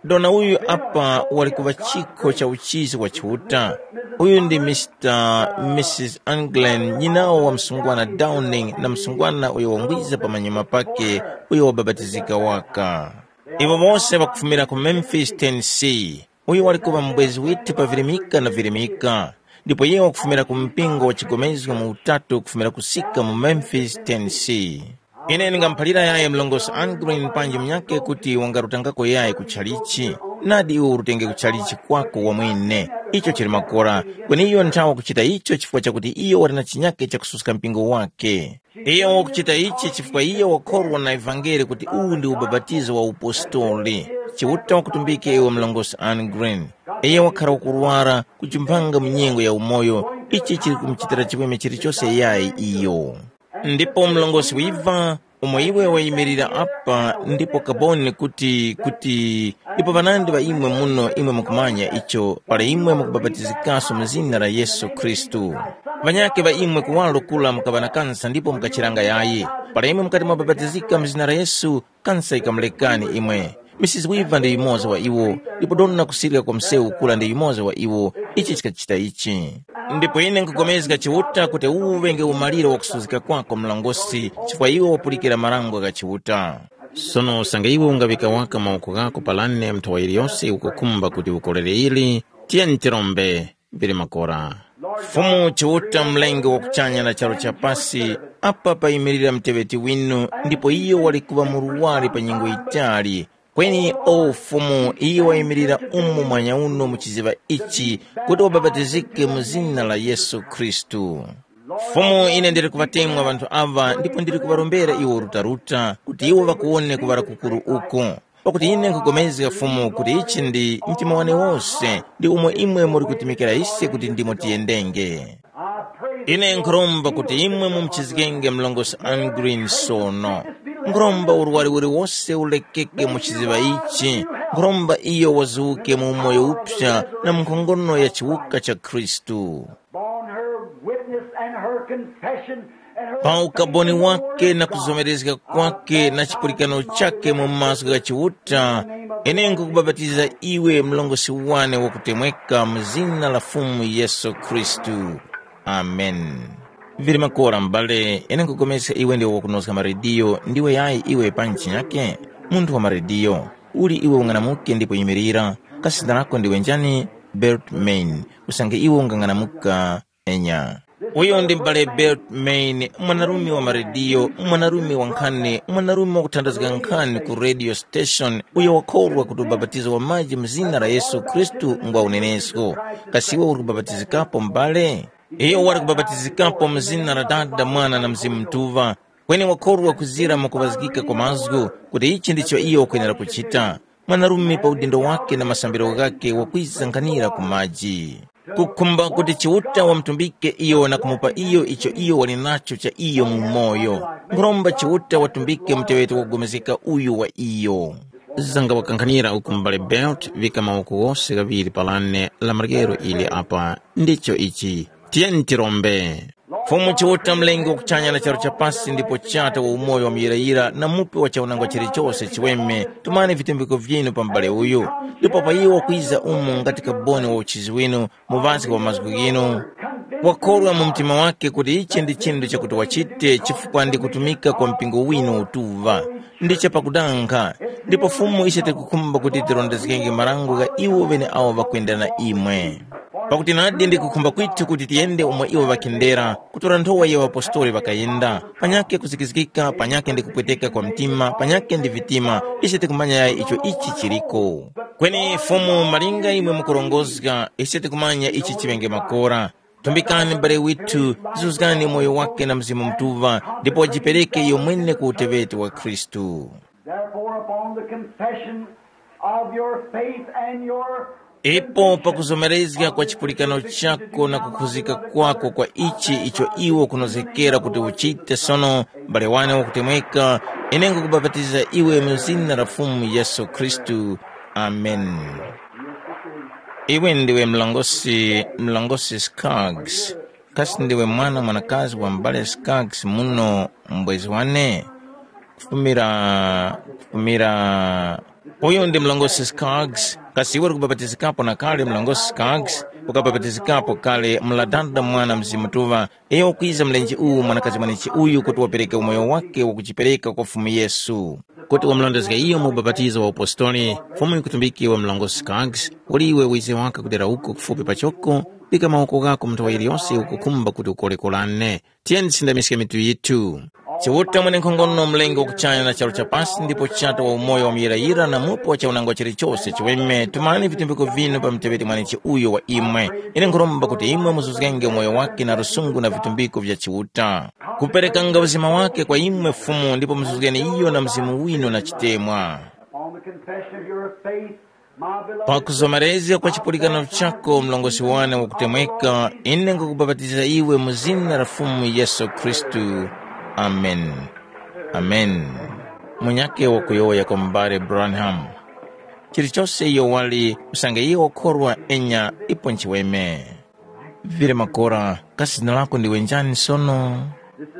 Dona uyu apa wali kuŵa chikho cha uchizi wa Chiuta. Uyu ndi Mister Missus Angren, nyinawo wa msungwana Downing na msungwana uyo wangwiza pamanyuma pake, uyo wabapatizika waka. Iwo wose ŵakufumira ku Memphis, Tennessee. Uyu wali kuŵa mubwezi withu pa virimika na virimika, ndipo iye wakufumira ku mpingo wa chigomezgo mu utatu kufumira kusika mu Memphis, Tennessee. Ine ndingamuphalira yaye mlongosi Angren panji munyakhe kuti wangarutangako yaye ku chalichi. Nadi iwe urutenge ku chalichi kwako wamwene. Icho chili makora, kweni iyo nthawa kuchita icho chifukwa chakuti iyo wali na chinyakhe chakususka mpingo wake. Iyo wakuchita ichi chifukwa iyo wakhorwa na ivangeli kuti uwu ndi ubapatizo wa upostoli. Chiuta wakutumbike iwe mlongosi Anne Green. Iyo wakhara wakurwara, kuchimphanga mu nyengo ya umoyo, ichi chili kumuchitira chimwemwe chilichose yayi iyo. Ndipo mlongosi wiva, umo iwe wayimirira apa ndipo kaboni kuti kuti ndipo ŵanandi ŵa imwe muno imwe mukumanya icho para imwe mukubapatizikaso mu zina la Yesu Khristu. Ŵanyakhe ŵa imwe kuwaro kura mukaŵa na kansa ndipo mukachiranga yayi. Para imwe mukati mwabapatizika mu zina la Yesu, kansa ikamulekani imwe. Misisi Wiva ndi yumoza wa iwo, ndipo dona kusirika kwa msewu kura ndi yumoza wa iwo. Ichi chikachita ichi. Ndipo ine nkupulikana Chiuta kuti uwu ŵenge umaliro wa kusuzgika kwako mlongosi, chifukwa iwe wapulikira marango gha Chiuta. Sono usange iwe ungaŵika waka mawoko ghako pa lane nthawa yiliyose ukukhumba kuti ukorere ili, tiyeni tirombe. Vili makora. Fumu Chiuta, Mlengi wa kuchanya na charu cha pasi, apa payimirira muteŵeti winu, ndipo iyo wali kuŵa murwari pa nyengo yitali. Kweni o Fumu, iyo wayimirira umu mwanya uno mu chiziŵa ichi, kuti wabapatizike mu zina la Yesu Khristu. Fumu, ine ndili kuŵatemwa ŵanthu aŵa ndipo ndili kuŵarombera iwo rutaruta, kuti iwo ŵakuwone kuŵala kukuru uku. Pakuti ine nkhupulikana Fumu kuti ichi ndi mtima wane wose, ndi umo imwe muli kutumikira ise kuti ndimo tiyendenge. Ine nkhuromba kuti imwe mumuchizgenge mlongosi Anne Green sono. Nkhuromba urwari uliwose ulekeke mu chiziŵa ichi. Nkhuromba iyo wazuke mu umoyo uphya na mu nkhongono ya chiwuka cha Khristu. Upon her witness and her confession and her pa ukaboni faith in the wake word na of God, kuzomerezga kwake na chipulikano chake mu maso gha Chiuta, ine nkukubapatiza iwe mlongosi wane wakutemweka mu zina la Fumu Yesu Khristu. Amen. Vili makora m'bale, ine nkupulikana iwe ndiwe wakunozga marediyo, ndiwe yayi iwe pa ntchi yake? Munthu wa marediyo. Uli iwe ung'anamuke ndipo yimirira. Kasi zina lako ndiwe njani? Bert Main. Usange iwe ungang'anamuka, enya. Uyo ndi m'bale Bert Main, mwanarume wa marediyo, mwanarume wa nkhani, mwanarume wakuthandazga nkhani ku radio station, uyo wakhorwa kuti ubapatizo wa maji mu zina la Yesu Khristu ngwa unenesko. Kasi iwe uri kubapatizikapo m'bale? Iyo wali kubapatizikapo mu zina la Dada, Mwana na Mzimu Mutuŵa. Kweni wakhorwa kuzira mwakuŵazgika kwa mazgu kuti ichi ndicho iyo wakwenera kuchita. Mwanarume pa udindo wake na masambiro ghake wakwiza nkhanira ku maji. Kukhumba kuti Chiuta wamutumbike iyo na kumupa iyo icho iyo wali nacho cha iyo mu umoyo. Nkhuromba Chiuta watumbike muteŵeti wakupulikana uyu wa iyo. Zanga wakankhanira uku m'bale Belt, vika mawoko ghose ghaŵiri pa lane la maryero ili apa. Ndicho ichi. Tiyeni tirombe. Fumu Chiuta, Mlengi wa kuchanya na charu cha pasi, ndipo Chata wa umoyo wa muyirayira na Mupi wa chaunangwa chilichose chiweme, tumani vitumbiko vyinu pa m'bale uyu, ndipo pa iwo wakwiza umu ngati kaboni wa uchizi winu, muŵaske wa mazgu ghinu. Wakhorwa mu mtima wake kuti ichi ndi chinthu chakuti wachite chifukwa ndi kutumika kwa mpingo winu utuŵa. Ndi chapakudanga, ndipo Fumu ise tikukhumba kuti tirondezgenge marango gha iwo ŵeneawo ŵakwenda na imwe. Pakuti nadi ndi kukhumba kwithu kuti tiyende umo iwo ŵakendera, kutora nthowa ya ŵapostoli ŵakayenda, panyakhe kuzikizgika, panyakhe ndi kupweteka kwa mtima, panyakhe ndi vitima, ise tikumanya yayi icho ichi chiliko. Kweni Fumu, malinga imwe mukurongozga, ise tikumanya ichi chiŵenge makora. Tumbikani m'bale withu, zuzgani moyo wake na Mzimu Mutuŵa, ndipo wajipereke iyo mwene ku uteŵeti wa Khristu. Therefore, upon the confession of your faith and your Ipo pakuzomerezga kwa chipulikano chako na kukhuzika kwako kwa ichi icho iwo kunozgekera kuti uchite sono, m'bale wane wakutemweka, ine nkukubapatiza iwe mu zina la Fumu Yesu Khristu. Amen. Iwe ndiwe mlongosi, mlongosi Skaggs. Kasi ndiwe mwana mwanakazi wa m'bale Skaggs muno, mbwezi wane? Kufumira, kufumira. Uyu ndi mlongosi Skaggs. Kasi iwe uri kubapatizikapo na kale, mlongosi Skaggs? Ukabapatizikapo kale, mladanda mwana Mzimu Mutuŵa. Iyo wakwiza mlenje uwu, mwanakazi mwanechi uyu, kuti wapereke umoyo wake wakuchipereka kwa Fumu Yesu. Kuti wamulondezge iyo mu ubapatizo wa upostoli, Fumu yikutumbike wa mlongosi Skaggs, uli iwe wize waka kudera uko kufupi pachoko, pika mawoko ghako mu nthowa yiliyose ukukhumba kuti ukolekolane. Tiyeni tisindamiske mitu yithu. Chiuta mwenenkhongono, Mlengi wa kuchanya na charu cha pasi, ndipo Chata wa umoyo wa muyirayira na Mupi wa chaunangwa chilichose chiweme, tumani vitumbiko vinu pa muteŵeti mwanechi uyo wa imwe. Ine nkhuromba kuti imwe muzuzgenge umoyo wake na lusungu na vitumbiko vya Chiuta, kuperekanga uzima wake kwa imwe Fumu, ndipo muzuzgeni iyo na Mzimu winu na chitemwa. On the confession of your faith, my beloved, pakuzomerezga kwa chipulikano chako, mlongosi wane wakutemweka, ine nkukubapatiza iwe mu zina la Fumu Yesu Khristu. Amen. Amen. Munyakhe wakuyowoya kwa m'bale Branham. Chilichose iyo wali, usange iyo wakhorwa enya ipo nchiweme. Vile makora, kasi zina lako ndiwe njani sono?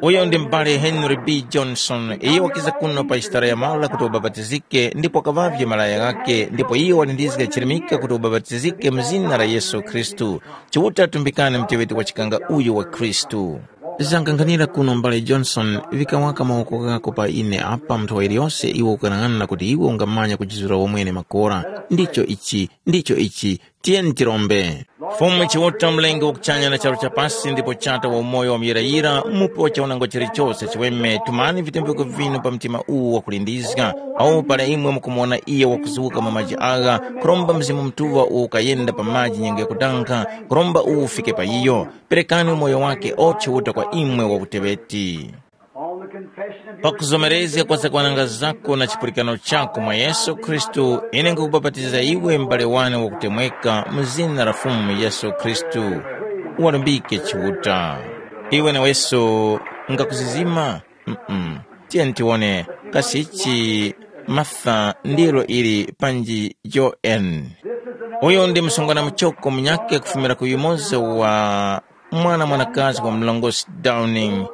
Uyo ndi m'bale Henry B. Johnson. Iye wakiza kuno pa chitara ya mara kuti wabapatizike, ndipo wakaŵavye malaya ghakhe, ndipo iye walindizga chirimika kuti wabapatizike mu zina la Yesu Khristu. Chiuta atumbikane muteŵeti wa chikanga uyu wa Khristu. Zanganghanira kuno, m'bale Johnson, vika waka mawoko ghako pa ine apa, nthowa iliyose iwe ukanang'ana kuti iwe ungamanya kujizura womwene makora. Ndicho ichi, ndicho ichi. Tiyeni tirombe. Fumu Chiuta, Mlengi wa kuchanya na charu cha pasi, ndipo Chata wa umoyo wa muyirayira, Mupi wa chaunangwa chilichose chiweme, tumani vitumbiko vinu pa mtima uwu wakulindizga, awo para imwe mukumuwona iye wakuzuka mwa maji agha, kuromba Mzimu Mutuŵa uwo ukayenda pa maji nyengo yakudanga, kuromba uwu ufike pa iyo. Perekani umoyo wake o Chiuta kwa imwe wa uteŵeti. Pakuzomerezga kwa zakwananga zako na chipulikano chako mwa Yesu Khristu, ine nkukubapatiza iwe m'bale wane wakutemweka mu zina la Fumu Yesu Khristu. Uwalimbike Chiuta. Iwe naweso ngakuzizima? Mm-mm. Tiyeni tiwone kasi ichi Martha ndilo ili panji Joan. Uyu ndi msungwana muchoko munyakhe kufumira ku yumoza wa mwana mwanakazi wa mlongosi Downing,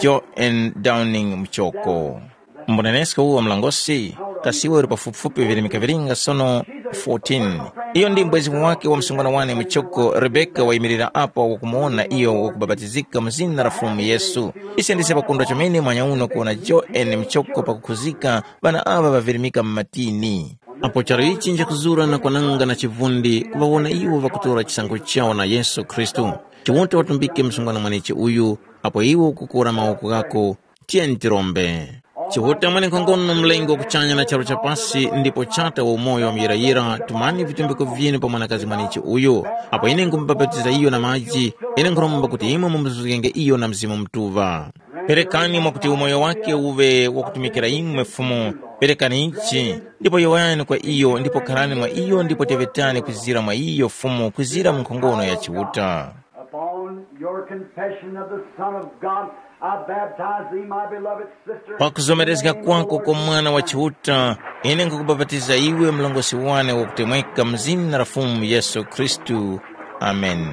Joan Downing Muchoko. Mbunenesko uwo mlongosi, kasi iwe uli pafupifupi virimika vilinga sono fourteen. Iyo ndi mbwezi wake wa msungwana wane Muchoko, Rebeka wayimirira apa wakumuwona iyo wakubapatizika mu zina la Fumu Yesu. Ise ndise pakondwa chomene mwanya uno kuwona Joan Muchoko pakukhuzika ŵana aŵa ŵavirimika mu matini. Apo charu ichi njakuzura na kwananga na chivundi kuŵawona iwo ŵakutora chisankho chawo na Yesu Khristu. Chiuta watumbike msungwana mwanechi uyu, apo iwo ukukora mawoko ghako, tiyeni tirombe. Chiuta mwenenkhongono mlengi wa kuchanya na charu cha pasi ndipo chata wa umoyo wa muyirayira, tumani vitumbiko vyinu pa mwanakazi mwanechi uyu. Apo ine nkhumubapatiza iyo na maji, ine nkhuromba kuti imwe mumuzuzgenge iyo na Mzimu Mutuŵa. Perekani mwakuti umoyo wake uŵe wakutumikira imwe Fumu, perekani ichi, ndipo yowoyani kwa iyo ndipo kharani mwa iyo ndipo teŵetani kwizira mwa iyo Fumu kwizira mu nkhongono ya Chiuta. Upon your confession of the Son of God, I baptize thee, my beloved sister. Pakuzomerezga kwako kwa Mwana wa Chiuta, ine nkukubapatiza iwe mlongosi wane wakutemweka mu zina la Fumu Yesu Khristu. Amen.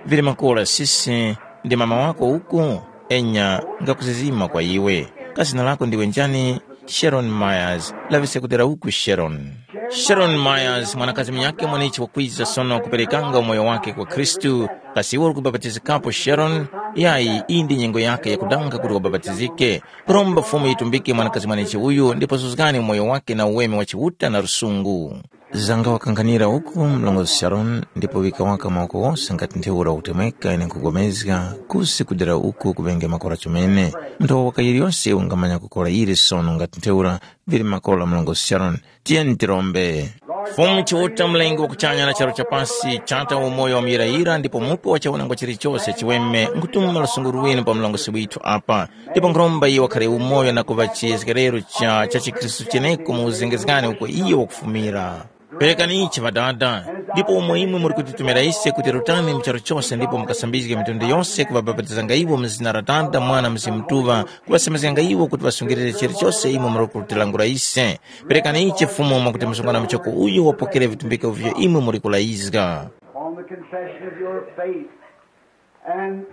Vili makora sisi, ndi mama wako uku? Enya, ngakuzizima kwa iwe. Ka zina lako ndiwe njani? Sharon Myers. Laŵiska kudera uku Sharon. Sharon Myers, mwanakazi munyakhe mwanechi wakwiza sono kuperekanga umoyo wake kwa Khristu. Kasi iwe uli kubapatizikapo Sharon? Yayi, iyi ndi nyengo yake yakudanga kuti wabapatizike. Kuromba Fumu yitumbike mwanakazi mwanechi uyu ndipo zuzgani umoyo wake na uweme wa Chiuta na lusungu. Zanga wakanghanira uku mlongozi Sharon ndipo wika waka mawoko wose ngati ntheura ukutemweka ine nkhugomezga kusi kudera uku kuŵenge makora chomene. Munthu wawaka yiliyose ungamanya kukora ili sono ngati ntheura vili makora mlongozi Sharon. Tiyeni tirombe. Fumu Chiuta mlengi wa kuchanya na charu cha pasi chata umoyo wa muyirayira ndipo mupo wa chaunangwa chilichose chiweme nkutuma lusungu lwinu pa mlongosi withu apa. Ndipo nkhuromba iye wakhare umoyo na kuŵa chiyezgerero cha cha chikhristu cheneko mu uzengezgani uko iye wakufumira. Perekani ichi Ŵadada, ndipo umo imwe muli kutitumira ise kuti rutani mu charu chose ndipo mukasambizge mitundu yose kuŵabapatizanga iwo mu zina la Tata, Mwana, Mzimu Mutuŵa, kuŵasemezganga iwo kuti ŵasungilire chilichose imwe muli kutilangula ise. Perekani ichi Fumu mwakuti msungwana muchoko uyu wapokere vitumbiko vivyo imwe muli kulayizga. Upon the confession of your faith and,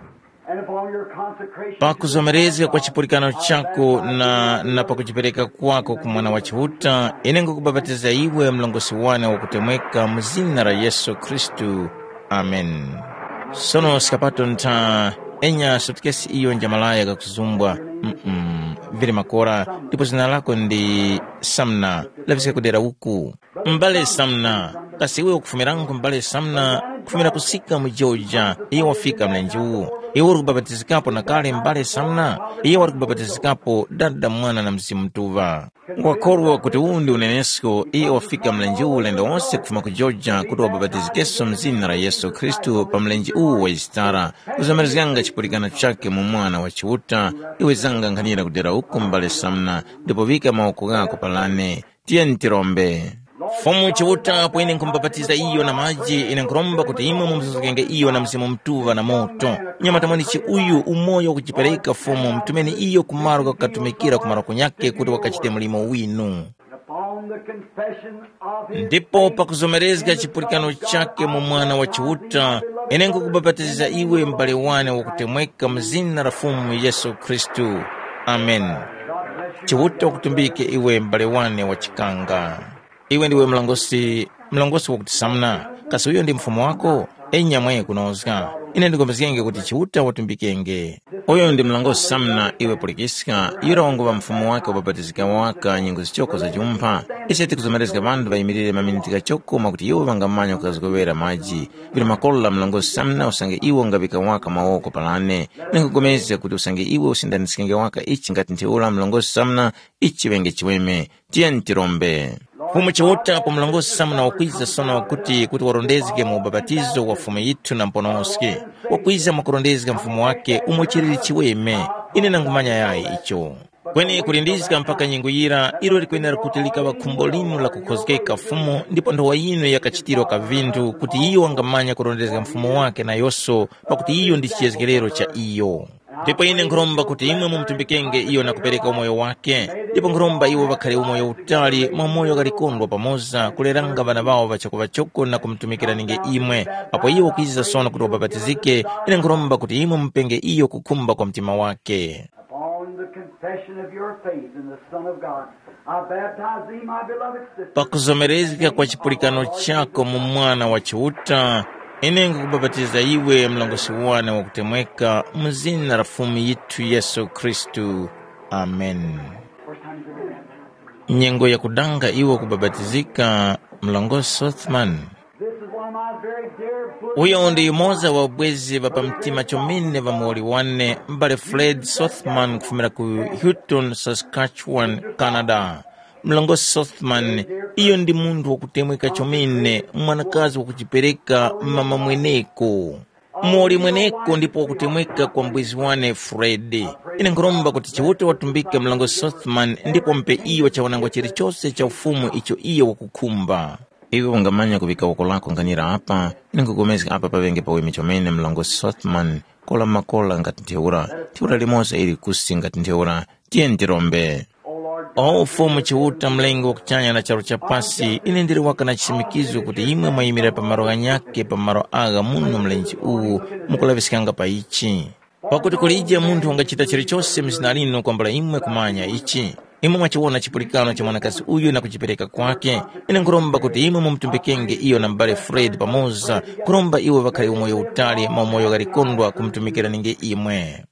and upon your consecration. Pakuzomerezga kwa chipulikano chako na, na pakuchipereka kwako ku Mwana wa Chiuta, ine ngukubapatiza iwe mlongosi wane wakutemweka mu zina la Yesu Khristu. Amen. Sono skapato ntha, enya sutikesi iyo njamalaya kakuzumbwa. Mm-mm. Vili makora, ndipo zina lako ndi Samna, laviska kudera uku. M'bale Samna, kasi iwe ukufumirangu m'bale Samna? Kufumira kusika mu Georgia, iye wafika mlenje uwu. Iwe uri kubapatizikapo na kale m'bale Samna? Iye wari kubapatizikapo Dada, Mwana na Mzimu Mutuŵa. Ngwakhorwa kuti uwu ndi unenesko, iye wafika mlenje uwu ulendo wose kufuma ku Georgia kuti wabapatizikenso m'zina la Yesu Khristu pa mlenje uwu wa Yisitara. Kuzomerezganga chipulikano chakhe mu Mwana wa Chiuta, iwe zanga nkhanira kudera uku m'bale Samna, ndipo vika mawoko ghako palane. Tiyeni tirombe. Fumu Chiuta, apo ine nkhumubapatiza iyo na maji, ine nkhuromba kuti imwe mumuzuzgenge iyo na Mzimu Mutuŵa na moto. Nyamata mwanechi uyu umoyo wakujipereka Fumu, mutumeni iyo kumaro kakukatumikira ku maroko nyakhe kuti wakachite mlimo winu. Upon the confession of his ndipo faith pakuzomerezga chipulikano chake mu Mwana wa Chiuta, ine nkukubapatiza iwe m'bale wane wakutemweka mu zina la Fumu Yesu Khristu. Amen. Chiuta ukutumbike iwe m'bale wane wa chikanga. Iwe ndiwe mlongosi, mlongosi wakuti Samna. Kasi uyo ndi mfumu wako? Enya mwe kunozga. Ine ndikombezgenge kuti Chiuta watumbikenge. Uyo ndi mlongosi Samna, iwe pulikiska, yura wanguŵa mfumu wake wabapatizika waka nyengo zichoko za chumpha. Ise tikuzomerezga ŵanthu ŵayimirire maminiti ghachoko mwakuti iwo ŵangamanya kukazgowera maji. Vili makolola mlongosi Samna usange iwo ngaŵika waka mawoko palane. Ningugomezga kuti usange iwe usindaniskenge waka ichi ngati ntheura mlongosi Samna, ichi chiŵenge chiweme. Tiyeni tirombe. Fumu Chiuta apo mlongosi Samuna wakwiza sono wakuti kuti warondezge mu ubapatizo wa Fumu yithu na Muponoski. Wakwiza mwakurondezga Mfumu wake umo chiliri chiweme. Ine nangumanya yayi icho. Kweni kulindizga mpaka nyengo yira, ilo likwenera kuti likaŵa khumbo linu la kukhozgeka Fumu ndipo nthowa yinu yakachitirwa ka vinthu kuti iyo wangamanya kurondezga Mfumu wake nayoso pakuti iyo ndi chiyezgerero cha iyo. Ndipo ine nkhuromba kuti imwe mumutumbikenge iyo na kupereka umoyo wake, ndipo nkhuromba iwo ŵakhare umoyo utali mwa moyo ghalikondwa pamoza kuleranga ŵana ŵawo ŵachokoŵachoko na kumutumikiraninge imwe. Apo iwo kwiza sono kuti wabapatizike, ine nkhuromba kuti imwe mupenge iyo kukhumba kwa mtima wake. Upon the confession of your faith in the Son of God, I baptize thee, my beloved sister. Pakuzomerezga kwa chipulikano chako mu Mwana wa Chiuta, ine nkukubapatiza iwe mlongosi wane wakutemweka mu zina la Fumu yithu Yesu Khristu. Amen. First time you've ever met me. Nyengo yakudanga iwo kubapatizika, mlongosi Sothman. This is one of my very dear bosom. Uyo ndi yumoza wa ubwezi ŵa pamtima chomene ŵa muwoli wane, m'bale Fred Sothman kufumira ku Houghton, Saskatchewan, Canada. Mlongosi Sothman, iyo ndi munthu wakutemweka chomene, mwanakazi wakuchipereka mama mweneko. Muli mweneko ndipo wakutemweka kwa mbwizi wane Fred. Ine nkhuromba kuti Chiuta watumbike mlongo Sothman ndipo mpe iyo chawanangwa chilichose cha ufumu icho iyo wakukhumba. Iwe ungamanya kuŵika woko lako nganira apa, ine nkupulikana apa paŵenge paweme chomene mlongo Sothman, kola makola ngati ntheura, ntheura limoza ili kusi ngati ntheura, tiyeni tirombe. O Fumu Chiuta, Mlengi wa kuchanya na charu cha pasi, ine ndili waka na chisimikizo kuti imwe mwayimira pa malo ghanyakhe pa malo agha muno mlenje uwu mukulaŵiskanga pa ichi. Pakuti kulije munthu wangachita chilichose mu zina linu kwambula imwe kumanya ichi. Imwe mwachiwona chipulikano cha mwanakazi uyu na kuchipereka kwake. Ine nkhuromba kuti imwe mumutumbikenge iyo na m'bale Fred pamoza, kuromba iwo ŵakhale umoyo utali, maumoyo ghalikondwa kumutumikiraninge imwe.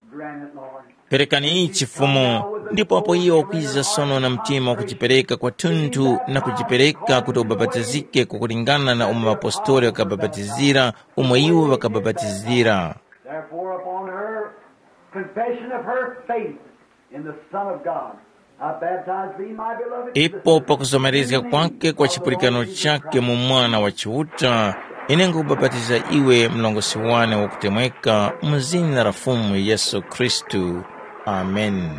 Perekani ichi Fumu, ndipo apo iyo wakwiza sono na mtima wakuchipereka kwathunthu na kuchipereka kuti ubapatizike kwakulingana na umo ŵapostoli ŵakabapatizira, umo iwo ŵakabapatizira. Therefore, upon her confession of her faith in the Son of God, I baptize thee, my beloved Ipo sister, pakuzomerezga in the name kwake kwa of the chipulikano Lord Jesus chake Christ. Mu Mwana wa Chiuta, ine nkukubapatiza iwe mlongosi wane wakutemweka mu zina la Fumu Yesu Khristu. Amen.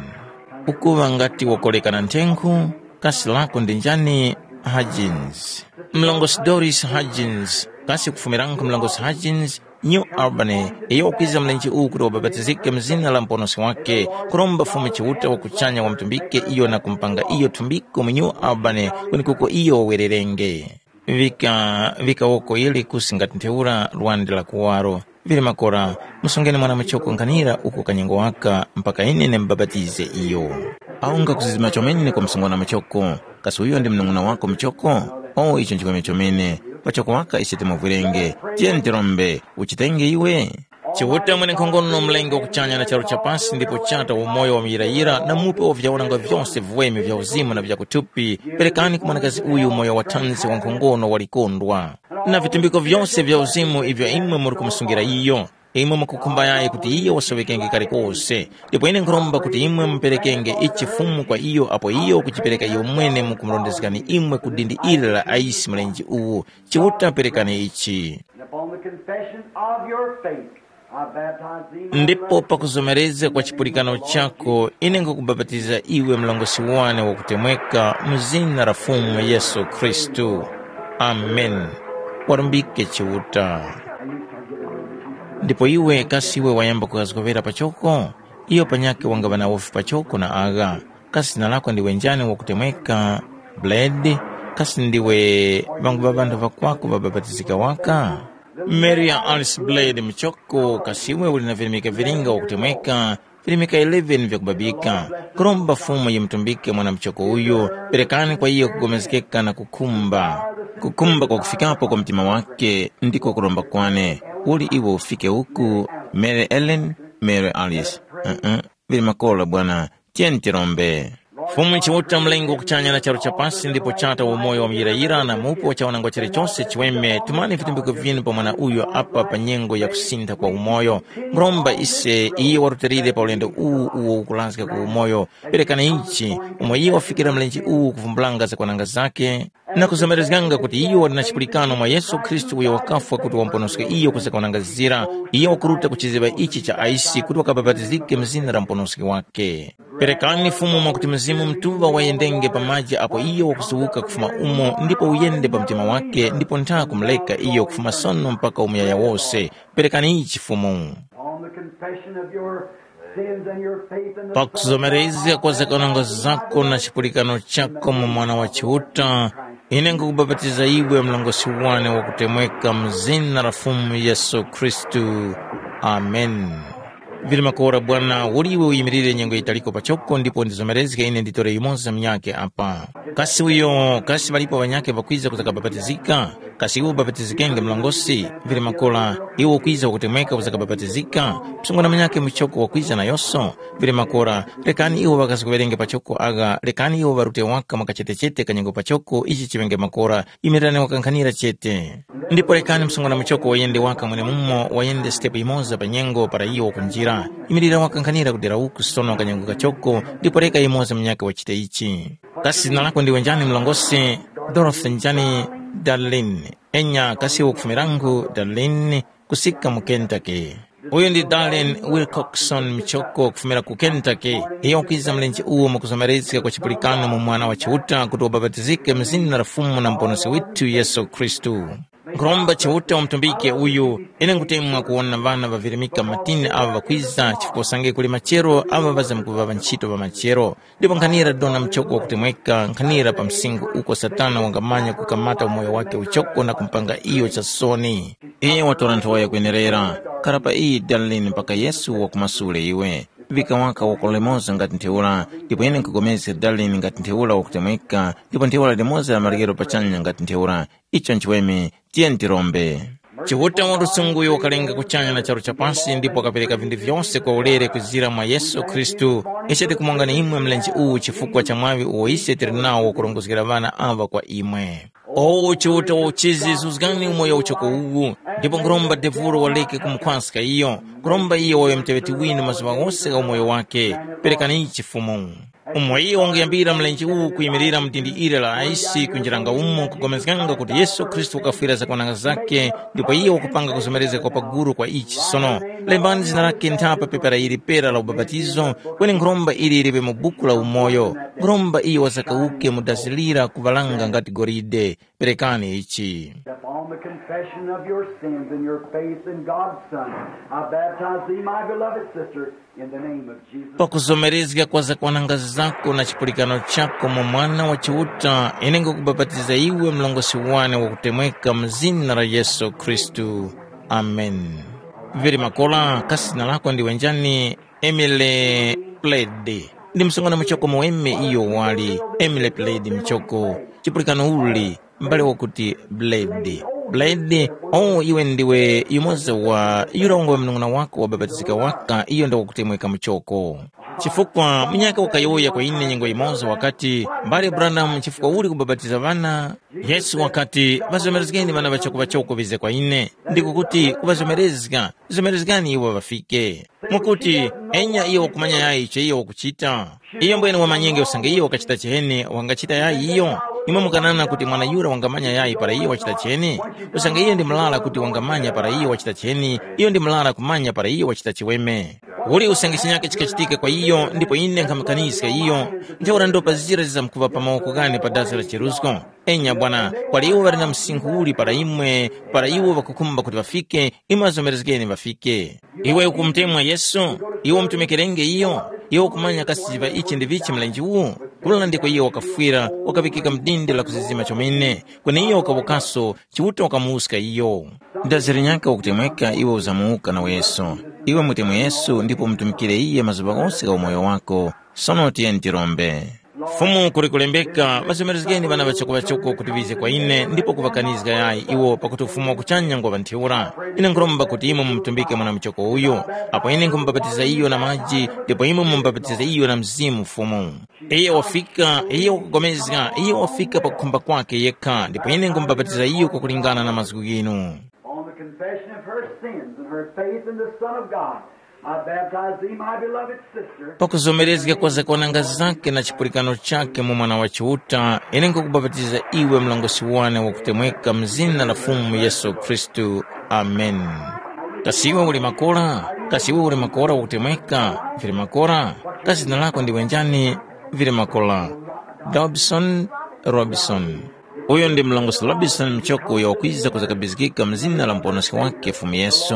Ukuŵa ngati wakoleka na nthenkhu, kasi lako ndi njani? Hudgens. Mlongosi Doris Hudgens, kasi kufumiranko mlongosi Hudgens, New Albany, iyo wakwiza mlenje uwu kuti wabapatizike mu zina la Muponoski wake, kuromba Fumu Chiuta wa kuchanya wamutumbike iyo na kumupanga iyo thumbiko mu New Albany kwenekuko iyo wawererenge. Vika, vika woko ili kusi ngati ntheura lwande la kuwaro. Vili makora, musungeni mwana muchoko nkhanira uko kanyengo waka mpaka ine ndimubapatize iyo. Awo ngakuzizima chomene kwa msungwana muchoko, kasi uyo ndi mnung'una wako muchoko? O, icho nchikweme chomene, pachoko waka ise timuvwirenge. Tiyeni tirombe, uchitenge iwe. Chiuta mwenenkhongono, Mlengi wa kuchanya na charu cha pasi, ndipo Chata wa umoyo wa muyirayira, na Mupe wa vyaonanga vyose viweme vya uzimu na vya kuthupi, perekani ku mwanakazi uyu umoyo wa thanzi wa nkhongono wa likondwa, na vitumbiko vyose vya uzimu ivyo imwe muri kumusungira iyo. Imwe mukukhumba yayi kuti iyo wasoŵekenge kalikose, ndipo ine nkhuromba kuti imwe muperekenge ichi Fumu kwa iyo apo iyo wakuchipereka iyo mwene mukumurondezgani imwe ku dindi ili la aisi mlenje uwu. Chiuta perekani ichi. And upon the confession of your faith, I baptize thee, my Ndipo beloved, pakuzomerezga kwa chipulikano chako, ine nkukubapatiza iwe mlongosi wane wakutemweka mu zina la Fumu Yesu Khristu. Amen. Warumbike Chiuta. Ndipo iwe kasi iwe wayamba kukazgowera pachoko? Iyo panyakhe wangaŵa na ufi pachoko na agha. Kasi zina lako ndiwe njani wakutemweka? Blade, kasi ndiwe ŵangu ŵa ŵanthu ŵakwako ŵabapatizika waka? Mary ya Alice Blade muchoko, kasi iwe uli na virimika vilinga wakutemweka, virimika eleven vyakubabika. Kuromba Fumu yimutumbike mwana muchoko uyu, perekani kwa iyo kugomezgeka na kukhumba. Kukhumba kwa kufikapo kwa mtima wake ndiko kuromba kwane. Uli iwe ufike uku, Mary Ellen, Mary Alice. Uh-uh. Vili makora bwana, tiyeni tirombe. Fumu Chiuta, Mlengi wa kuchanya na charu cha pasi, ndipo Chata wa umoyo wa muyirayira na Mupe wa chawanangwa chilichose chiweme, tumani vitumbiko vyinu pa mwana uyo apa pa nyengo ya kusintha kwa umoyo. Nkhuromba ise, iye warutilire pa ulendo uwu uwo ukurazga ku umoyo. Perekani ichi, umo iye wafikira mlenje uwu kuvumbulanga zakwananga zake, na kuzomerezganga kuti iyo wali na chipulikano mwa Yesu Khristu uyo wakafwa kuti wamuponoske iyo ku zakwananga zira, iyo wakuruta ku chiziŵa ichi cha aisi kuti wakabapatizike mu zina la muponoski wake. Perekani Fumu mwakuti Mzimu Mutuŵa wayendenge pa maji apo iyo wakusuwuka kufuma umo ndipo uyende pa mtima wake ndipo ntha kumuleka iyo kufuma sono mpaka umuyaya wose. Perekani ichi Fumu. On the confession of your sins and your faith in the Son of God, Pakuzomerezga kwa zakwananga zako na chipulikano chako mu Mwana wa Chiuta, ine nkukubapatiza iwe mlongosi wane wakutemweka mu zina la Fumu Yesu Khristu. Amen. Vili makora bwana, uli iwe uyimirire nyengo yitaliko pachoko ndipo ndizomerezge ine nditore yumoza munyakhe apa. Kasi uyo, kasi ŵalipo ŵanyakhe ŵakwiza kuzakabapatizika? Kasi iwe ubapatizikenge mlongosi? Vili makora, iwe ukwiza wakutemweka uzakabapatizika? Msungwana munyakhe muchoko wakwiza nayonso? Vili makora, rekani iwo ŵakazi kuŵerenge pachoko agha, rekani iwo ŵarute waka mwa kachetechete kanyengo pachoko ichi chiŵenge makora, imirirani wakankhanira chete. Ndipo rekani msungwana muchoko wayende waka mwenemumo, wayende sitepu yimoza pa nyengo para iyo wakunjira. Imirira wakankhanira kudera uku sono kanyengo kachoko, ndipo reka yimoza munyakhe wachite ichi. Kasi zina lako ndiwe njani mlongosi? Dorothy njani? Darlene. Enya kasi ukufumira ngu Darlene, kusika mu Kentucky. Uyu ndi Darlene Wilcoxon Michoko kufumira ku Kentucky. Iyo wakwiza mlenje uwo mwakuzomerezga kwa chipulikano mu Mwana wa Chiuta kuti wabapatizike mu zina la Fumu na Muponoski withu Yesu Khristu. Nkhuromba Chiuta umutumbike uyu, ine nkutemwa kuwona ŵana ŵavirimika matini aŵa ŵakwiza chifukwa usange kuli machero aŵa ŵazamkuŵaŵa ntchito pa machero. Ndipo nkhanira dona mchoko wakutemweka, nkhanira pa msinkhu uko Satana wangamanya kukamata umoyo wakhe uchoko na kumupanga iyo chasoni. Iye watora nthowa yakwenerera. Khara pa iyi Darlene mpaka Yesu wakumasule iwe. Vika waka wako limoza ngati ntheura, ndipo ine nkhupulikana Darlene ngati ntheura wakutemweka, ndipo ntheura limoza la maryero pachanya ngati ntheura. Icho nchiweme, tiyeni tirombe. Chiuta wa lusungu uyo wakalenga kuchanya na charu cha pasi ndipo wakapereka vinthu vyose kwa ulere kuzira mwa Yesu Khristu, ise tikumongani imwe mlenje uwu chifukwa cha mwaŵi uwo ise tili nawo wakurongozgera ŵana aŵa kwa imwe. O Chiuta wa uchizi, zuzgani umoyo uchoko uwu, ndipo nkhuromba devuro waleke kumukhwaska iyo, nkhuromba iyo waŵe muteŵeti winu mazuŵa ghose gha umoyo wakhe. Perekani ichi Fumu. Umo iyo wanguyambira mlenje uwu kuyimirira mu dindi ili la aisi kunjiranga umo kupulikana kuti Yesu Khristu wakafwira zakwananga zakhe ndipo iyo wakupanga kuzomerezga kwa paguru kwa ichi sono. Lembani zina lakhe nthapa pepera ili pera la ubapatizo, kweni nkhuromba ili liŵe mu buku la umoyo. Nkhuromba iyo wazakawuke mu dazi lira kuŵalanga ngati golide. Perekani ichi. Upon the confession of your sins and your faith in God's Son, I baptize thee, my beloved sister, in the name of Jesus. Pakuzomerezga kwa zakwananga zako na chipulikano chako mu Mwana wa Chiuta, ine ngukubapatiza iwe mlongosi wane wakutemweka mu zina la Yesu Khristu. Amen. Vili makola, kasi zina lako ndiwe njani? Emily Pled. Ndi msungwana muchoko muweme iyo wali, Emily Pled muchoko. Chipulikano uli, m'bale wakuti Blade. Blade, o iwe ndiwe yumoza wa yura wangowe mnung'una wako wabapatizika waka iyo ndi wakutemweka muchoko. Chifukwa munyaka wakayowoya kwa ine nyengo yimoza wakati, mbale Branham, chifukwa uli kubapatiza ŵana? Yesu wakati, ŵazomerezgeni ŵana ŵachoko ŵachoko ŵize kwa ine, ndiko kuti kuŵazomerezga, zomerezgani iwo ŵafike. Mwakuti, enya iyo wakumanya yayi icho iyo wakuchita? Iyo mbwene wamanyenge usange iyo wakachita chiheni, wangachita yayi iyo? Imwe mukanana kuti mwana yura wangamanya yayi para iyo wachita chiheni? Usange iyo ndi murara kuti wangamanya para iyo wachita chiheni, iyo ndi murara kumanya para iyo wachita chiweme. Uli usange chinyaka chikachitika kwa iyo, ndipo ine nkhamukaniska iyo, ntheura ndopa zira zizamkuŵa pa mawoko ghane pa dazi la cheruzgo. Enya bwana, kwali iwo ŵali na msinkhu uli para imwe, para iwo ŵakukhumba kuti ŵafike, imwe ŵazomerezgeni ŵafike. Iwe ukumutemwa Yesu, iwe umutumikerenge iyo, iwe ukumanya kasi pa ichi ndi vichi mlenje uwu? Kula ndiko iyo wakafwira, wakaŵikika mu dindi la kuzizima chomene, kweni iyo wakawukaso, Chiuta wakamuwuska iyo. Dazi linyaka wakutemweka iwe uzamuwuka naweso. Iwe mutemwe Yesu ndipo umutumikire iye mazuŵa ghose gha umoyo wako. Sono tiyeni tirombe. Fumu kuli kulembeka, ŵazomerezgeni ŵana ŵachoko-ŵachoko kuti ŵize kwa ine ndipo kuŵakanizga yayi iwo pakuti ufumu wa kuchanya ngwa ŵa ntheura. Ine nkhuromba kuti imwe mumutumbike mwana muchoko uyu, apo ine nkhumubapatiza iyo na maji ndipo imwe mumubapatiza iyo na Mzimu Fumu. Iye wafika, iye wakupulikana, iye wafika pakukhumba kwake yekha ndipo ine nkhumubapatiza iyo kwakulingana na mazgu ghinu. On the confession of her sins and her faith in the Son of God, I baptize thee, my beloved sister. Pakuzomerezga kwa zakwananga zake na chipulikano chake mu Mwana wa Chiuta, ine nkukubapatiza iwe mlongosi wane wakutemweka mu zina la Fumu Yesu Khristu. Amen. Kasi iwe uli makora? Kasi iwe uli makora wakutemweka? Vili makora? Kasi zina lako ndiwe njani? Vili makora. Dobson Robson. Uyo ndi mlongosi Robinson Mchoko uyo wakwiza kuzakabizgika mu zina la Muponoski wakhe Fumu Yesu.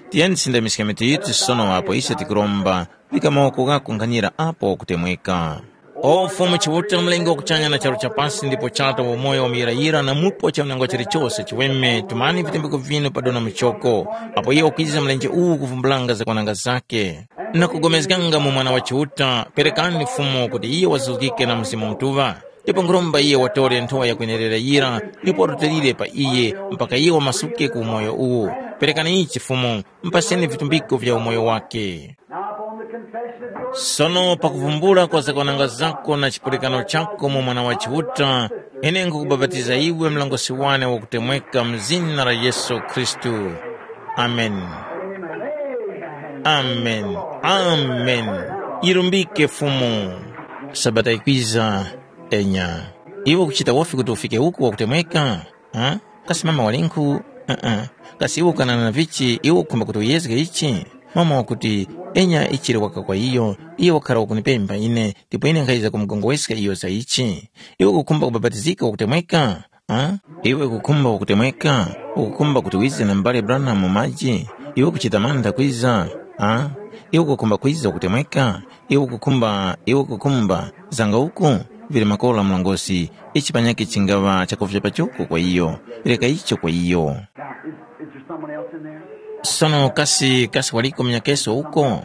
Tiyeni tisindamiske mitu yithu sono apo ise tikuromba, vika mawoko ghako nkhanira apo wakutemweka. O Fumu Chiuta, Mlengi wa kuchanya na charu cha pasi ndipo Chata wa umoyo wa muyirayira na mupo cha nyengo chilichose chiweme, tumani vitembeko vinu pa dona Mchoko, apo iyo wakwiza mlenje uwu kuvumbulanga zakwananga zake. Na kugomezganga mu Mwana wa Chiuta, perekani Fumu kuti iyo wazuzgike na Mzimu Mutuŵa. Ndipo nkhuromba iye watore nthowa yakwenerera yira, ndipo warutilire pa iye, mpaka iye wamasuke ku umoyo uwu. Perekani ichi Fumu, mpaseni vitumbiko vya umoyo wake. Now upon the confession of your Sono pakuvumbula kwa zakwananga zako na chipulikano chako mu Mwana wa Chiuta, ine nkukubapatiza iwe mlongosi wane wakutemweka mu zina la Yesu Khristu. Amen. Amen. Amen. Yirumbike Fumu. Sabata ikwiza, enya. Iwe ukuchita wofi kuti ufike uku wakutemweka? Ha? Kasi mama walinkhu? Uh-uh. Kasi iwe ukanana na vichi, iwe ukukhumba kuti uyezge ichi? Mama wakuti, enya ichiri waka kwa iyo, iyo wakhara wakunipemba ine, ndipo ine nkhayiza kumugongoweska iyo za ichi. Iwe ukukhumba kubapatizika wakutemweka? Ha? Iwe ukukhumba wakutemweka? Ukukhumba kuti wize na m'bale Branham mu maji? Iwe ukuchita mantha kwiza? Ha? Iwe ukukhumba kwiza wakutemweka? Iwe ukukhumba, iwe ukukhumba, zanga uku? Vili makora mlongosi, ichi panyakhe chingaŵa chakuvya pachoko kwa iyo. Reka icho kwa iyo. Now, is, is there someone else in there? Sono kasi, kasi waliko munyakeso uko?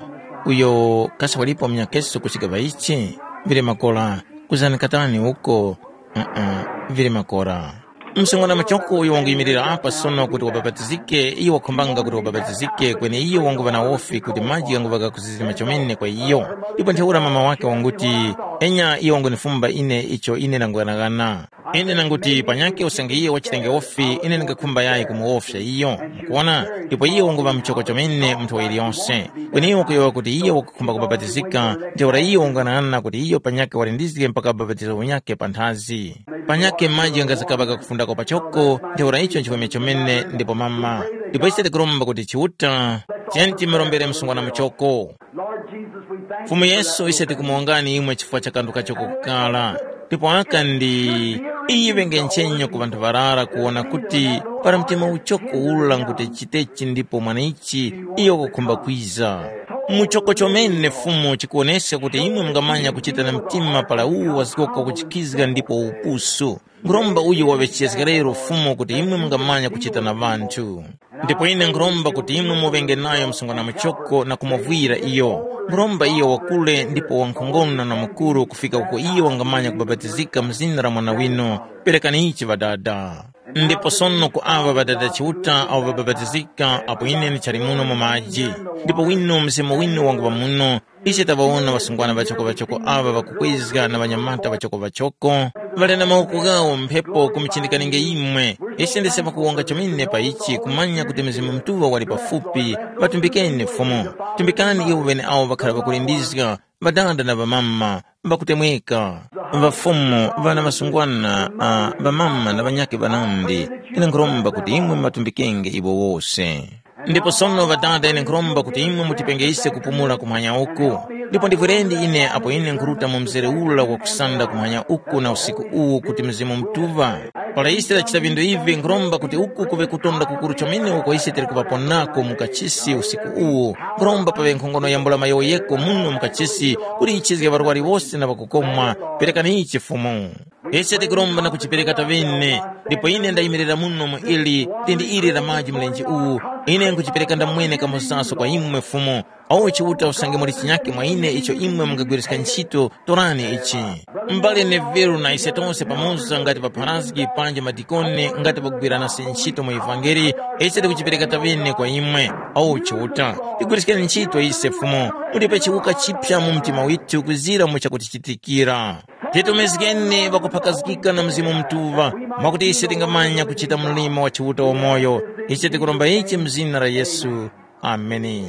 Uyo kasi walipo munyakeso ku chigaŵa ichi? Vili makora, kuzani katani uko? Uh-uh, vili makora. Msungwana muchoko uyo wanguyimirira apa sono kuti wabapatizike, iyo wakhumbanga kuti wabapatizike, kweni iyo wanguŵa na wofi kuti maji ghanguŵa ghakuzizima chomene kwa iyo. Ndipo ntheura mama wake wanguti, enya iyo wangunifumba ine icho ine ndangughanaghana. Ine nanguti panyakhe usange iyo wachitenge wofi, ine ndingakhumba yayi kumuwofya iyo. Mukuwona? Ndipo iyo wanguŵa muchoko chomene munthu wa iliyonse. Kweni iyo wakuyowoya kuti iyo wakukhumba kubapatizika, ntheura iyo wangughanaghana kuti iyo panyakhe walindizge mpaka bapatizo unyakhe panthazi. Panyakhe maji ghangazakaŵa kakufundako pachoko, ntheura icho nchiweme chomene ndipo mama. Ndipo ise tikuromba kuti Chiuta, tiyeni timurombere msungwana muchoko. Lord Jesus, we thank Fumu you for Yesu, that ise tikumuwongani imwe chifukwa cha kanthu kachoko kukala. Ndipo aka ndi iyi ŵenge nchenyo ku ŵanthu ŵarara kuwona kuti para mtima uchoko ula nguti chitechi ndipo mwanaichi iyo wakukhumba kwiza. Muchoko chomene Fumu chikuwoneska kuti imwe mungamanya kuchita na mtima para uwu wazgoko kuchikizga ndipo upusu. Nkhuromba uyu waŵe chizgekero Fumu kuti imwe mungamanya kuchita na ŵanthu. Ndipo ine nkhuromba kuti imwe muŵenge nayo msungwana muchoko na kumuvwira iyo. Nkhuromba iyo wakule ndipo wankhongono na mukuru kufika uko iyo wangamanya kubapatizika mu zina la Mwana winu. Perekani ichi Ŵadada. Ndipo sono ku aŵa Ŵadada Chiuta awo ŵabapatizika apo ine ndichali muno mu maji, ndipo winu Mzimu winu wanguŵa muno, ise taŵawona ŵasungwana ŵachokoŵachoko aŵa ŵakukwezga na ŵanyamata ŵachokoŵachoko, ŵali na mawoko ghawo mphepo kumuchindikaninge imwe. Ise ndise pakuwonga chomene pa ichi kumanya kuti Mzimu Mutuŵa wali pafupi. Ŵatumbikeni Fumu. Tumbikani iwo ŵeneawo ŵakhara ŵakulindizga, ŵadada na ŵamama, ŵakutemweka, ŵafumu, ŵana ŵasungwana, a, ŵamama na ŵanyakhe ŵanandi. Ine nkhuromba kuti imwe matumbikenge iwo wose. Ndipo sono Ŵadada, ine nkhuromba kuti imwe mutipenge ise kupumula kumwanya uku. Ndipo ndivwirendi ine apo ine nkhuruta mu mzere ula wakusanda kumwanya uku na usiku uwu kuti Mzimu Mutuŵa. Para ise tachita vindu ivi, nkhuromba kuti uku kuŵe kutonda kukuru chomene uko ise tili kuŵaponako mu kachisi usiku uwu. Nkhuromba paŵe nkhongono yambula mayowoyeko muno mu kachisi kuti yichizge ŵarwari wose na ŵakukomwa. Perekani ichi Fumu. Ise tikuromba na kuchipereka taŵene, ndipo ine ndayimirira muno mu ili, lindi ili la maji mlenje uwu, ine nkuchipereka ndamwene kamozaso kwa imwe Fumu. Awo Chiuta usange muli chinyakhe mwa ine icho imwe mungagwiriska ntchito, torani ichi. M'bale Neville na ise tose pamoza ngati ŵapharazgi panji madikoni ngati ŵakugwira nase ntchito mu ivangeli, ise tikuchipereka taŵene kwa imwe. Awo Chiuta, tigwiriskeni ntchito ise Fumu, mutipe chiwuka chiphya mu mtima withu kuzira mu chakutichitikira. Titumizgeni ŵakuphakazgika na Mzimu Mutuŵa, mwakuti ise tingamanya kuchita mlimo wa Chiuta wamoyo. Ichi tikuromba ichi mu zina la Yesu. Ameni.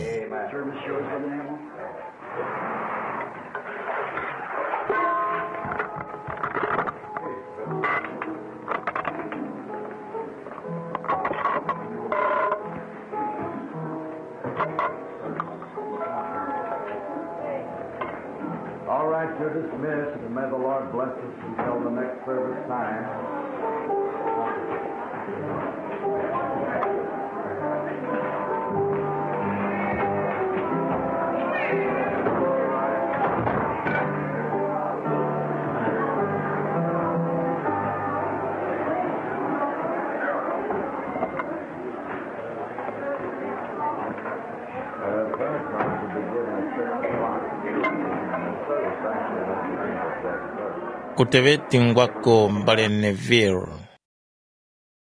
All right, you're dismissed, and may the Lord bless us until the next service time. Uh, the first one should be given at six o'clock. And the service actually won't begin at seven thirty. Kuteŵeti ngwako mbale Neville.